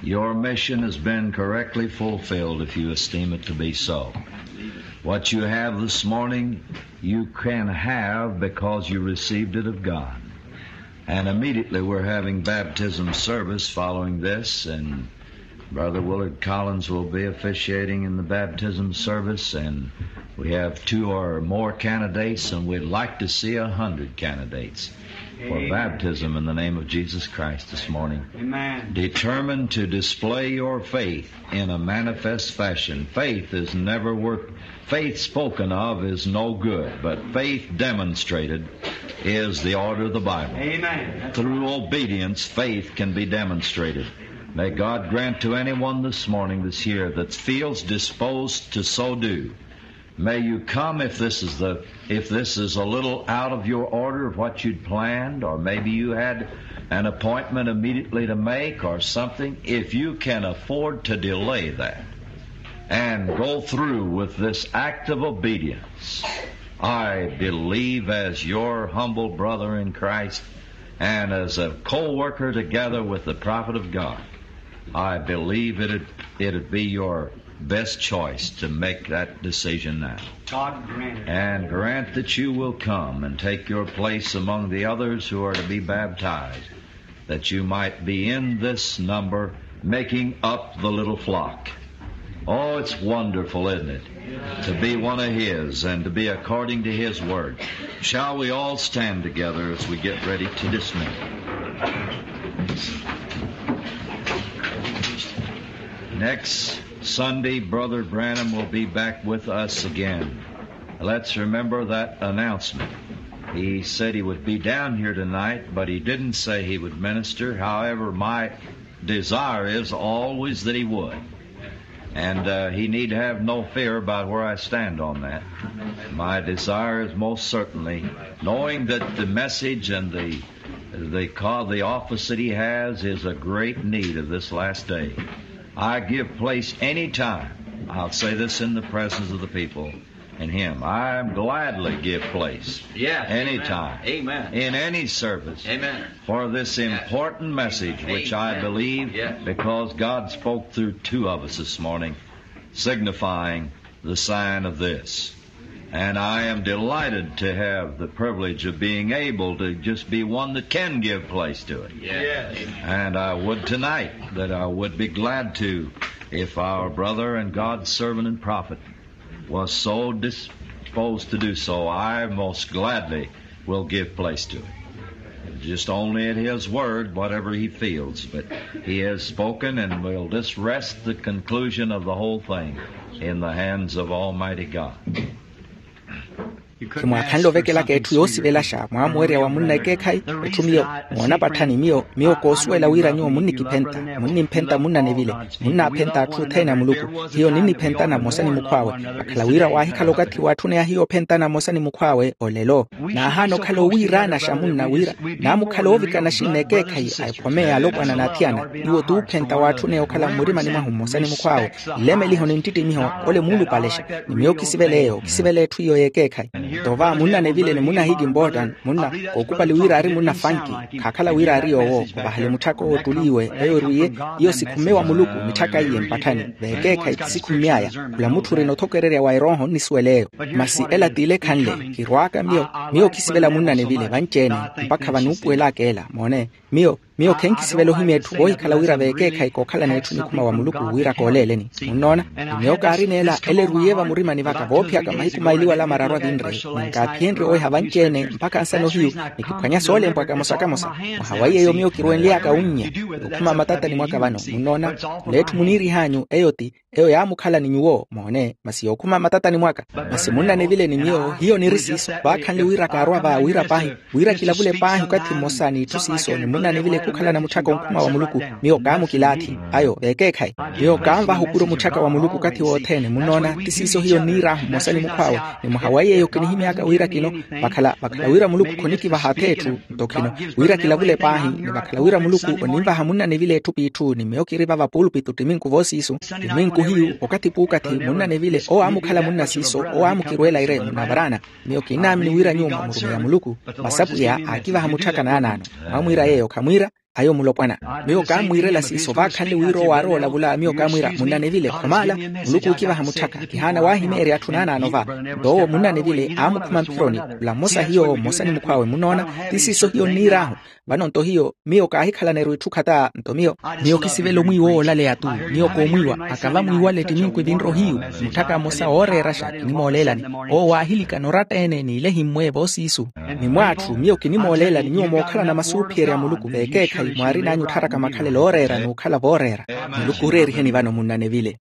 Your mission has been correctly fulfilled if you esteem it to be so. What you have this morning, you can have because you received it of God. And immediately we're having baptism service following this, and Brother Willard Collins will be officiating in the baptism service, and we have two or more candidates, and we'd like to see a hundred candidates for baptism in the name of Jesus Christ this morning. Determined to display your faith in a manifest fashion. Faith is never worth, faith spoken of is no good, but faith demonstrated is the order of the Bible. Through obedience, faith can be demonstrated. May God grant to anyone this morning that's here that feels disposed to so do, may you come if this is the if this is a little out of your order of what you'd planned, or maybe you had an appointment immediately to make or something. If you can afford to delay that and go through with this act of obedience, I believe, as your humble brother in Christ and as a co-worker together with the prophet of God, I believe it'd, it'd be your best choice to make that decision now. And grant that you will come and take your place among the others who are to be baptized, that you might be in this number making up the little flock. Oh, it's wonderful, isn't it? To be one of His and to be according to His word. Shall we all stand together as we get ready to dismiss? Next Sunday, Brother Branham will be back with us again. Let's remember that announcement. He said he would be down here tonight, but he didn't say he would minister. However, my desire is always that he would. And uh, he need have no fear about where I stand on that. My desire is most certainly, knowing that the message and the the call, the office that he has is a great need of this last day. I give place any time. I'll say this in the presence of the people and him. I gladly give place any time in any service for this important message, which I believe, because God spoke through two of us this morning, signifying the sign of this. And I am delighted to have the privilege of being able to just be one that can give place to it. And I would tonight that I would be glad to if our brother and God's servant and prophet was so dis- Disposed to do so, I most gladly will give place to it. Just only at his word, whatever he feels, but he has spoken, and will this rest the conclusion of the whole thing in the hands of Almighty God. Khimwaakhanle ovekelaka etthu yoosivelaxa mwaamuwerya wa munna ekeekhayi. Etthu miyo moona patthani miyo miyo koosuwela wira nyuwo munnikiphenta, munniphenta munna nevile, munnaaphenta atthu othene a muluku. Hiyo ninniphentana mmosa ni mukhw'awe. Vakhala wira waahikhala okathi waatthuneya hiyo ophentana mmosa ni mukhw'awe olelo. Naahaana okhala owiiraanaxa munna wira naamukhala oovikana axinna ekeekhayi a ekhomeya alopwana n'athiyana. Iwo t'uphenta waatthuneya okhala mmurimani mwahu mmosa ni mukhw'awe. Nlemeliho ni nttittimiho ole muulupalexa. Ni miyo kisivela eyo kisivela etthu iyo y'ekeekhayi. Nto va munna nevile ni munna hiki mbotan munna kookupali wira ari munna fanki. Khaakhala wira ari yoowo ovahale mutthaka owo ottuliiwe eyo erwiye. Iyo sikhumme wa muluku mitthaka iye mpatthani. V'ekeekhayi ti sikhumme aya. Khula mutthu orina othokererya wa erooho onnisuwela eyo. Masi ela t'ile ekhanle kirwaaka miyo. Miyo kisivela munna nevile vanci-ene mpakha vanuupuwelaka ela moone. Miyo miyo khenkisivela ohimya etthu koohikhala wira v'ekeekhayi kookhalana etthu nikhuma wa muluku wira kooleeleni. Munnoona? Ni miyo kaarina ela ela erwiye vamurimani vaka voophiyaka mahiku maili wala mararu avinre. Ninkaaphiyentye oweha vanci-ene mpakha ansana ohiyu. Nikiphwanya soolempwa kamosa kamosa. Mwaha wa iyeyo miyo kirwenly'aka wunnya. Yookhuma matatani mwaka vano munnoona? Mula etthu muniirih'anyu eyo ti eyo yaamukhala ni nyuwo moone masi yookhuma matatani mwaka. Masi munna nevile ni miyo hiyo niri siiso vaakhanle wira kaarwa va wira paahi wira kilavule paahi okathi mmosa n'itthu siiso ni munna nevile khukhalana mutthaka onkhuma wa muluku. Miyo kaamukilaathi ayo v'ekeekhayi. Miyo kaanvaha okura omutthaka wa muluku okathi wothene munnoona ti siiso hiyo nniir'ahu mmosa ni mukhw'awe. Ni mwaha wa iyeyo kinihimy'aka wira kino vakhala vakhala wira muluku khonikivaha ath'etthu nto khino wira kilavule paahi ni vakhala wira muluku oninvaha munna nevile etthu p'itthu ni miyo kiri vava puulupitu ttiminku voosiisu. Ttiminku hiyu okathi p'ukathi munna nevile owo aamukhala munna siiso owo aamukirweela ire munavaraana. Miyo kinnaamini wira nyuwo mwamurumeya muluku. Masi apwiya aakivaha mutthaka naanaano. Mwamwiira yeeyo khamwiira ayo mulopwana. Miyo kaammwiirela siiso vaakhanle wira owo aari oolavula miyo kaamwiira munna nevile khomaala. Muluku ookivaha mutthaka kihaana waahimeerya atthu naanaano va. Nto owo munna nevile aamukhuma mphironi. Khula mmosa hiyo mmosa ni mukhw'awe munnoona ti siiso hiyo nniir'ahu. Vano nto hiyo miyo kaahikhalana eru itthu khata nto miyo miyo kisivela omwiiwa owo olaleya tu. Miyo koomwiiwa akava mwiiwale ttiminku evinre ohiyu. Mutthaka mmosa ooreeraxa kinimooleelani owo waahilikana oratta-ene n'ilehi mmwe voosiisu. Ni mw'atthu miyo kinimooleelani nyuwo mookhalana masuuphiyerya a muluku v'ekeekhayi mwaarin'anyu ottharaka makhalelo ooreera n'ukhala vooreera. Muluku oreeriheni vano munna nevile.